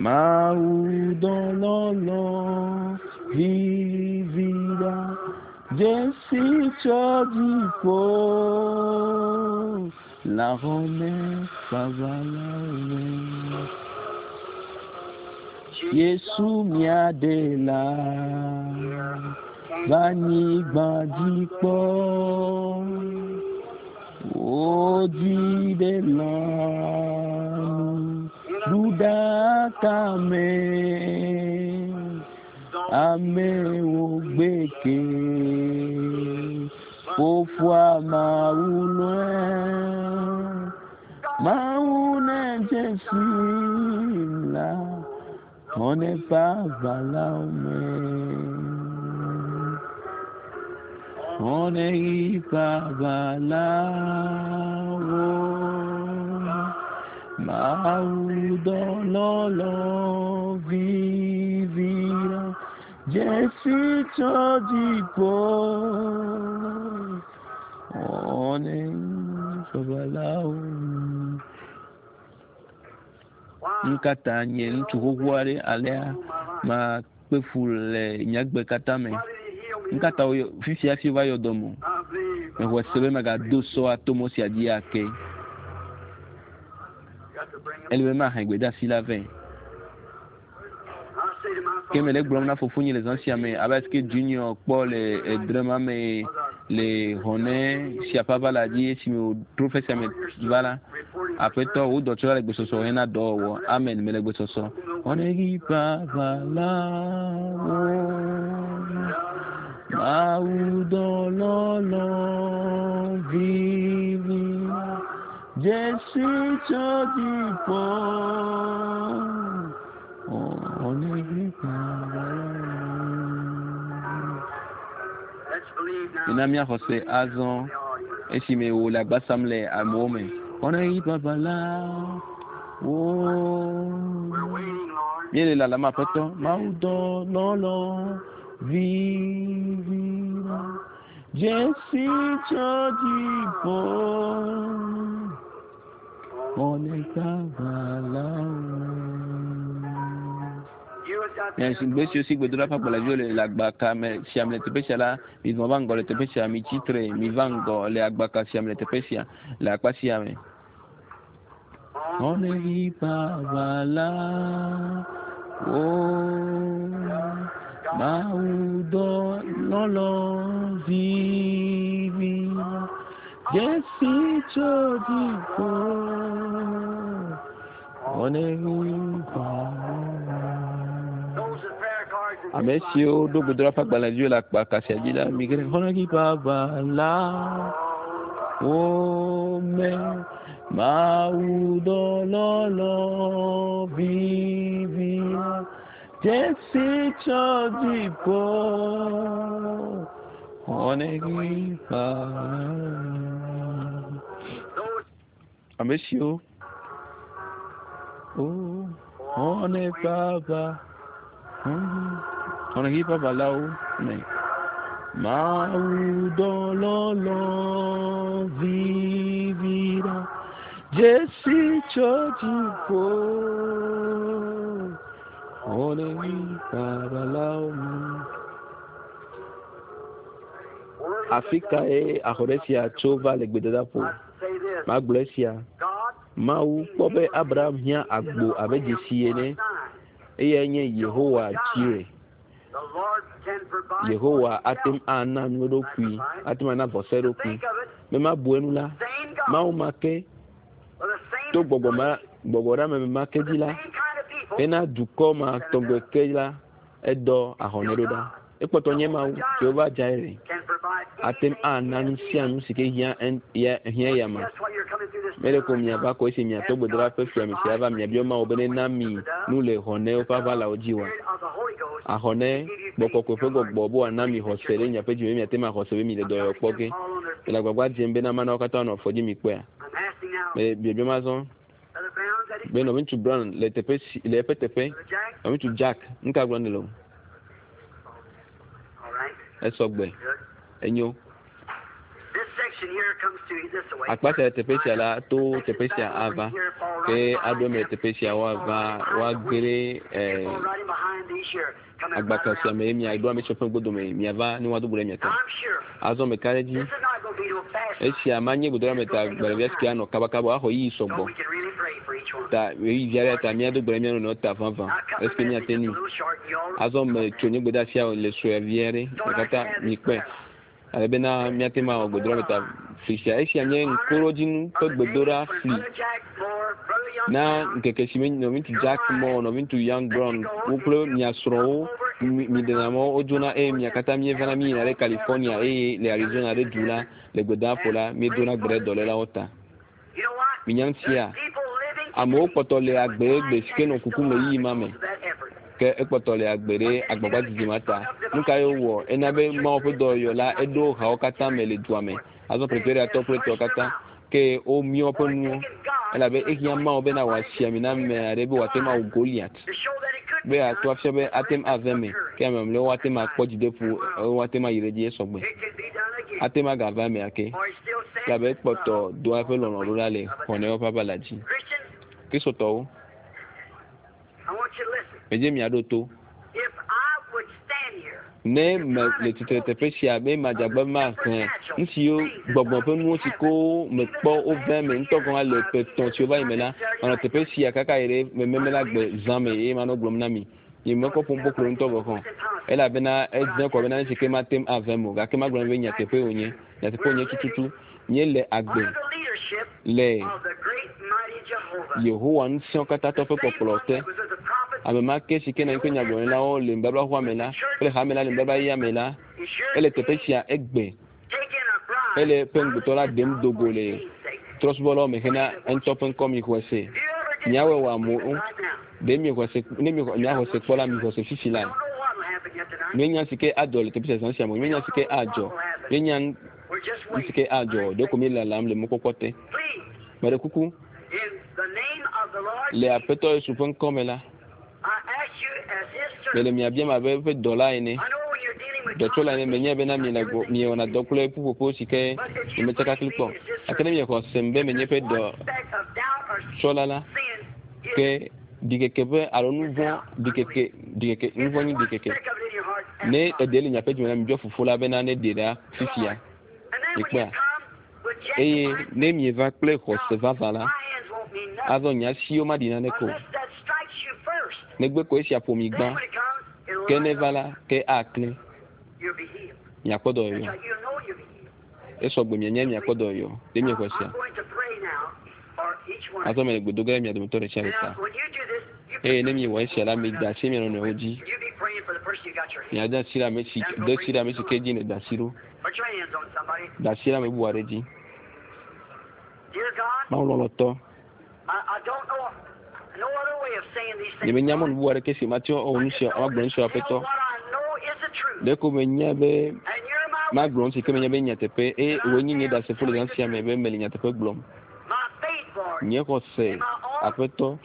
A: Mawu dɔlɔlɔ vivira dzesi tso dziƒo le ahɔnɛ vavalawo. Yesu mía ɖela va anyigba dzi kpɔ. Wodzi ɖe lãnu ɖuɖaka me. Amewo gbeke fofoa Mawu lɔe. Mawu ne dzesi la xɔne ƒe aʋalawo me. Xɔne ƒe aʋalawo. Mawu dɔlɔlɔ vivira dzesi tso dziƒo. Xɔne ƒe aʋalawo. Nu ka ta nye ŋutsu xoxo aɖe alea makpe fu le nye agbe katã me? Nu ka ta woyɔ fifia hafi wova yɔ dɔm o? Mexɔe se be magado sɔ ato mɔ sia dzi ake. Ele be mahe gbedeasi la vɛ. Ke mele egblɔm na fofonye le zã sia me abe alesi Junior kpɔ le edre ma me le hɔnɛ sia ƒe aʋala dzi esime wòtrɔ ƒe sia me va la, Aƒetɔ, wò dɔtsɔla le gbesɔsɔ hena dɔwɔwɔ. Amen. Mele gbesɔsɔ. Hɔnɛ ɣi ƒe aʋalawo. Mawu dɔlɔlɔ vivi. Dzesi tso dziƒo. Mina míaxɔ se azɔ esime wòle agba sam le amewo me. Míele lalam Aƒetɔ Mawu dɔ lɔlɔ vivi dzesi tso dziƒo. Gbe siwo si gbedoɖa ƒe agbalẽviwo le le agbaka me sia me le teƒe sia la, mizɔ va ŋgɔ le teƒe sia, mitsi tre, miva ŋgɔ le agbaka sia me le teƒe sia, le akpa sia me. Mawu dɔ lɔlɔ vivi dzesi tso dziƒo. Ame siwo ɖo gbedoɖa ƒe agbalẽviwo le akpa sia dzi la, mige ɖe xɔnɔdziʋaʋa wo me. Mawu dɔlɔlɔ vivi dzesi tso dziƒo. Xɔnɔdziʋaʋa. Ame siwo xɔnɔdziʋaʋa xɔnɔdziʋaʋalawo me. Mawu dɔlɔlɔ vivi la dzesi tso dziƒo. Xɔnɔdziʋaʋalawo me. Afi kae axɔɖe sia tso va le gbedadaƒo? Magblɔ esia. Mawu kpɔ be Abraham hiã agbo abe dzesi ene. Eyae nye Yehowa Jireh. Yehowa ate ŋu ana nu eɖokui, ate ŋu ana vɔsa eɖokui. Be mabu enu la, Mawu ma ke to gbɔgbɔ ma gbɔgbɔɖeameme ma ke dzi la, hena dukɔ ma tɔgbe ke la, edɔ ahɔnɛ ɖo ɖa. Ekpɔtɔ nye Mawu, Jehovah Jireh, ate ŋu ana nu sia nu si ke hiã hiã ya ma. Mele ko miava ko esi miatɔ gbedoɖa ƒe fiame sia va miabiɔ Mawu be nena mi nu le xɔnɛwo ƒe aʋalawo dzi wa. Axɔnɛ gbɔkɔkɔe ƒe gbɔgbɔ be wòana mi xɔse ɖe miaƒe dzi me miate ŋu axɔse be mi le dɔyɔyɔ kpɔ ge. Mele agbagba dzem bena mana wo katã nɔ afɔ dzi mi kpɔea. Mele biabiam azɔ be nɔviŋutsu Brown le teƒe si le eƒe teƒe. Nɔviŋutsu Jack, nu ka gblɔm nèle o? Esɔ gbe. Enyo. Akpa sia le teƒe sia la to teƒe sia ava ke aɖo eme le teƒe sia woava woage ɖe agbaka sia me ye miaɖo ame siwo ƒe ŋgɔdome miava ne woado go ɖe mia ta. Azɔ meka ɖe edzi esia manye gbedoɖa ta gbalẽvia si ke anɔ kabakaba o axɔ ɣeyiɣi sɔgbɔ ta ɣeyiɣi vi aɖe ta míado gbe ɖe mía nɔnɔewo ta vavã esi ke míate ŋui. Azɔ metso nye gbedeasia le sue vi aɖe mi katã mikpɔe ale bena míate ŋu awɔ gbedoɖa ta fli sia. Esia nye ŋkuɖodzinu ƒe gbedoɖa fli na ŋkeke si me nɔviŋutsu Jack Moore, nɔviŋutsu Young Brown wo kple mia srɔ̃wo mi ɖena mɔ wodzona eye mia katã míevana míyina ɖe California eye le Arizona ɖe du la le gbedaƒo la míedona gbe ɖe dɔlélawo ta. Minya ŋutia, amewo kpɔtɔ le agbe egbe si ke nɔ kukum le ɣeyiɣi ma me ke ekpɔtɔ le agbe ɖe agbagba didi ma ta. Nu ka ye wowɔ? Ena be Mawu ƒe dɔyɔyɔ la eɖo hawo katã me le dua me. Azɔ Pretoriatɔwo kple etɔwo katã ke womiɔ woƒe nuwo elabe ehiã Mawu bena wòasi ami na ame aɖe be wòate ŋu awu Goliat be ato afia be ate ŋu ave eme ke ame mamlɛwo woate ŋu akpɔ dzideƒo woate ŋu ayi ɖe edzi esɔgbe. Ate ŋu agava eme ake elabe ekpɔtɔ doa eƒe lɔlɔ̃ ɖo ɖa le xɔnɛwo ƒe aʋala dzi. Kristotɔwo, medze miaɖo to. Ne me le tsitre teƒe sia be madzagbe maxlẽ nu siwo gbɔgbɔ ƒe nuwo si ko mekpɔ wove me ŋutɔ gɔ̃ hã le ƒe etɔ̃ siwo va yi me la, manɔ teƒe sia kaka yi ɖe mememe la gbe zã me eye manɔ gblɔm na mi. Nye mekɔ ƒom kpokplo ŋutɔ gɔ̃ hã o elabena edze kɔ bena nu si ke mate ŋu ave me o gake magblɔ na mi be nyateƒe wònye. Nyateƒe wònye tututu. Míele agbe le Yehowa ŋusẽwo katã tɔ ƒe kpɔkplɔ te. Ame ma ke si ke nɔ anyi kple nyagblɔɖilawo le nubablaxɔa me la kple hame la le nubabla yeyea me la, ele teƒe sia egbe hele eƒe ŋugbetɔ la ɖem do go le trɔ̃subɔlawo me hena eŋutɔ ƒe ŋkɔ mixɔe se. Miawɔe wòamu ɖe miexɔe se ne miexɔ miaxɔ se kpɔ la mixɔ se fifi la. Míenya si ke adzɔ le teƒe sia zã sia me. Míenya si ke adzɔ. Míenya nu si ke adzɔ. Ɖeko míelalam le mɔkpɔkpɔ te. Meɖe kuku le Aƒetɔ Yesu ƒe ŋkɔ me la, mele mia biam abe eƒe dɔla ene, dɔtsɔla ene. Menyae bena miele gbɔ, miewɔna dɔ kple ƒuƒoƒo si ke nyemetsaka kpli kpɔ o. Gake ne miexɔ sem be menye eƒe dɔtsɔla la, ke ɖikeke ƒe alo nu vɔ̃ ɖikeke ɖikeke nu vɔ̃ nyi ɖikeke. Ne eɖe le miaƒe dzime la, mibiɔ Fofo la bena neɖe ɖa fifia. Mikpɔea? Eye ne mieva kple xɔse vavã la, azɔ nye asiwo maɖi naneke o. Negbe ko esia ƒo mi gbã, ke ne eva la, ke aklẽ. Miakpɔ dɔyɔyɔ. Esɔgbe mianya miakpɔ dɔyɔyɔ. Ɖe miexɔe sea? Azɔ mele gbe do ge ɖe mia dometɔ ɖe sia ɖe ta. Eye ne miewɔ esia la, mida asi mia nɔnɔewo dzi. Miade asi ɖe ame si de asi ɖe ame si ke dzi nèda asi ɖo. Da asi ɖe ame bubu aɖe dzi. Mawu lɔlɔ̃tɔ, nyemenya mɔnu bubu aɖeke si mate ŋu awɔ nu sia agblɔ nu sia Aƒetɔ. Ɖeko menya be magblɔ nu si ke menya be nyateƒe eye wòe nye nye ɖasefo le zã sia me be mele nyateƒe gblɔm. Nye xɔse, Aƒetɔ,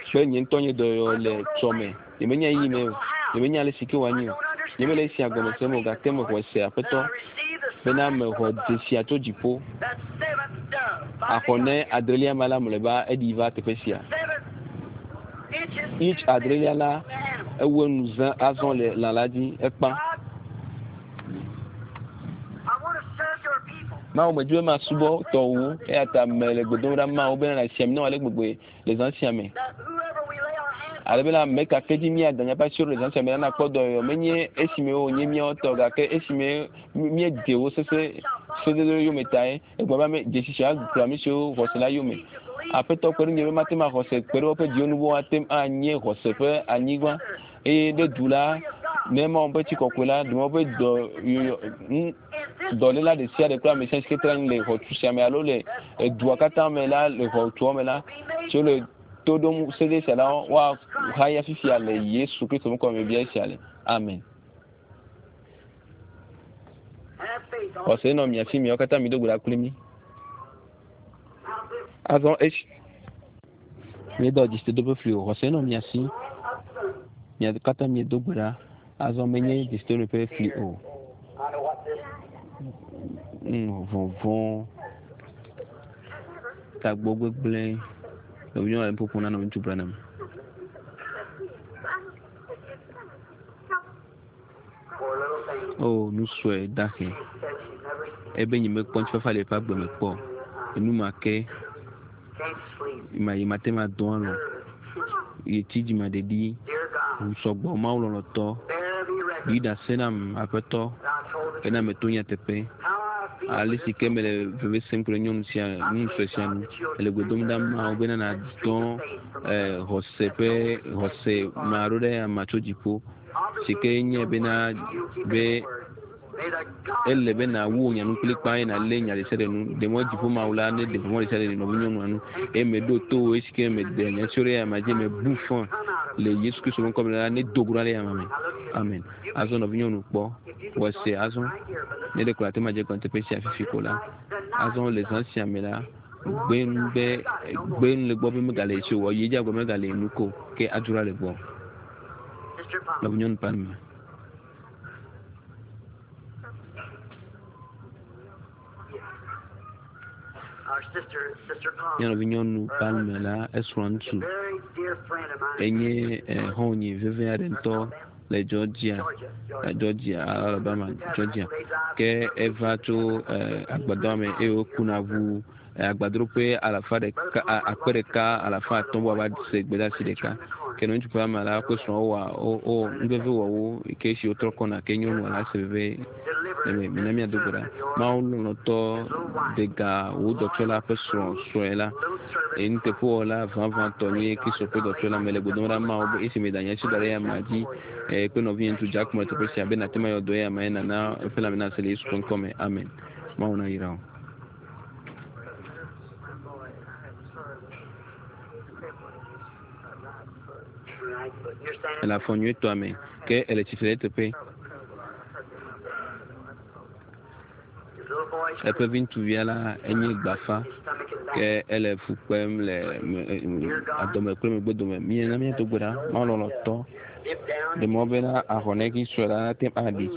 A: kple nye ŋutɔ nye dɔyɔyɔ le tsɔme. Nyemenya ɣeyiɣi me o. Nyemenya ale si ke wòanyi o. Nyemele esia gɔme sem o gake mexɔe se, Aƒetɔ, bena mexɔ dzesia tso dziƒo. Axɔ ne adrelia ma la mlɔeba eɖi va teƒe sia. Inch adrelia la ewu enu zã azɔ le lã la dzi ekpã. Mawu medzi be masubɔ tɔwò eya ta mele gbe dom ɖa Mawu bena nàsi ami na wò ale gbegbe le zã sia me. Ale bena ame ka ke dzi míada míaƒe asiwo le zã sia me la nakpɔ dɔyɔyɔ. Menye esime wònye míawo tɔ gake esime míedze wo sese sededewo yome tae. Egblɔ be ame dzesi sia kplɔ ame siwo xɔse la yome. Aƒetɔ kpe ɖe ŋunye be mate ŋu axɔ se kpe ɖe woƒe dziwo nu be woate ŋu anye xɔse ƒe anyigba. Eye ɖe du la, ne Mawu ƒe tsi kɔkɔe la, ɖe woƒe dɔ yɔyɔ dɔléla ɖe sia ɖe kple ame sia si ke tra anyi le xɔtu sia me alo le edua katã me la le xɔtua me la, siwo le to ɖom sede sia la, woahaya fifia le Yesu Kristo ŋkɔ me bia esia le. Amen. Xɔse nɔ mia si, miawo katã mido gbe ɖa kpli mí. Azɔ esi míedo dzesidodo ƒe fli o, xɔse nɔ mia si, mia katã miedo gbe ɖa. Azɔ menye dzesidodo ƒe fli o. Vɔvɔ̃, tagbɔ gbegblẽ. Nɔvinyɔnu le nu ƒoƒom na nɔviŋutsu Branham. O, nu sue dahe. Ebe nyemekpɔ ŋutifafa le eƒe agbe me kpɔ o. Enu ma ke ma yi mate ŋu adɔ alɔ̃. Yetsi dzimaɖeɖi, ŋu sɔgbɔ, Mawu lɔlɔ̃tɔ, ɖi ɖase nam, Aƒetɔ, bena meto nyateƒe. Ale si ke mele veve sem ku ɖe nyɔnu sia, nyɔnu sue sia nu. Ele gbe dom ɖa Mawu bena nàdɔ eh, xɔse ƒe xɔse ma ɖo ɖe amea tso dziƒo. Si ke nye bena be ele be nàwu wò nya nu kplikpaa eye nàlé nya ɖesiaɖe nu. Ɖe mɔ dziƒo Mawu la neɖe vɔvɔ̃ ɖesiaɖe le nɔvinyɔnua nu eye meɖo to wò esi ke meɖe nya siwo ɖe eyama dzi mebu fɔ le Yesu Kristo ƒe ŋkɔ me la nedo go ɖa le eyama me. Amen. Azɔ nɔvinyɔnu kpɔ wɔ se azɔ ne ɖe ko ate ŋu adze egɔme teƒe sia fifi ko la. Azɔ le zã sia me la gbe nu be gbe nu le gbɔ be megale esi o. Yi edzi agblɔ megale nu ko ke adzro le gbɔ. Nɔvinyɔnu Palmer. Mía nɔvinyɔnu Palmer la, esrɔ̃ ŋutsu. Enye xɔ̃nye veve aɖe ŋutɔ le Georgia, Georgia, Alabama, Georgia. Ke eva tso agbadɔa me eye wokuna ʋu agbadroƒe alafa ɖeka, 1500 be woava se gbedeasi ɖeka. Ke nɔviŋutsu ƒe ame la kple srɔ̃a wowɔ wo nuvevi wɔ wo ke esi wotrɔ kɔna ke nyɔnua la se veve le me. Mina míado gbe ɖa. Mawu lɔlɔ̃tɔ de ga wò dɔtsɔla ƒe srɔ̃ srɔ̃e la. Eye nuteƒewɔla vavãtɔ nye Kristo ƒe dɔtsɔla. Mele gbe dom ɖa Mawu be esi meda nye asi da ɖe eya amea dzi kple nɔvinye ŋutsu Jack le teƒe sia be nàte ŋu ayɔ dɔ eya amea eye nàna eƒe lãme nasẽ le Yesu ƒe ŋkɔ me. Amen. Mawu nayra wò. Ele afɔ nyuitɔa me ke ele tsitre ɖe eteƒe. Eƒe viŋutsuvia la enye gbafa ke ele fu kpem le adɔme kple megbedome. Míena míado gbe ɖa Mawu lɔlɔ̃tɔ ɖe mɔ bena ahɔnɛ sue la nate ŋu aɖi.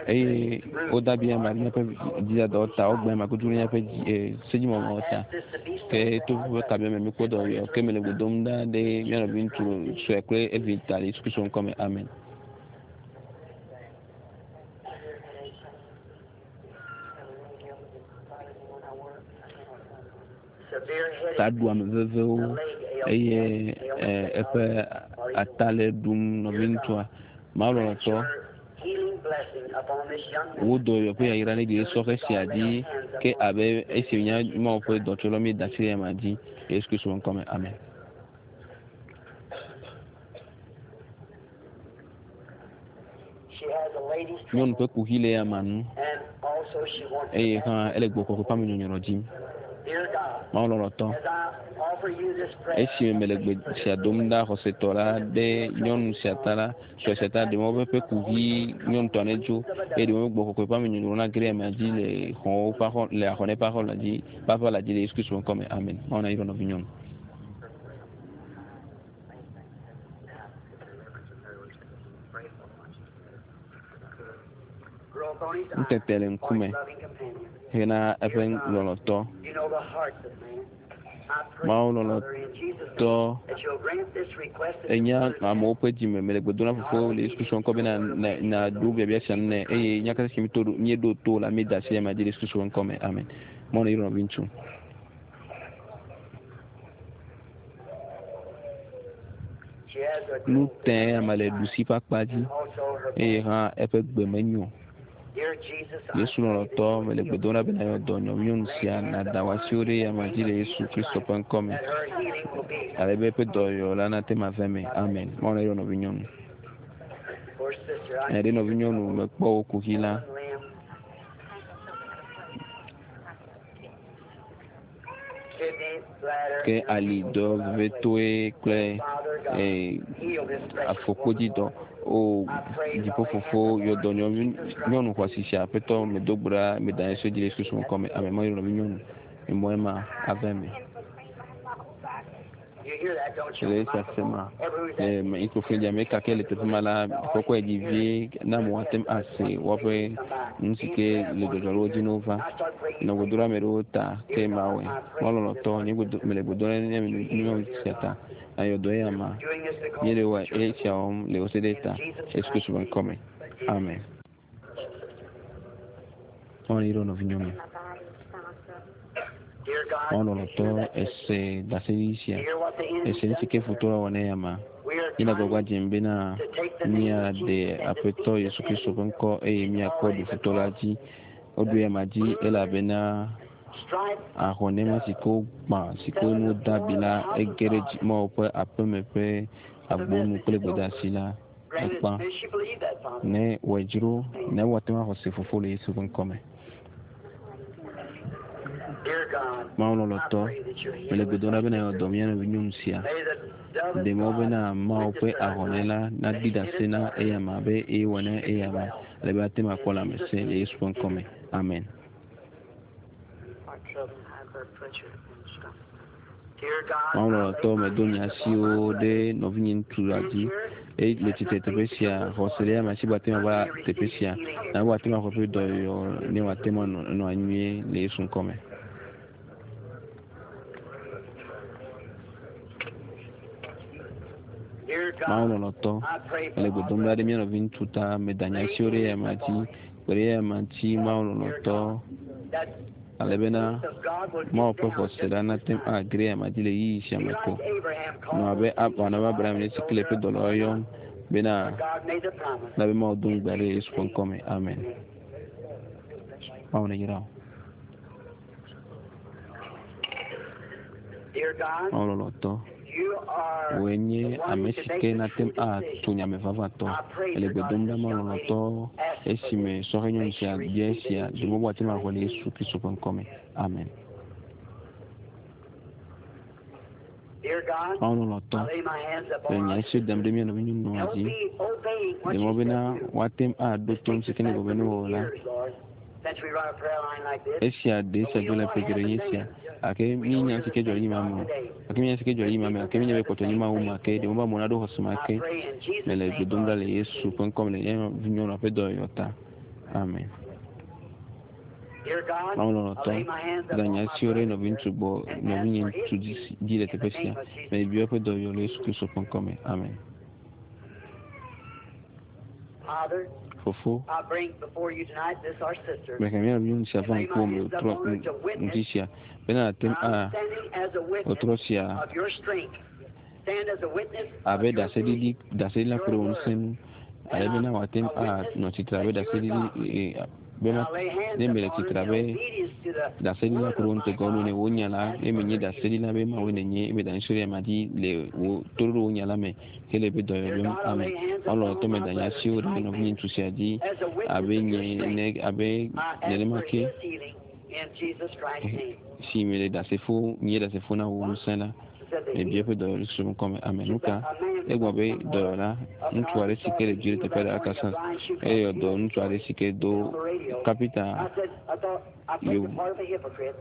A: Eye woda bia ame míaƒe dzidadawo ta, wogbe ame kutu ɖe míaƒe dzi e sedzimɔmɔwo ta. Ke to ƒe kabia me míekpɔ dɔyɔyɔ ke mele gbe dom ɖa ɖe mía nɔviŋutsu sue kple evi ta le Yesu Kristo ŋkɔ me. Amen. Taɖuame vevewo eye eƒe ata le ɖum nɔviŋutsua. Mawu lɔlɔ̃tɔ, wò dɔyɔyɔ ƒe yayra ne ɖi ɖe sɔhɛ sia dzi ke abe esi wònye Mawu ƒe dɔtsɔla míeda asi ɖe eyama dzi le Yesu Kristo ƒe ŋkɔ me. Amen. Nyɔnu ƒe kuxi le eyama nu eye hã ele gbɔgbɔ kɔkɔe ƒe amenyɔnyrɔ dzim. Mawu lɔlɔ̃tɔ, esime mele gbe sia dom ɖa xɔsetɔ la ɖe nyɔnu sia ta la, sue sia ta, ɖe mɔ be eƒe kuxi nyɔnutɔa nedzo eye ɖe mɔ be gbɔgbɔ kɔkɔe ƒe amenyɔnyrɔ nage ɖe amea dzi le xɔwo ƒe axɔ le axɔnɛ ƒe axɔ la dzi ƒe aƒe la dzi le Yesu Kristo ƒe ŋkɔ me. Amen. Mawu nayra nɔvinyɔnu. Nutete le ŋkume hena eƒe lɔlɔ̃tɔ. Mawu lɔlɔ̃tɔ, ènya amewo ƒe dzime. Mele gbe dom na Fofo le Yesu Kristo ŋkɔ bena nàɖo biabia sia nu nɛ eye nya katã si míeɖo to la, míeda asi ɖe ema dzi le Yesu Kristo ƒe ŋkɔ me. Amen. Mawu neyra nɔviŋutsu. Nu tẽ ame le ɖusi ƒe akpa dzi eye hã eƒe gbe menyo. Yesu lɔlɔ̃tɔ, mele gbe dom ɖa be nàyɔ dɔ nyɔnu sia, nàda wò asiwo ɖe eyama dzi le Yesu Kristo ƒe ŋkɔ me, ale be eƒe dɔyɔyɔ la nate ŋu ava eme. Amen. Mawu neyɔ nɔvinyɔnu. Nya ɖe nɔvinyɔnu mekpɔ wò kuxi la. Ke ali dɔ vevetoe kple afɔkpodzi dɔ. O dziƒo fofo yɔ dɔ nyɔnu xɔasi sia aƒetɔ medo gbe ɖa meda yesu dzi le Yesu Kristo ŋkɔ me. Amen. Mawu nɔvi nyɔnu. Emɔ ema ava eme. Le esia sema le microphone dzi ame ka ke le teƒe ma la kɔkɔe dzi vie na amewo ate ŋu ase woƒe nu si ke le dzɔdzɔ ɖe wo dzi ne wova. Nɔ gbedo ɖe ame ɖewo ta ke mawɔe. Mawu lɔlɔ̃tɔ nye gbedo mele gbedo ɖe ne nyɔnu sia ta. Ayɔ dɔ eya ma. Míele wɔ esia wɔm le wò se ɖe ta. Yesu Kristo ƒe ŋkɔme. Amen. Mawu ne yra nɔvinyɔnu.
B: Dear God,
A: Mawu lɔlɔ̃tɔ ese ɖaseɖiɖi sia.
B: you hear what the enemy
A: Ese nu si ke futɔ la wɔ na eya ma.
B: We are
A: Míele
B: trying
A: agbagba dzem bena
B: to take the name of
A: míaɖe
B: Jesus and
A: Aƒetɔ
B: defeat
A: Yesu
B: the
A: Kristo
B: enemy.
A: ƒe ŋkɔ eye míakɔ ɖu futɔ la dzi. Woɖu eya ma dzi elabena
B: Stripe
A: ahɔnema si ke wogbã si ke nu de abi la ege ɖe dzi Mawu ƒe aƒeme ƒe agbonu kple gbedeasi la
B: granted.
A: ekpã.
B: May she believe that, Father.
A: Ne wòe dzro ne woate ŋu axɔ se fofo le Yesu ƒe ŋkɔme.
B: Dear God,
A: Mawu
B: I
A: lɔlɔ̃tɔ
B: pray that you
A: mele
B: heal
A: gbe dom
B: this
A: ɖa bena yeawɔ dɔ mía nɔvi nyɔnu sia.
B: May the dove of
A: Ɖe mɔ
B: God
A: bena Mawu ƒe
B: witness to her
A: ahɔnɛ la
B: tonight
A: naɖi
B: that she did
A: ɖase
B: it
A: na
B: for her.
A: eya ma be eye wɔ na eya ma ale be ate ŋu akpɔ lãmesẽ le Yesu ƒe ŋkɔme. Amen.
B: Heart trouble, high blood pressure, and stomach. Dear God,
A: Mawu
B: I lay
A: lɔlɔ̃tɔ
B: my
A: medo nye
B: hands upon my
A: asiwo
B: brother.
A: ɖe nɔvinye ŋutsu la
B: Who's
A: dzi
B: here
A: eye le
B: has
A: tsitre
B: not
A: teƒe
B: made to
A: sia
B: come this
A: xɔse
B: far.
A: ɖe ame si be ate ŋu
B: I
A: ava
B: may
A: teƒe
B: receive
A: sia
B: his healing
A: na be wòate ŋu axɔ eƒe dɔyɔyɔ ne wòate ŋu anɔ nɔ anyi nyuie le Yesu ŋkɔme.
B: Dear
A: Mawu
B: God,
A: lɔlɔ̃tɔ
B: I pray for
A: mele
B: our
A: gbe dom ɖa ɖe
B: brother.
A: mía nɔvi ŋutsu ta meda nye
B: Lay
A: asiwo ɖe
B: hands
A: eya ma dzi
B: upon him.
A: kpe ɖe eya ma ŋuti Mawu
B: Dear
A: lɔlɔ̃tɔ
B: God, that
A: ale
B: the
A: bena
B: peace of God will
A: Mawu
B: get
A: ƒe
B: down
A: xɔse
B: just
A: la
B: this
A: nate ŋu
B: time.
A: age ɖe eya ma dzi le ɣeyiɣi sia
B: Be
A: me ko.
B: like Abraham
A: Nɔ
B: called
A: abe
B: those
A: Ab wòanɔ abe Abraham ene si ke le eƒe dɔlawo yɔm bena
B: But God made the promise.
A: na be Mawu do
B: In
A: ŋugbe ɖe
B: Jesus'
A: Yesu ƒe
B: name.
A: ŋkɔme. Amen.
B: Amen.
A: Mawu neyra wò.
B: Dear God,
A: Mawu lɔlɔ̃tɔ
B: you are
A: wòe
B: the
A: nye
B: one
A: ame
B: to
A: si
B: make
A: ke
B: the
A: nate
B: true
A: ŋu atso
B: decision.
A: nyame vavãtɔ.
B: I pray
A: Ele
B: for
A: gbe
B: God,
A: dom ɖa
B: this
A: Mawu
B: young lady
A: lɔlɔ̃tɔ
B: asked for
A: esime
B: this.
A: sɔhɛ
B: May
A: nyɔnu
B: she
A: sia bia
B: receive it
A: esia
B: in
A: ɖe mɔ be
B: Jesus
A: wòate ŋu axɔe le
B: Christ's
A: Yesu
B: name.
A: Kristo ƒe ŋkɔme. Amen.
B: Dear God,
A: Mawu
B: I
A: lɔlɔ̃tɔ
B: lay my hands
A: le
B: upon
A: nye
B: our
A: asiwo dam
B: sister.
A: ɖe mía nɔvi nyɔnua
B: Help
A: dzi.
B: me obeying what
A: Ɖe
B: you
A: mɔ
B: said
A: bena
B: do.
A: woate ŋu aɖo
B: This
A: to nu
B: takes
A: si
B: us
A: ke ne
B: back
A: gblɔ
B: so
A: be ne
B: many
A: wɔ la.
B: years, Lord, since we run a prayer line like this.
A: Esia ɖe
B: But
A: esia
B: we
A: dzɔ
B: know
A: le
B: what
A: ƒe geɖe
B: happened
A: nye esia.
B: then.
A: Gake
B: We know
A: míenya
B: you're
A: nu si
B: the
A: ke dzɔ le
B: same
A: anyigba
B: God
A: me o.
B: today.
A: Gake míenya nu si ke dzɔ le
B: Your
A: anyigba me
B: people
A: gake míenya
B: have
A: be
B: the
A: kpɔtɔ nye
B: same
A: Mawu
B: faith
A: ma ke
B: today.
A: ɖe mɔ be amewo naɖo xɔse ma
B: I
A: ke.
B: pray in Jesus'
A: Mele
B: name,
A: gbe dom
B: Lord,
A: ɖa le Yesu ƒe ŋkɔme le nye nyɔnua ƒe dɔyɔyɔ ta. Amen.
B: Dear God,
A: Mawu
B: I
A: lɔlɔ̃tɔ
B: lay my hands
A: da
B: upon
A: nye
B: my
A: asiwo ɖe
B: brother
A: nɔvi
B: here
A: ŋutsu gbɔ
B: and ask
A: nɔvinye
B: for his
A: ŋutsu dzi
B: healing
A: dzi le
B: in the
A: teƒe sia.
B: name of Jesus
A: Mebia
B: Christ.
A: eƒe dɔyɔyɔ le Yesu Kristo ƒe ŋkɔme. Amen.
B: Father,
A: Fofo,
B: I bring before you tonight this our sister.
A: mehe mía nɔvi nyɔnu sia
B: And
A: va
B: lay my
A: ŋkuwò me
B: hands
A: trɔ
B: upon her to
A: ŋuti
B: witness
A: sia bena ate ŋu
B: I'm
A: a
B: standing as a witness
A: wòtrɔ sia
B: of your strength. Stand as a witness of
A: abe
B: your
A: ɖaseɖiɖi
B: being,
A: ɖaseɖila
B: your
A: ku ɖe wò
B: word.
A: ŋusẽ ŋu ale
B: And
A: bena
B: I'm
A: wòate ŋu
B: a witness
A: anɔ tsitre abe
B: that you are
A: ɖaseɖiɖi
B: God.
A: e, be
B: And
A: ma
B: I lay hands
A: ne mele
B: upon her
A: tsitre
B: in
A: abe
B: obedience to the
A: ɖaseɖila
B: word
A: ku ɖe
B: of
A: wò
B: my
A: ŋutegɔ nu
B: God.
A: ne wò nya la
B: Ask
A: ne
B: for
A: menye
B: her healing.
A: ɖaseɖila be Mawu nenye ebe da ɖe ma dzi le wò toɖoɖo wò nya la me hele eƒe dɔyɔyɔ
B: Dear
A: biam.
B: God, I
A: Amen.
B: lay hands
A: Mawu
B: upon
A: lɔlɔ̃tɔ
B: my
A: meda nye
B: brother
A: asiwo ɖe
B: tonight,
A: nɔvinye
B: man,
A: ŋutsu sia dzi
B: as a witness
A: abe
B: of your
A: nye
B: strength.
A: ne abe
B: I ask
A: nenema
B: for
A: ke
B: his healing in Jesus Christ's name.
A: si mele ɖasefo nye ɖasefo na wò
B: What?
A: ŋusẽ la
B: She said the
A: mebia
B: healing.
A: eƒe dɔyɔyɔ le Yesu ƒe ŋkɔme. Amen.
B: She
A: Nu
B: said
A: ka
B: a man
A: egblɔ
B: from
A: be
B: somewhere
A: dɔyɔla
B: up in
A: ŋutsu aɖe si
B: Arkansas
A: ke le
B: been
A: dzi le
B: healed
A: teƒe
B: that
A: ɖe
B: morning, a
A: Arkansas
B: blind shoe
A: eye
B: called
A: wòdɔ
B: healed
A: ŋutsu aɖe si ke do
B: on the radio.
A: kapita
B: I said, I thought I played
A: yevu
B: the part of a hypocrite.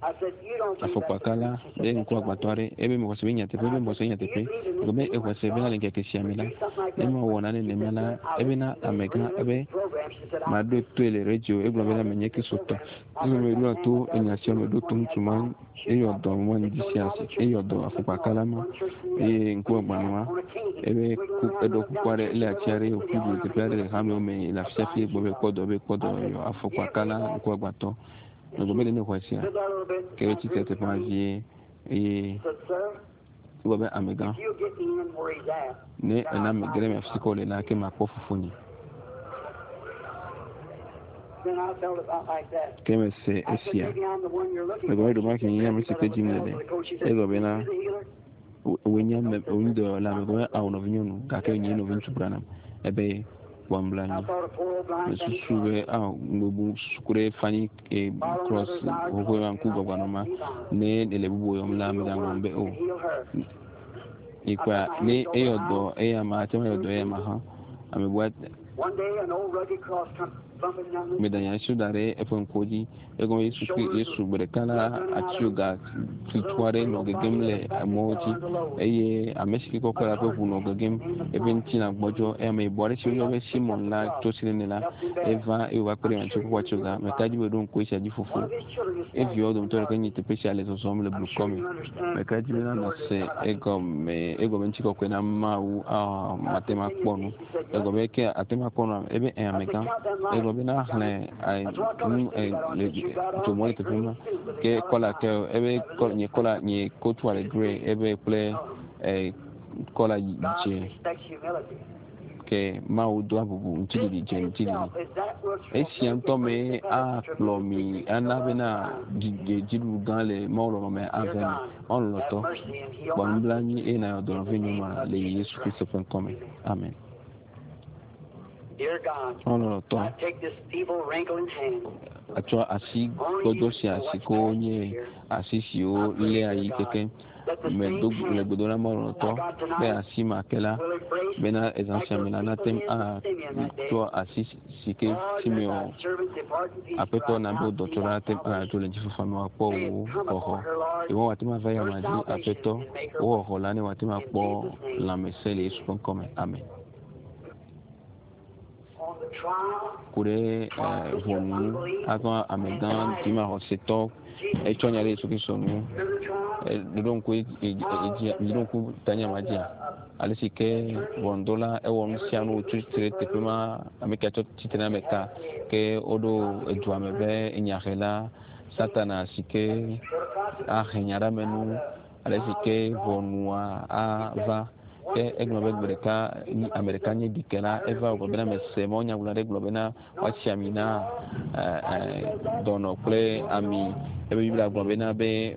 B: I said, you don't believe that's the
A: afɔkpakala
B: truth. She
A: ɖe
B: said, that's
A: ŋku
B: right.
A: agbatɔ aɖe ebe mexɔ se be nyateƒe
B: And
A: ebe
B: I
A: mexɔ
B: said,
A: se
B: do you
A: nyateƒe
B: believe in
A: gblɔ
B: this
A: be
B: new
A: exɔ
B: when
A: se bena
B: God
A: le ŋkeke sia me
B: would
A: la
B: do something like
A: ne
B: that?
A: mewɔ nane
B: She
A: nenema
B: said,
A: la
B: sir, I
A: ebena
B: listened to those
A: amegã
B: radio
A: ebe
B: programs. She said, I
A: maɖo toe le radio
B: she
A: egblɔ
B: said, I
A: bena menye
B: listened to the
A: kristotɔ
B: programs. I
A: egblɔ
B: heard
A: be
B: that
A: ɖoa
B: man
A: to
B: that does
A: enya
B: the
A: sia me
B: healing
A: ɖo
B: this
A: to
B: morning
A: ŋutsu
B: had
A: ma
B: blind shoe
A: eyɔ dɔ
B: problems.
A: ma
B: They
A: ŋdi
B: told him
A: sia
B: all
A: si
B: the churches
A: eyɔ dɔ
B: looking all
A: afɔkpakala ma
B: one church to the other.
A: eye ŋku
B: When he
A: agbanɔ
B: sat
A: ma
B: on a cane,
A: ebe
B: wiggling
A: ku
B: around
A: eɖɔ
B: and up
A: kuku
B: down
A: aɖe
B: the
A: le
B: church
A: ati
B: everywhere
A: aɖe
B: in the
A: wòƒu
B: city
A: du
B: all
A: le
B: around.
A: teƒe
B: He
A: aɖe
B: was
A: le
B: a
A: hamewo me le
B: a
A: afi sia fi
B: blind
A: egblɔ
B: shoe
A: be kpɔ
B: problem.
A: dɔ be kpɔ
B: I
A: dɔ
B: said,
A: yɔ
B: do you
A: afɔkpakala
B: believe that?
A: ŋku agbatɔ
B: And
A: megblɔ
B: she
A: be ɖe ne xɔe sia
B: stood there a little bit,
A: ke
B: kind of
A: tsi tre
B: gripped
A: teƒe ma
B: me.
A: vie eye
B: She said, sir,
A: egblɔ be amegã
B: if you'll get me in where he's at,
A: ne
B: then
A: ena
B: I'll
A: mege ɖe
B: find
A: me
B: my
A: afi si ke
B: father.
A: wòle la ke makpɔ fofonye.
B: Then I felt about like that.
A: Ke mese
B: I said,
A: esia.
B: maybe I'm the one you're looking
A: Megblɔ
B: for.
A: be
B: She
A: ɖewomahi
B: said,
A: nye
B: yes,
A: ame si
B: but
A: ke
B: I was
A: dzim
B: held
A: nèle.
B: to the coat. She said,
A: Egblɔ
B: is
A: bena
B: you the healer?
A: wòe nye
B: No,
A: ame
B: sister,
A: wòe nye dɔyɔla.
B: I'm
A: Megblɔ be
B: not.
A: awo nɔvinyɔnu gake
B: Just
A: nye
B: that
A: nɔviŋutsu
B: person.
A: Branham ebe kpɔ
B: I
A: nublanui.
B: thought a poor old blind Fanny
A: Mesusu be
B: Crosby.
A: awo mebu susu ku ɖe Fanny e
B: Follow
A: Cross
B: another's eyes
A: xoxoe
B: closed,
A: ma
B: do
A: ŋku
B: not
A: gbɔgbanɔ
B: pass
A: ma
B: me by.
A: ne ele bubu yɔm
B: If
A: la
B: you the
A: megaŋlɔm
B: one
A: be
B: who
A: o.
B: can heal her. I
A: Ikpɔa
B: put my
A: ne
B: hands over
A: eyɔ
B: her
A: dɔ
B: eyes.
A: eya ma ate ŋu ayɔ
B: Through
A: dɔ eya ma
B: Jesus.
A: hã ame bua
B: One day an old rugged cross come
A: Meda nye asiwo da ɖe eƒe ŋkuwo dzi. Egɔme Yesu kple Yesu gbe ɖeka la, atsioga tutu aɖe nɔ gegem le amewo dzi eye ame si ke kɔkɔ la ƒe ʋu nɔ gegem. Eƒe ŋutilã gbɔdzɔ eye ameyibɔ aɖe si woyɔ be Simon la tso Sirene la eva eye wòva kpe ɖe ame si kɔkɔ atsioga. Meka edzi be ɖo ŋku esia dzi fofo. Eviawo dometɔ ɖeka nye teƒe sia le zɔzɔm le blukɔ me. Meka edzi bena nàse egɔme egɔme ŋutikɔkɔe na Mawu. Aa mate ŋu akpɔ nu. Egblɔ be ke ate ŋu akpɔ nua ebe ɛ amegã. Egblɔ be na xlẽ nu le dzomɔ le teƒe ma. Ke kɔla ke ebe nye kɔla nye kotua le grey ebe kple kɔla dze. Ke Mawu doa bubu ŋutiɖiɖi dze ŋutiɖiɖi. Esia ŋutɔ mee akplɔ mi ana bena dziɖuɖu gã le Mawu lɔlɔ̃ me ave mi. Mawu lɔlɔ̃tɔ, kpɔ nublanui eye nàyɔ dɔ nɔvinyɔnua le Yesu Kristo ƒe ŋkɔ me. Amen. Mawu lɔlɔ̃tɔ, atsɔ asi gbɔdzɔ sia si ke wonye asi siwo léa yi kekeŋ medo le gbedoɖa Mawu lɔlɔ̃tɔ be asi ma ke la bena ezã sia me la nate ŋu atsɔ asi si ke Simeon Aƒetɔ na be wò dɔtsɔla ate ŋu adzo le ŋutifafa me wòakpɔ wò xɔxɔ. Yehowa wòate ŋu ava eyama dzi, Aƒetɔ, wò xɔxɔ la ne wòate ŋu akpɔ lãmesẽ le Yesu ƒe ŋkɔ me. Amen. Ku ɖe ʋɔnu azɔ amegã dzimaxɔsetɔ etsɔ nya ɖe Yesu Kristo ŋu. Ɖoɖo ŋku edzi, ɖoɖo ŋku tanya ma dzia? Ale si ke ʋɔnudrɔ̃la ewɔ nu sia nu wòtso tsitre ɖe teƒe ma, ame ka tsɔ tsitre na ame ka ke woɖo edua me be enyahela Satana si ke ahe nya ɖe ame nu. Ale si ke ʋɔnua ava. Ke egblɔ be gbe ɖeka ame ɖeka nye ɖikela eva wògblɔ bena mese mawunyagblɔla ɖe gblɔ bena woatsi ami na dɔnɔ kple ami. Ebe Biblia gblɔ bena be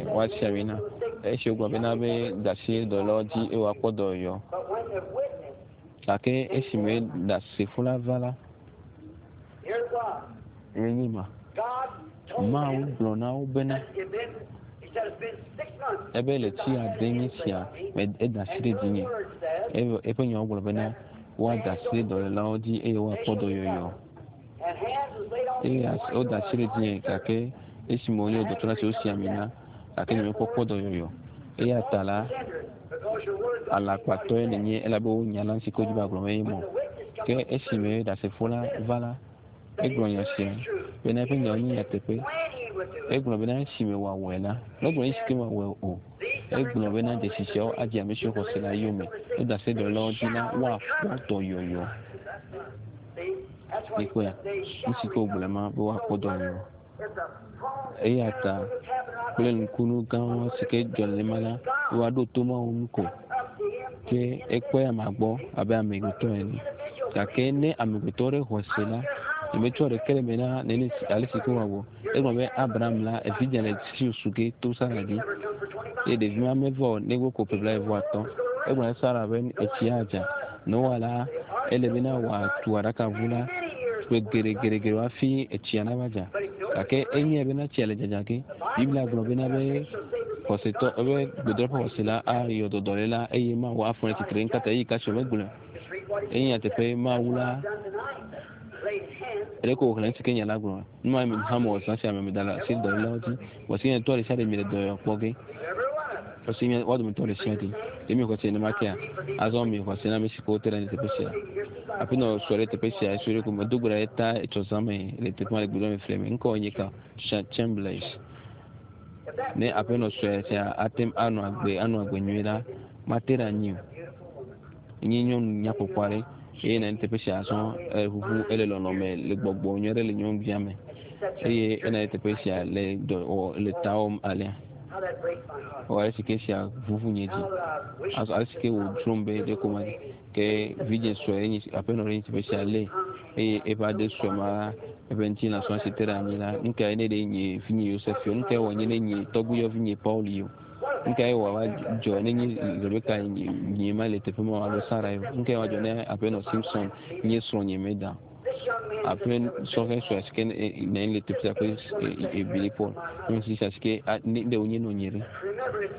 A: woatsi ami na. Esi wogblɔ bena be da asi dɔlɔwo dzi eye woakpɔ dɔyɔyɔ. Gake esime ɖasefo la va la, ye nye ma. Mawu gblɔ na wo bena, ebe le tsi ade nye sia me eda asi ɖe dzinye. Eye eƒe nyawo gblɔ bena, woada asi ɖe dɔlélawo dzi eye woakpɔ dɔyɔyɔ. Eye woda asi ɖe dzinye gake esime wonye dɔtɔla si wosi ami na gake nyemekpɔ kpɔ dɔyɔyɔ. Eya ta la, alakpatɔe nènye elabe wò nya la si ke wodzi be agblɔ mee mɔ. Ke esime ɖasefo la va la, egblɔ nya sia bena eƒe nyawo nye nyateƒe. Egblɔ bena esime wòawɔe la, megblɔ esi ke wòawɔe o. Egblɔ bena dzesi siawo adze ame siwo xɔ se la yome. Woda se dɔlélawo dzi la, woakpɔ dɔyɔyɔ. Mikpɔea? Nu si ke wògblɔe ma be woakpɔ dɔyɔyɔ. Eya ta kple nukunu gãwo si ke dzɔ nenema la, woaɖo to Mawu ŋu ko. Ke ekpɔe amea gbɔ abe amegbetɔ ene. Gake ne amegbetɔ ɖe xɔ se la, nyemetsɔ ɖeke le eme na nene ale si ke wòawɔ. Egblɔ be Abraham la, evidzĩa le si wòsu ge to Sara dzi. Eye ɖevi ma meva o negbe ko ƒe blaeve-vɔ-atɔ̃. Egblɔ na Sara be etsi adza. Noa la, ele bena wòatu aɖakaʋu la ƒe geɖegeɖegeɖe hafi etsia nava dza. Gake enyae bena tsia le dzadza ge. Biblia gblɔ bena be xɔsetɔ ebe gbedoɖa ƒe xɔse la ayɔ dɔ dɔléla eye Mawu afɔ ɖe tsitre. Nukata eyi kasi megblɔe. Enye nyateƒe Mawu la ɖeko wòxlẽ nu si ke nya la gblɔ. Nu ma mi hã mewɔ zã sia me meda le asi dɔlélawo dzi. Vɔ si nye tɔ ɖe sia ɖe mi le dɔyɔ kpɔ ge. Vɔ si nye woa dometɔ ɖe sia ɖe. Ɖe mi xɔse nenema kea? Azɔ mi xɔse na ame si ke wote ɖe anyi teƒe sia. Aƒenɔ sɔ ɖe teƒe sia esɔ ɖe ko medo gbe ɖa ɖe ta etsɔ zã me le teƒe ma le gbedoxɔ me fli me. Ŋkɔ nye ka? Chamberlain. Ne aƒenɔ sɔe sia ate ŋu anɔ agbe anɔ agbe nyuie la, mate ɖe anyi o. Enye nyɔnu nyakpɔkpɔ aɖe eye nɔ anyi teƒe sia azɔ eʋuʋu ele lɔlɔ me le gbɔgbɔ nyui aɖe le nyɔnuvia me eye enɔ anyi teƒe sia le dɔ wɔ le ta wɔm alea. Wɔ ale si ke esia ʋuʋu nye dzi. Azɔ ale si ke wòdzrom be ɖe ko ma ke vidzĩ sue enye aƒenɔ ɖe nye teƒe sia lé eye eƒe aɖe sue ma eƒe ŋutilã sɔ si te ɖe anyi la nu kae ne ɖe nye vinye Yosef yɔ nu kae wɔ nye ne nye tɔgbuiyɔvi nye Paul yɔ. Nu kae wòava dzɔ nenye Rebeka nyee ma le teƒe ma alo Sara ye? Nu kae wòadzɔ ne aƒenɔ Simpson nye srɔ̃nye meda? Aƒe sɔhɛ sue si ke nɔ anyi le teƒe sia kple Billy Paul. Nyɔnu sia si ke ne ɖe wònye nɔnye ɖe.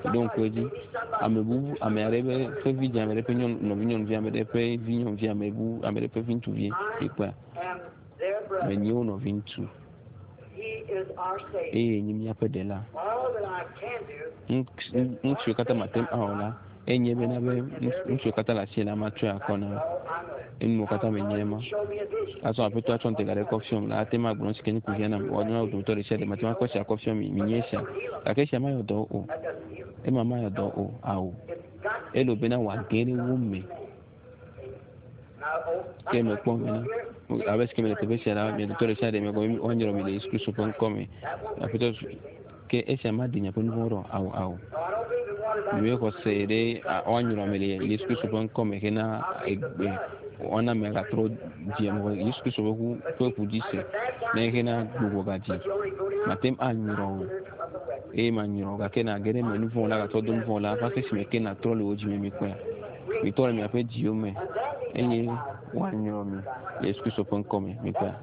A: Ɖo ŋku edzi. Ame bubu, ame aɖe ƒe ƒe vidzĩ, ame ɖe ƒe nyɔnu, nɔvinyɔnuvi, ame ɖe ƒe vinyɔnuvi, ame bu, ame ɖe ƒe viŋutsuvi. Mikpɔea? Menye wo nɔviŋutsu eye nye míaƒe ɖela. Nu siwo katã mate ŋu awɔ la, enye bena be nu siwo katã le asinye la, matsɔe akɔ na wo. Enuwo katã menye ema. Azɔ Aƒetɔ atsɔ ŋutega ɖe kɔ fiɔm la, ate ŋu agblɔ nu si ke nye kuxia nam. Wòanyo na wo dometɔ ɖe sia ɖe. Mate ŋu akɔ esia akɔ fiɔ mi. Minye esia. Gake esia mayɔ dɔ o. Ema mayɔ dɔ o. Ao. Ele bena wòage ɖe wo me. Ke mekpɔ bena abe si ke mele teƒe sia la, mia dometɔ ɖe sia ɖe mekpɔ woanyrɔ mi le Yesu Kristo ƒe ŋkɔ me. Aƒetɔ ke esia maɖe miaƒe nu vɔ̃wo ɖa o. Ao, ao. Míexɔ se ɖe woanyrɔ ame le Yesu Kristo ƒe ŋkɔ me hena egbe woana ame agatrɔ dzi ame Yesu Kristo ƒe ʋu ƒe ʋu dzi se ne hena gbugbɔ gadzi. Mate ŋu anyrɔ o eye manyrɔ o gake nàge ɖe eme nu vɔ̃ la gatrɔ do nu vɔ̃ la va se esime ke nàtrɔ le wò dzi me mikpɔea. Mitrɔ le miaƒe dziwo me eye woanyrɔ mi le Yesu Kristo ƒe ŋkɔ me mikpɔea.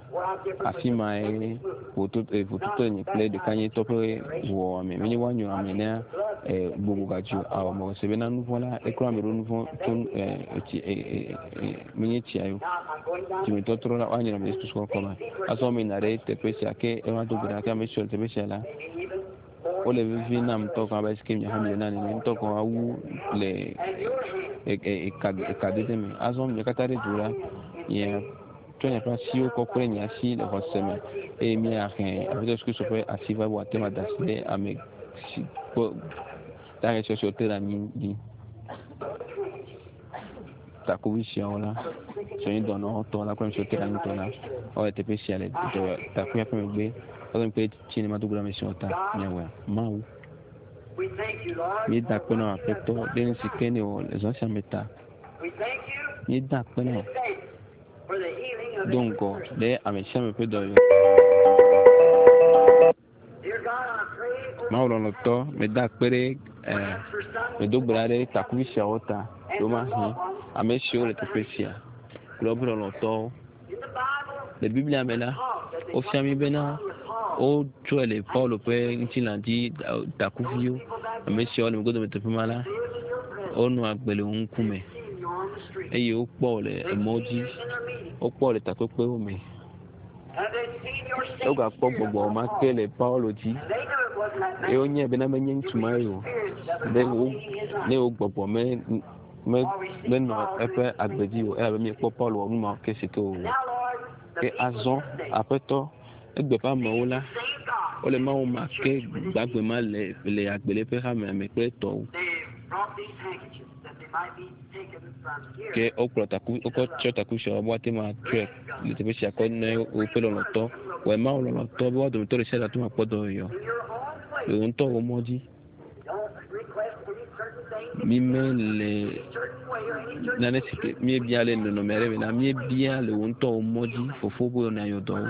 A: Afi mae vototo nye kple ɖekanyetɔ ƒe ʋuwɔwɔ me. Menye woanyrɔ ame ne gbogbo gadzi o. Ao, mewɔ se bena nuvɔ̃ la, eklɔ ame ɖo nuvɔ̃ tso etsi menye tsia yo. Dzimetɔtrɔ la, woanyrɔ ame le Yesu Kristo ƒe ŋkɔ me. Azɔ meyina ɖe teƒe sia ke eva do gbe ɖa ke ame siwo le teƒe sia la, wole vevi nam ŋutɔ gɔ̃ abe si ke miaƒe miena nene ŋutɔ gɔ̃ awu le ekadede me. Azɔ mia katã ɖe du la, nye tsɔ miaƒe asiwo kɔ kple nye asi le xɔse me eye míahe Aƒetɔ Yesu Kristo ƒe asi va be wòate ŋu ada asi ɖe ame si kpɔ dahe siwo te ɖe anyi dzi. Takuvi siawo la, siwo nye dɔnɔwo tɔ la kple ame siwo te ɖe anyi tɔ la, wole teƒe sia le takuia ƒe megbe. Woƒe ŋkpe tsi ne mado go ɖe ame siawo ta. Míawɔe. Mawu, míeda akpe na wò Aƒetɔ ɖe nu si ke nèwɔ le zã sia me ta. Míeda akpe na wò do ŋgɔ ɖe ame sia ame ƒe dɔyɔyɔ. Mawu lɔlɔ̃tɔ, meda akpe ɖe eh, medo gbe ɖa ɖe takuvi siawo ta, ɖewomahi ame siwo le teƒe sia kple woƒe lɔlɔ̃tɔwo. Le Biblia me la, wofia mí bena wotsɔe le Paulo ƒe ŋutilã dzi takuviwo. Ame siawo le megbe dome teƒe ma la, wonɔ agbe le wo ŋkume eye wokpɔ wo le emɔ dzi, wokpɔ wo le takpekpewo me. Wogakpɔ gbɔgbɔ ma ke le Paulo dzi eye wonyae bena menye ŋutsu ma ye o. Be wo ne wo gbɔgbɔ me me menɔ eƒe agbe dzi o elabe míekpɔ Paulo wɔ nu ma ke si ke wòwɔ. Ke azɔ Aƒetɔ egbe ƒe amewo la wole Mawu ma ke gbagbe ma le le agbe le eƒe hamea me kple etɔwo. Ke wokplɔ taku wokɔ tsɔ taku siawo be woate ŋu atsɔe le teƒe sia kɔ ne woƒe lɔlɔ̃tɔ. Wɔe Mawu lɔlɔ̃tɔ be woa dometɔ ɖe sia ɖe ate ŋu akpɔ dɔyɔyɔ le wò ŋutɔ wò mɔ dzi. Mímele nane si ke míebia le nɔnɔme aɖe me la, míebia le wò ŋutɔ wò mɔ dzi, Fofo be nàyɔ dɔ wo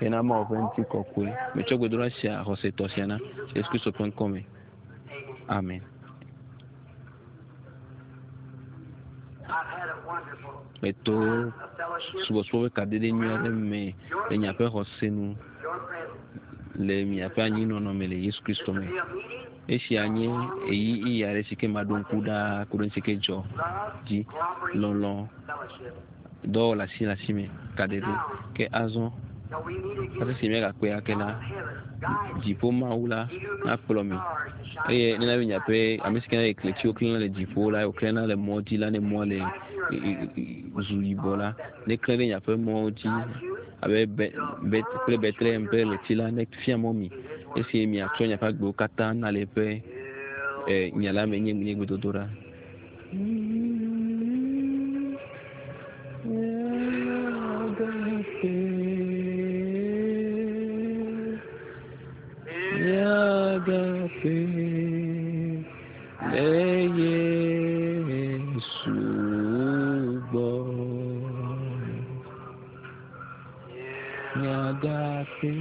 A: hena Mawu ƒe ŋutikɔkɔe. Metsɔ gbedoɖa sia xɔsetɔ sia na Yesu Kristo ƒe ŋkɔ me. Amen. Meto subɔsubɔ ƒe kadede nyui aɖe me le miaƒe xɔse nu le miaƒe anyinɔnɔ me le Yesu Kristo me. Esia nye ɣeyiɣi aɖe si ke maɖo ŋku ɖaa ku ɖe nu si ke dzɔ dzi. Lɔlɔ̃, dɔwɔwɔ le asi le asi me, kadede. Ke azɔ, hafi si míagakpɔe ake la, dziƒo Mawu la nakplɔ mi. Eye nena be miaƒe ame si ke na kletiwo klẽna le dziƒo la, wòklẽna le mɔ dzi la, ne mɔa le zu yibɔ la, neklẽ ɖe miaƒe mɔwo dzi abe be, be, kple Betlehem ƒe ɣleti la, nefia mɔ mi esi miatsɔ miaƒe agbewo katã na le eƒe eh, nya la me nye nye gbedodoɖa. Míagafe le Yesu gbɔ. Míagafe.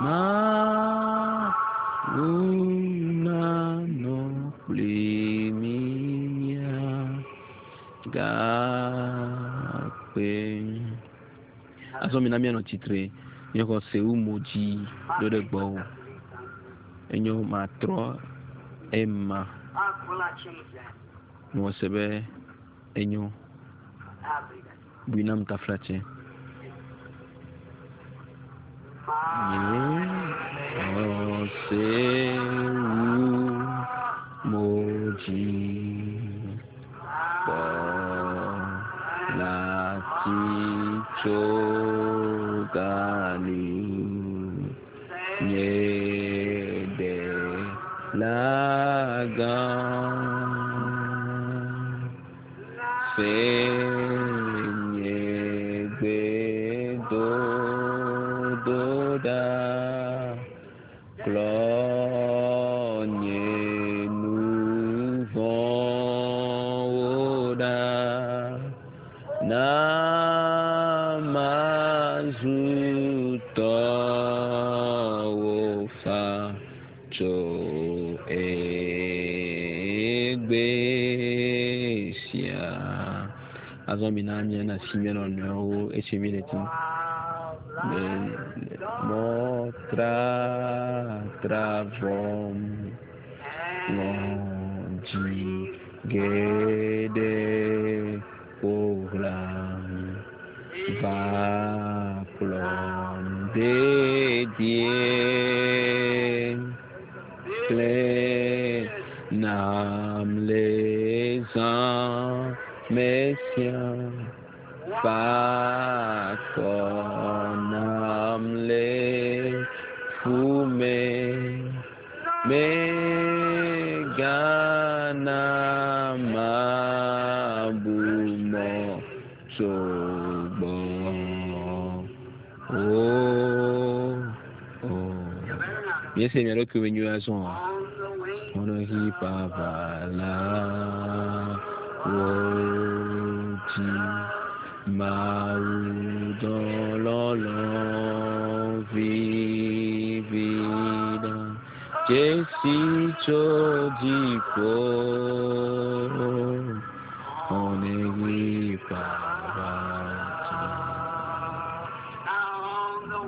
A: Mawu nanɔ kpli mí míagakpe. Azɔ mina míanɔ tsitre, míexɔ se wu mo dzi ɖo ɖe gbɔwò. Enyo matrɔ Ema. Mewɔ se be enyo. Bui nam taflatse. Nye xɔse wu mo dzi kpɔ lati tso gali nye ɖe la gã. Se nye gbedodoɖa, klɔ nye nu vɔ̃wo ɖa, na mazu tɔwò fa tso egbe sia. Azɔ mina míana asi mía nɔnɔewo esi míele tim. Le mɔ tratra vɔm ŋɔdzi geɖe ƒo xlãm va kplɔm dedie kple nam le zã me sia fa akɔ nam le fu me megana mabu mɔ tso gbɔ o o. Míese mia ɖokui me nyuie azɔ. Xɔnɔhi ƒaʋala wo dzi Mawu dɔlɔlɔ vivi ɖa dzesi tso dziƒo. Xɔnɔhi ƒaʋala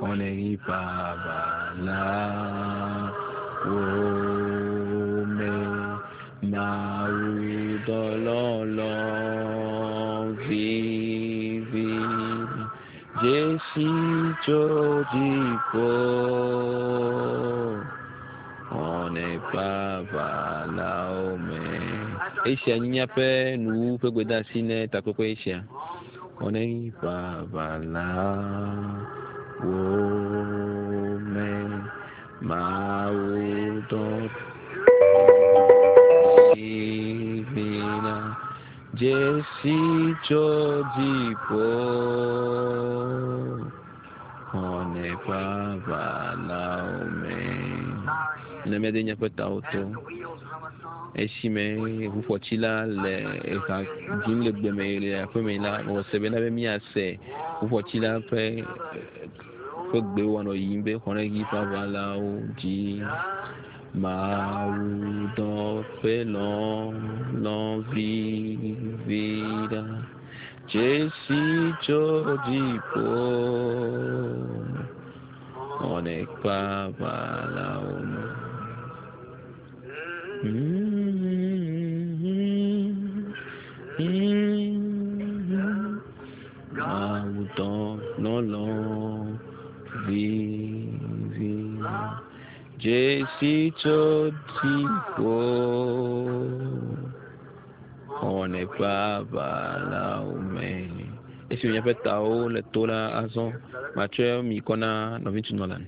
A: xɔnɔhi ƒaʋala wo me Mawu dɔlɔlɔ vivi dzesi tso dziƒo. Xɔnɔhi ƒaʋalawo me. Esia nye míaƒe nuwu ƒe gbedeasi ne takpekpe esia. Xɔnɔhi ƒaʋalawo me Mawu dɔ vivina dzesi tso dziƒo. Xɔnɔhi ƒaʋalawo me. Ne míade míaƒe tawo to esime ʋuƒɔtsila le eha dzim le gbeme le aƒeme la, mewɔ se bena be míase ʋuƒɔtsila ƒe ƒe gbe wòanɔ yiyim be xɔnɔhi ƒaʋalawo dzi. Mawu dɔ ƒe lɔlɔ vivi ɖa dzesi tso dziƒo. Xɔnɔhi ƒaʋalawo me. Mawu dɔ lɔlɔ vivi dzesi tso dziƒo. Xɔnɔhi ƒaʋalawo me. Esi míaƒe tawo le to la azɔ, matsɔe mi kɔ na nɔviŋutsu Nolan.